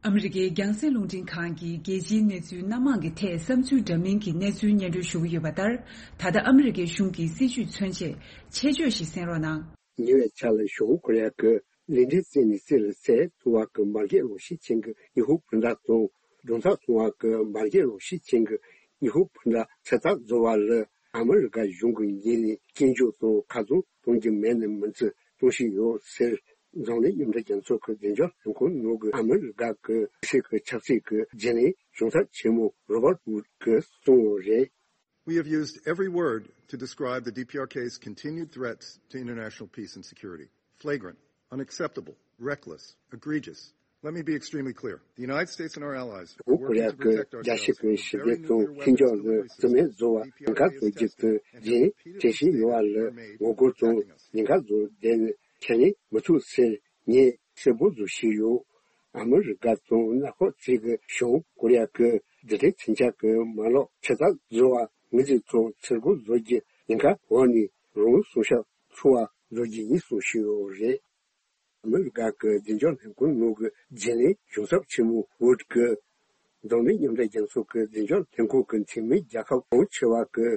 ཨ་མི་རི་ཀའི་རྒྱང་སྲིང་རླུང་འཕྲིན་ཁང་གིས་རྒྱལ་སྤྱིའི་གནས་ཚུལ་སྣ་མང་གི་ཐད་བསམ་ཚུལ་འདྲ་མིན་གྱི་གནས་ཚུལ་སྙན་སྒྲོན་ཞུ་གི་ཡོད་པ་ལྟར། ད་ལྟ་ཨ་མི་རི་ཀའི་གཞུང་གི་སྲིད་བྱུས་མཚོན་ཆེད་ཆེད་བརྗོད་ཞིག་གསན་རོགས་གནང་། ཉེ་བའི་ཆར་ལ་བྱང་ཀོ་རི་ཡ་གི་ལས་འབྲས་རྩད་ནས་རྩད་ལ་བཙལ་ཐུབ་པ་གི་མ་རྒྱལ་རང་བཞིན་ཅན་གྱི་ཉི་ཧོང་སྤུན་ཟླ་དང་། གདོང་ཐག་སྲུང་བ་གི་མ་རྒྱལ་རང་བཞིན་ཅན་གྱི་ཉི་ཧོང་སྤུན་ཟླ་ཚོད་ལྟ་བཟོ་བ་ལ་ཨ་མི་རི་ཀ་གཞུང་གི་ངོས་ནས་སྐྱོན་བརྗོད་དང་ཁ་རྩང་གཏོང་རྒྱུ་མེད་ནི་མིན་ཚུལ་གཏོང་བཞིན་ཡོད་ཟེར། འཛམ་གླིང་མཉམ་འབྲེལ་རྒྱལ་ཚོགས་ཀྱི་བདེ་འཇགས་ལྷན་ཁང་ནང་གི་ཨ་མི་རི་ཀ་གི་ཕྱི་སྲིད་ཀྱི་ཆབ་སྲིད་ཀྱི་རྒྱུན་ལས་གཞུང་ཚབ་ཆེན་མོ་རོ་བར་ཝུད་ཀྱིས་གསུངས་ཡོད་རེད། We have used every word to describe the D P R K's continued threats to international peace and security. Flagrant, unacceptable, reckless, egregious. Let me be extremely clear. The United States and our allies are བོད་ཀོ་རི་working ཡ་to གི་protect རྒྱལ་སྤྱི་ourselves གི་from ཞི་very བདེ་དང་nuclear མཐུན་weapons འཇགས་ལ་deliveries རྩིས་མེད་བཟོ་བ། D P R K གང་ག་བཟོ་རྒྱུ་དེ་རྒྱུན་ལས་བྱེད་བཞིན་ཡོད་པ་ལ་ངོ་རྒོལ་དང་ཉེན་ཁ་བཟོ་བསྡད་ནས་ཁས་ལེན་མི་ཐུབ་ཟེར་ངས་གསལ་པོ་བཟོ་བཞིན་ཡོད། ཨ་མི་རི་ཀ་དང་མངའ་ཁོངས་གཅིག་གི་བྱང་ཀོ་རི་ཡ་གི་རྡུལ་ཕྲན་མཚོན་ཆ་གི་མ་ལག་ཁྲིད་ཐབས་བཟོ་བ་ངོས་འཛིན་དང་ཚུར་རྒོལ་བཟོ་རྒྱུ་ཉེན་ཁ་འོག་ནས་རང་སྲུང་བྱ་ཐུབ་པ་བཟོ་རྒྱུ་ཡིན་གསུངས་བཞིན་ཡོད་རེད། ཨ་མི་རི་ཀ་གི་བདེ་འཇགས་ལྷན་ཁང་ནང་གི་རྒྱུན་ལས་གཞུང་ཚབ་ཆེན་མོ་ཝུད་ཀྱིས་འཛམ་གླིང་མཉམ་འབྲེལ་རྒྱལ་ཚོགས་ཀྱི་བདེ་འཇགས་ལྷན་ཁང་གི་འཐུས་མི་རྒྱལ་ཁབ་གོང་ཆེ་བ་གི་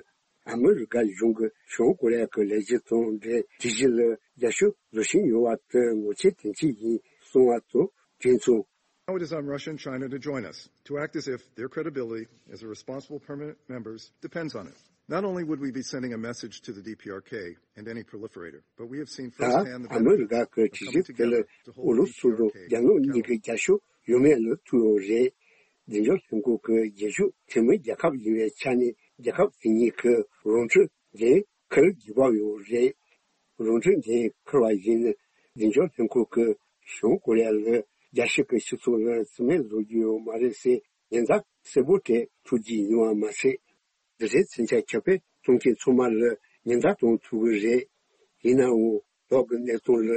ཨ་མི་རི་ཀ་གཞུང་གིས་བྱང་ཀོ་རི་ཡ་གི་ལས་གཞི་དང་འབྲེལ་དེ་བཞིན་ལ་རྒྱབ་སྐྱོར་བཟོ་བཞིན་ཡོད་པ་དེ་ངོ་ཆེ་དོན་ཆེ་ཡིན་གསུངས་པ་དང་དུས་མཚུངས། Now it is on Russia and China to join us, to act as if their credibility as a responsible permanent members depends on it. Not only would we be sending a message to the D P R K and any proliferator, but we have seen ད་firsthand the ཨ་མི་རི་benefits ཀ་གི་གྲོས་གཞི་དེ་ལ་ཨུ་རུ་སུ་དང་རྒྱ་ནག་གཉིས་ཀྱི་རྒྱབ་སྐྱོར་ཡོད་མེད་ལ་ཐུག་ཡོད་རེད། བདེ་འཇགས་ལྷན་ཁང་གི་རྒྱུན་ཞུགས་འཐུས་མི་རྒྱལ་ཁབ་ཡིན་པའི་ཆ་ནས་རྒྱལ་ཁབ་དེ་གཉིས་ཀྱི་རང་འཁྲི་འདི་འཁུར་དགོས་པ་ཡོད་རེད། རང་འཁྲི་འདི་འཁུར་བ་ཡིན་ན་བདེ་འཇགས་ལྷན་ཁང་གིས་བྱང་ཀོ་རི་ཡ་ལ་རྒྱལ་སྤྱི་གི་སྤྱི་ཚོགས་ལ་རྩིས་མེད་བཟོ་རྒྱུ་ཡོད་མ་རེད་ཟེར་ཉེན་བརྡ་གསལ་པོ་སྤྲད་ཐུབ་ཀྱི་ཡོད་པ་མ་ཟད། འདི་འདྲའི་མཚོན་ཆ་ཁྱབ་སྤེལ་གཏོང་མཁན་ཚང་མ་ལ་ཉེན་བརྡ་གཏོང་ཐུབ་ཀྱི་རེད། ཡིན་ནའང་བོད་ཀྱི་གནད་དོན་ལ་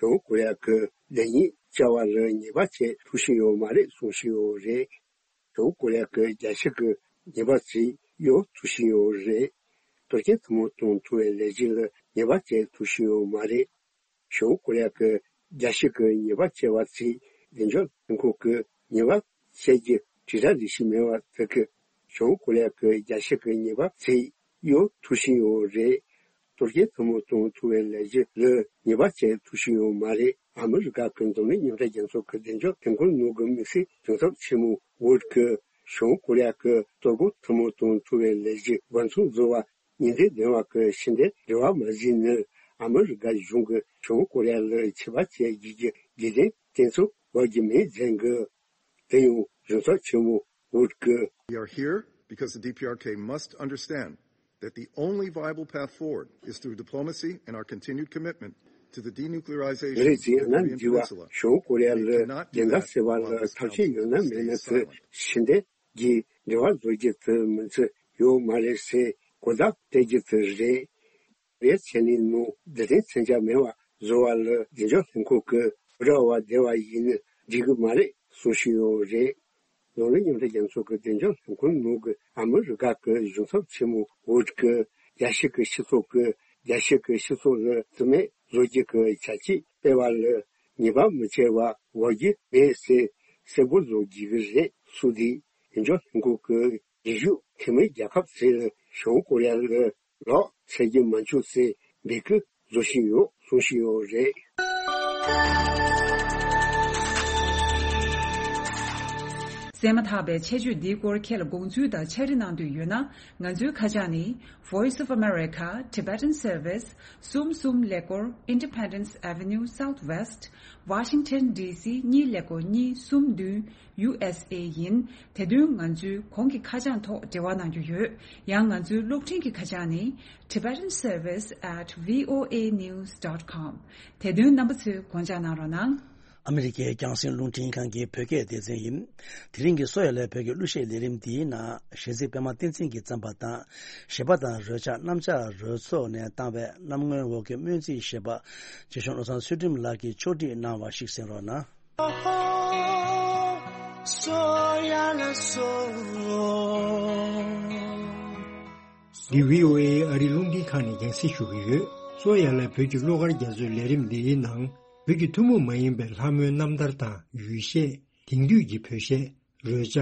བྱང་ཀོ་རི་ཡ་གིས་ལེགས་ཉེས་བཅར་བ་ལ་ཉེས་པ་བྱེད་ཐུབ་བཞིན་ཡོད་མ་རེད་གསུང་བཞིན་ཡོད་རེད། བྱང་ཀོ་རི་ཡ་གིས་རྒྱལ་སྤྱི་གི་ཉེས་པ་ཚིག་གཡོལ་ཐུབ་བཞིན་ཡོད་རེད། དོལ་རྒྱལ་ཐུན་མོང་དང་ཐུབ་པའི་ལས་གཞི་ལ་ཉེས་པ་བྱེད་ཐུབ་བཞིན་ཡོད་མ་རེད། བྱང་ཀོ་རི་ཡ་གིས་རྒྱལ་སྤྱི་གི་ཉེས་པ་བྱས་པ་ཚིག་བདེ་འཇགས་ལྷན་ཁང་གིས་ཉེས་པ་བྱེད་རྒྱུ་དྲིལ་བསྒྲགས་ལས་གཞི་མེད་པ་དེ་གིས་བྱང་ཀོ་རི་ཡ་གིས་རྒྱལ་སྤྱི་གི་ཉེས་པ་ཚིག་གཡོལ་ཐུབ་བཞིན་ཡོད་རེད། དོལ་རྒྱལ་ཐུན་མོང་དང་ཐུབ་པའི་ལས་གཞི་ལ་ཉེས་པ་བྱེད་ཐུབ་བཞིན་ཡོད་མ་རེད། ཨ་མི་རི་ཀ་གི་འཛམ་གླིང་མཉམ་འབྲེལ་རྒྱལ་ཚོགས་ཀྱི་བདེ་འཇགས་ལྷན་ཁང་ནང་གི་དམིགས་བསལ་གཞུང་ཚབ་ཆེན་མོ་ཝུད་ཀྱིས་བྱང་ཀོ་རི་ཡ་གིས་གཏོར་རྒོལ་ཐུན་མོང་དང་ཐུབ་པའི་ལས་གཞི་འབད་བརྩོན་བཟོ་བ་ ཉིན་དེ་ལྡན་བ་གི་ཕྱི་འབྲེལ་འབྲེལ་བ་མ་ཟིན་ནི་ཨ་མི་རི་ཀ་གཞུང་གི་བྱང་ཀོ་རི་ཡ་ལ་ཆད་པ་བཅད་རྒྱུ་གི་རྒྱུ་རྐྱེན་དེ་ཚོ་བར་གྱི་མེད་མཛད་གི། དེ་ཡང་གཞུང་ཚབ་ཆེན་མོ་ཝུཌ་གི། We are here because the D P R K must understand that the only viable path forward is through diplomacy and our continued commitment to the denuclearization of the Korean Peninsula. ངས་ཅིག་ཡང་ན་འདི་བ་གཞུང་ཀོ་རི་ཡ་ལ་རྒྱལ་ཁ་སེལ་བ་ལ་ཐབས་ཤེས་ཡང་ན་མེད་ན་ཚེ་ཕྱི་འབྲེལ་གྱི་འབྲེལ་བ་བཟོ་རྒྱུ་དེ་མིན་ཚེ་ཡོད་མ་རེད་ཟེར་གོ་བརྡ་སྤྲད་རྒྱུ་དེ་རེད། རེད་བྱས་ནས་ནོ་འདི་དེ་མཚོན་ཆ་མེད་པ་བཟོ་བ་ལ་བདེ་འཇགས་ལྷན་ཁང་གི་ར་བ་བདེ་བ་ཡིན་ན་འགྲིག་གི་མ་རེད་གསུང་བཞིན་ཡོད་རེད། ལོ་ལོན་མཉམ་འབྲེལ་རྒྱལ་ཚོགས་ཀྱི་བདེ་འཇགས་ལྷན་ཁང་ནང་གི་ཨ་མི་རི་ཀ་གི་གཞུང་ཚབ་ཆེན་མོ་ཝུཌ་གི་རྒྱལ་སྤྱི་གི་སྤྱི་ཚོགས་ཀྱི་རྒྱལ་སྤྱི་གི་སྤྱི་ཚོགས་ལ་བརྩི་མེད་བཟོ་རྒྱུ་གི་བྱ་སྤྱོད་སྤེལ་བ་ལ་ཉེས་པ་མི་བྱེད་པ་བར་རྒྱུ་མེད་ཟེར་གསལ་པོ་བཟོ་རྒྱུ་གི་རེད་གསུངས་ཏེ། བདེ་འཇགས་ལྷན་ཁང་གི་རྒྱུན་ཞུགས་འཐུས་མི་རྒྱལ་ཁབ་ཚོས་བྱང་ཀོ་རི་ཡ་ལ་ལོག་འཚོལ་རྒྱུ་མ་བྱུང་ཚེ་འབོད་སྐུལ་བཟོ་བཞིན་ཡོད་གསུང་བཞིན་ཡོད་རེད། གསན་མ་ཐག་པའི་ཆེད་བརྗོད་འདིའི་སྐོར་ཁྱེད་ལ་དགོངས་ཚུལ་དང་ཕྱག་བྲིས་གནང་འདོད་ཡོད་ན། ང་ཚོའི་ཁ་བྱང་ནི། Voice of America, Tibetan Service, གསུམ་གསུམ་ཀླད་ཀོར། Independence Avenue Southwest, Washington D C གཉིས་ཀླད་ཀོར་གཉིས་གསུམ་བདུན། U S A ཡིན། དེ་དོན་ང་ཚོའི་གོང་གི་ཁ་བྱང་ཐོག་འབྲེལ་བ་གནང་རྒྱུ་ཡོད། ཡང་ང་ཚོའི་གློག་འཕྲིན་གྱི་ཁ་བྱང་ནི། Tibetan Service at V O A news dot com། དེ་དོན་རྣམ་པ་ཚོས་དགོངས་འཇགས་གནང་རོགས་གནང་། ཨ་མི་རི་ཀའི་རྒྱང་སྲིང་རླུང་འཕྲིན་ཁང་གི་བོད་སྐད་སྡེ་ཚན་ཡིན། དེ་རིང་གི་གསོ་ཡ་ལས་བོད་ཀྱི་གླུ་གཞས་ལས་རིམ་འདིའི་ནང་གཞས་ཚིག་པད་མ་བསྟན་འཛིན་གྱིས་བརྩམས་པ་དང་། གཞས་པ་དང་རོལ་ཆ་གནམ་ལྕགས་རོལ་ཚོགས་ནས་བཏང་བའི་གནམ་སྔོན་འོག་གི་སྨོན་ཚིག་ཞེས་པ། རྗེ་གཞུང་བློ་བཟང་ཚུལ་ཁྲིམས་ལགས་ཀྱིས་ཕྱོགས་སྒྲིག་གནང་བ་ཞིག་གསན་རོགས་གནང་། འདི་V O A ཨ་རིའི་རླུང་འཕྲིན་ཁང་ནས་རྒྱང་སྲིང་ཞུ་གི་ཡོད། གསོ་ཡ་ལ་བོད་ཀྱི་གླུ་གར་རྒྱ་མཚོའི་ལས་རིམ་འདིའི་ནང་། བོད་ཀྱི་ཐུན་མོང་མ་ཡིན་པའི་ལྷ་མོའི་རྣམ་ཐར་དང་ཡུལ་གཞས། དེང་དུས་ཀྱི་བོད་གཞས། རོལ་ཆ།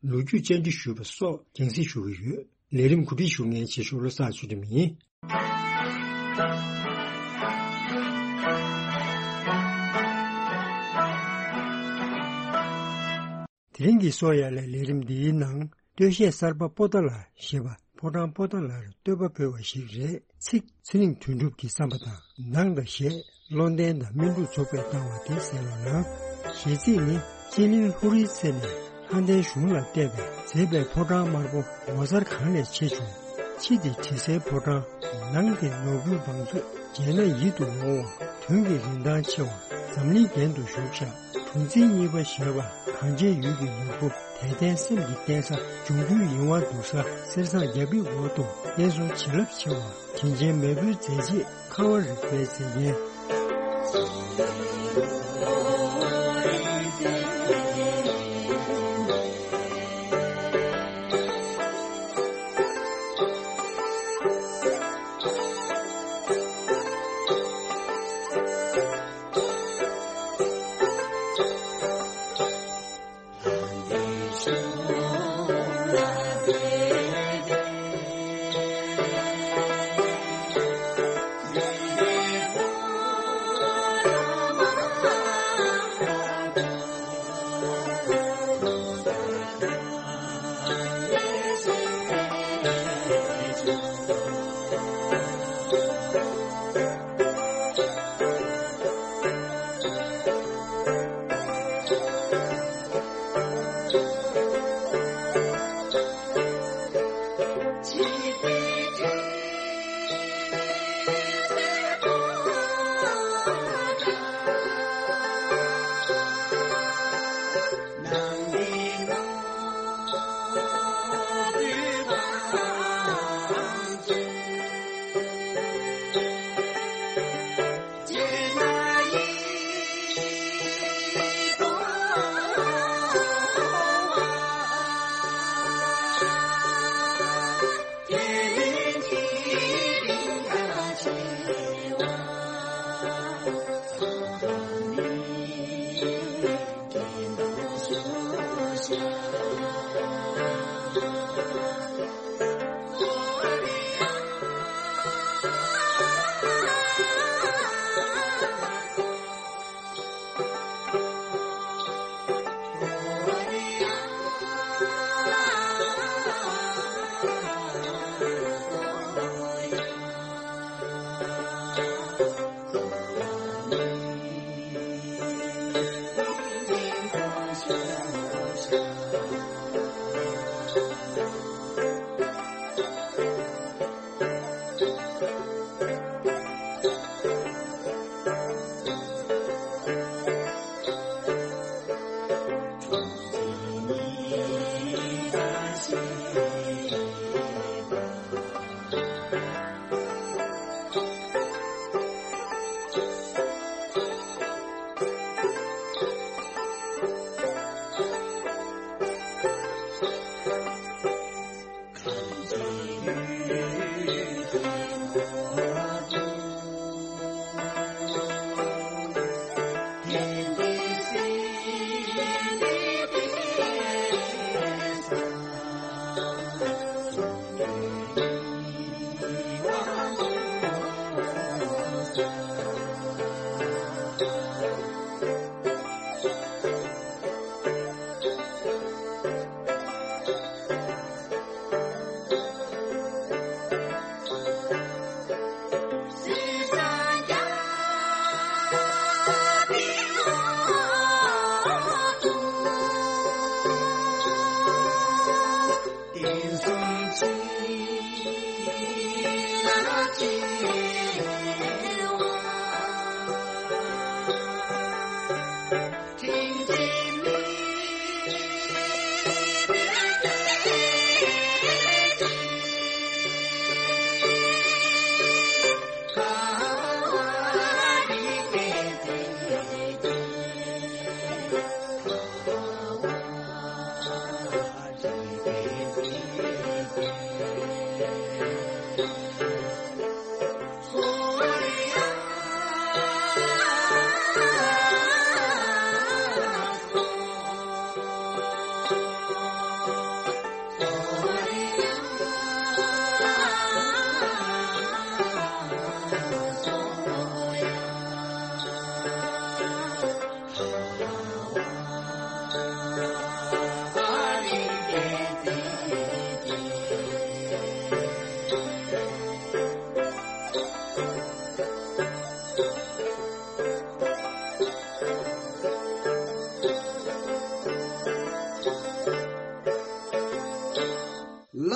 ལོ་རྒྱུས་བཅར་འདྲི་ཞུས་པ་སོགས་རྒྱང་སྲིང་ཞུ་གི་ཡོད། ལས་རིམ་གོ་སྒྲིག་ཞུ་མཁན་ཆེ་ཤོས་བློ་བཟང་ཚུལ་ཁྲིམས་ཡིན། དེ་རིང་གི་གསོ་ཡ་ལས་ལས་རིམ་འདིའི་ནང་། སྟོད་གཞས་གསར་པ་པོ་ཏཱ་ལ་ཞེས་པ་ཕོ་བྲང་པོ་ཏཱ་ལར་བསྟོད་པ་ཕུལ་བ་ཞིག་རེད། ཚིག་ཚེ་རིང་དོན་གྲུབ་ཀྱི་བརྩམས་པ་དང་། ནང་དང་གཞས། བློ་ལྡན་དང་སྨིན་དྲུག་ཚོགས་པས་བཏང་བ་དེ་གསན་རོགས་གནང་། གཞས་ཚིག་ནི། ཅི་ལིན་ལྷོ་རིའི་རྩེ་ནས་ལྷ་ལྡན་གཞུང་ལ་བལྟས་པས། མཛེས་པའི་ཕོ་བྲང་དམར་པོ་ངོ་མཚར་གང་ནས་ཆེ་བྱུང་། ཕྱི་དེ་དྲི་ཟའི་ཕོ་བྲང་། ནང་དེ་ནོར་བུའི་བང་མཛོད། མཇལ་ན་ཡིད་དུ་འོང་བ། དོན་གྱི་རིན་ཐང་ཆེ་བ། འཛམ་གླིང་རྒྱན་དུ་བཞུགས་ཤག་གྲུ་འཛིན་གཉིས་པ་ཞེས་པ། གངས་ཅན་ཡུལ་གྱི་ནོར་བུ། དད་ལྡན་སེམས་ཀྱི་བརྟེན་ས། འབྱུང་འགྱུར་ཡིད་དབང་འདུག་ས། གསེར་སྲང་རྒྱ་བིའི་འོག་ཏུ། བསྟན་སྲུང་བྱིན་རླབས་ཆེ་བ། དྲིན་ཅན་མེས་པོའི་མཛད་རྗེས། ཁ་བ་རི་པའི་མཛེས་རྒྱན།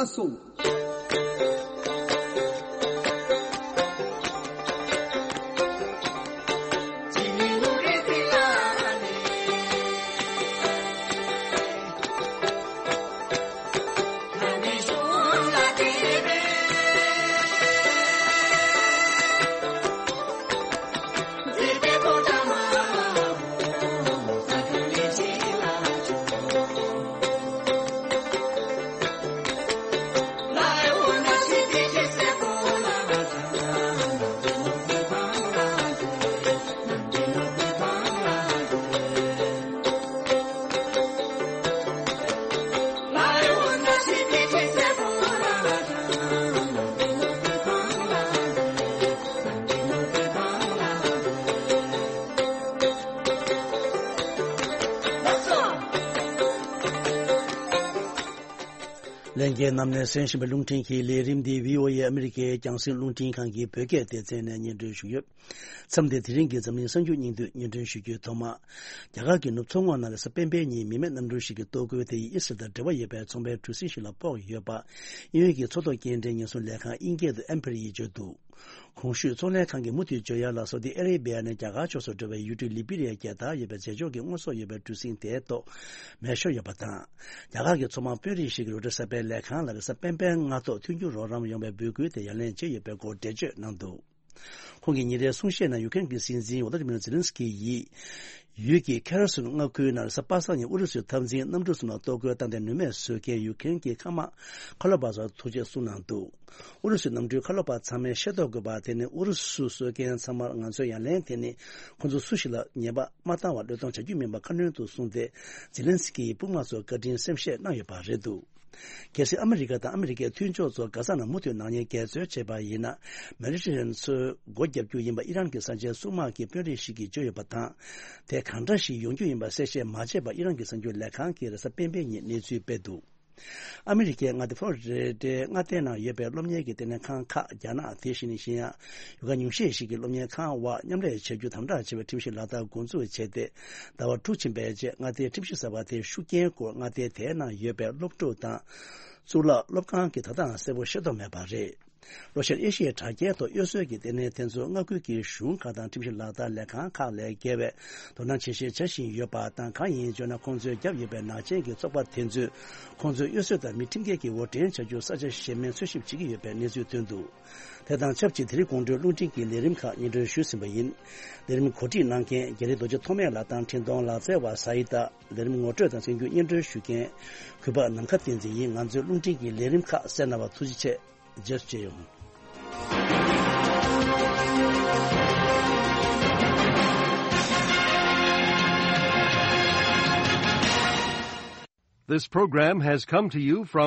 ལགས་སོ། ལྷན་རྒྱས་རྣམས་ནས་གསན་བཞིན་པའི་རླུང་འཕྲིན་གྱི་ལས་རིམ་འདི་ཝི་ཨོ་ཨེ་ཨ་མི་རི་ཀའི་རྒྱང་སྲིང་རླུང་འཕྲིན་ཁང་གི་བོད་སྐད་སྡེ་ཚན་ནས་སྙན་སྒྲོན་ཞུས་ཡོད། མཚམས་འདིར་དེ་རིང་གི་འཛམ་གླིང་གསར་འགྱུར་སྙིང་བསྡུས་སྙན་སྒྲོན་ཞུ་རྒྱུའི་ཐོག་མ། རྒྱ་གར་གྱི་ནུབ་མཚོ་ངོས་ནང་ལ་གཟའ་སྤེན་པའི་ཉིན་མི་མེད་གནམ་གྲུ་ཞིག་གི་གཏོར་རྒོལ་དེ་ཡིས་ཨི་སི་རལ་དང་འབྲེལ་བ་ཡོད་པའི་ཚོང་པའི་གྲུ་གཟིངས་ཤིག་ལ་ཕོག་ཡོད་པ། དབྱིན་ཡུལ་གྱི་མཚོ་ཐོག་སྐྱེལ་འདྲེན་ཉེན་སྲུང་ལས་ཁང་དབྱིན་སྐད་དུ་ཨེམ་པར་ཡིས་བརྗོད་འདུག། གོང་ཞུས་ཚོང་ལས་ཁང་གིས་མུ་མཐུད་བརྗོད་ཡ་ལ་སོགས་ཏེ་ཨ་རེ་བི་ཡ་ནས་རྒྱ་གར་ཕྱོགས་སུ་འགྲོ་བའི་ཡུལ་གྲུ་ལི་བི་རི་ཡའི་རྒྱལ་དར་ཡོད་པའི་རྗེས་ཕྱོགས་ཀྱི་དངོས་ཟོག་ཡོད་པའི་གྲུ་གཟིངས་དེའི་ཐོག་མེ་ཤོར་ཡོད་པ་དང་། རྒྱ་གར་གྱི་མཚོ་དམག་དཔོན་རིགས་ཤིག་གིས་རོའི་ཊར་གསར་སྤེལ་ལས་ཁང་ལ་གཟའ་སྤེན་པའི་སྔ་ཐོག་མཐུན་འགྱུར་རོགས་རམ་ཡོང་བའི་འབོད་སྐུལ་དེ་ཡ་ལན་བྱས་ཡོད་པའི་སྐོར་འགྲེལ་བརྗོད་གནང་འདུག། ཁོང་གིས་ཉིན་རེའི་གསུང་བཤད་ནང་ཡུ་ཀེ་རེན་གྱི་སྲིད་འཛིན་ཝོ་ལོ་ཏི་མིར་ཛེ་ལན་སི་ཀི་ཡིས། ཡུལ་གྱི་ཁེར་སོན་མངའ་ཁུལ་ནང་གཟའ་པ་སངས་ཉིན་ཨུ་རུ་སུའི་འཐབ་འཛིང་གནམ་གྲུ་གསུམ་ལ་གཏོར་རྒོལ་བཏང་སྟེ་ནུས་མེད་བཟོས་མཁན་ཡུ་ཀེ་རེན་གྱི་མཁའ་དམག་མཁའ་སློབ་པ་ཚོར་ཐུགས་རྗེ་གསུངས་གནང་འདུག། ཨུ་རུ་སུའི་གནམ་གྲུའི་མཁའ་སློབ་པ་ཚང་མས་ཤེས་རྟོགས་དགོས་པ་དེ་ནི་ཨུ་རུ་སུ་གསོད་མཁན་ཚང་མར་ང་ཚོའི་ཡ་ལན་དེ་ནི་ཁོང་ཚོ་སུ་ཞིག་ལ་ཉེས་པ་མ་བཏང་བར་བློས་གཏོང་བྱ་རྒྱུ་མིན་པ་ཁ་སྣོན་དུ་གསུངས་ཏེ། ཛེ་ལན་སི་ཀི་ཡིས་དཔུང་དམག་ཚོར་བཀའ་དྲིན་སེམས་བཞེས་གནང་ཡོད་པ་རེད་འདུག། གལ་སྲིད་ཨ་མི་རི་ཀ་དང་ཨ་མི་རི་ཀའི་མཐུན་ཕྱོགས་ཚོ་གྷ་ས་ནང་མུ་མཐུད་ནག་ཉེས་འགལ་འཛོལ་བྱས་པ་ཡིན་ན། མེ་ཌི་ཊེ་རེ་ནན་མཚོའི་སྒོ་བརྒྱབ་རྒྱུ་ཡིན་པ་ཨི་རན་གྱི་གསར་བརྗེའི་སྲུང་དམག་གི་དཔོན་རིགས་ཤིག་གིས་བརྗོད་ཡོད་པ་དང་། དེ་གང་འདྲ་ཞིག་ཡོང་རྒྱུ་ཡིན་པ་གསལ་བཤད་མ་བྱས་པར་ཨི་རན་གྱི་གསར་འགྱུར་ལས་ཁང་གིས་རེས་གཟའ་སྤེན་པའི་ཉིན་གནས་ཚུལ་སྤེལ་འདུག། ཨ་མི་རི་ཀའི་མངའ་སྡེ་ཕོ་ལོ་རི་ཌའི་མངའ་སྡེ་ནང་ཡོད་པའི་སློབ་གཉེར་གྱི་ལྟེ་གནས་ཁང་ཁག་རྒྱ་ནག་དེ་བཞིན་གཞན་ཡང་ཡུལ་ཁག་ཉུང་ཤས་ཤིག་གི་སློབ་གཉེར་ཁང་བར་མཉམ་ལས་བྱ་རྒྱུ་དམ་དྲག་བྱེད་པའི་ཁྲིམས་གཞི་ལག་བསྟར་འགོ་འཛུགས་བྱས་ཏེ། ཟླ་བ་དྲུག་ཕྱིན་པའི་རྗེས་མངའ་སྡེའི་ཁྲིམས་གཞི་གསར་པ་དེའི་ཤུགས་རྐྱེན་སྐོར་མངའ་སྡེ་དེའི་ནང་ཡོད་པའི་སློབ་ཕྲུག་དང་། གཙུག་ལག་སློབ་ཁང་གིས་ད་ལྟའང་གསལ་པོ་ཤེས་རྟོགས་མེད་པ་རེད། ལྷོ་ཤར་ཨེ་ཤི་ཡའི་དྲ་རྒྱའི་ཐོག་གཡོ་ཟོལ་གྱི་ལྟེ་གནས་དེ་ཚོ་མངའ་ཁུལ་གྱི་གཞུང་ཁག་དང་ཁྲིམས་ཞིབ་ལག་བསྟར་ལས་ཁང་ཁག་ལས་བརྒལ་བའི་དོ་སྣང་ཇེ་ཆེར་བྱ་བཞིན་ཡོད་པ་དང་། གང་ཡིན་ཟེར་ན། ཁོང་ཚོས་བརྒྱབ་ཡོད་པའི་ནག་ཅན་གྱི་ཚོགས་པ་དེ་ཚོས་ཁོང་ཚོའི་གཡོ་ཟོལ་དང་མི་ཁྲིམས་འགལ་གྱི་འོར་འདྲེན་བྱ་རྒྱུར་ས་ཆ་གཞན་མའི་འཚོལ་ཞིབ་བྱེད་ཀྱི་ཡོད་པའི་གནས་ཚུལ་ཐོན་འདུག་དེ་དང་ཆབས་ཅིག་དེ་རིང་དགོང་དྲོའི་རླུང་འཕྲིན་གྱི་ལས་རིམ་ཁག་སྙན་སྒྲོན་ཞུས་ཟིན་པ་ཡིན། ལས་རིམ་གོ་སྒྲིག་གནང་མཁན་རྒྱ་རི་རྡོ་རྗེ་ཐོགས་མེད་ལགས་དང་འཕྲིན་གཏོང་ལག་རྩལ་བ་ས་ཡི་ཏ། ལས་རིམ་ངོ་སྤྲོད་དང་གསན་རྒྱུ་སྙན་སྒྲོན་ཞུ་མཁན་གུས་པ་ནམ་མཁའ་བསྟན་འཛིན་ཡིན། ང་ཚོའི་རླུང་འཕྲིན་གྱི་ལས་རིམ་ཁག་གསན་གནང་བར་ཐུགས་རྗེ་ཆེ། རྗེས་སུ་མཇལ་ཡོང་། This program has come to you from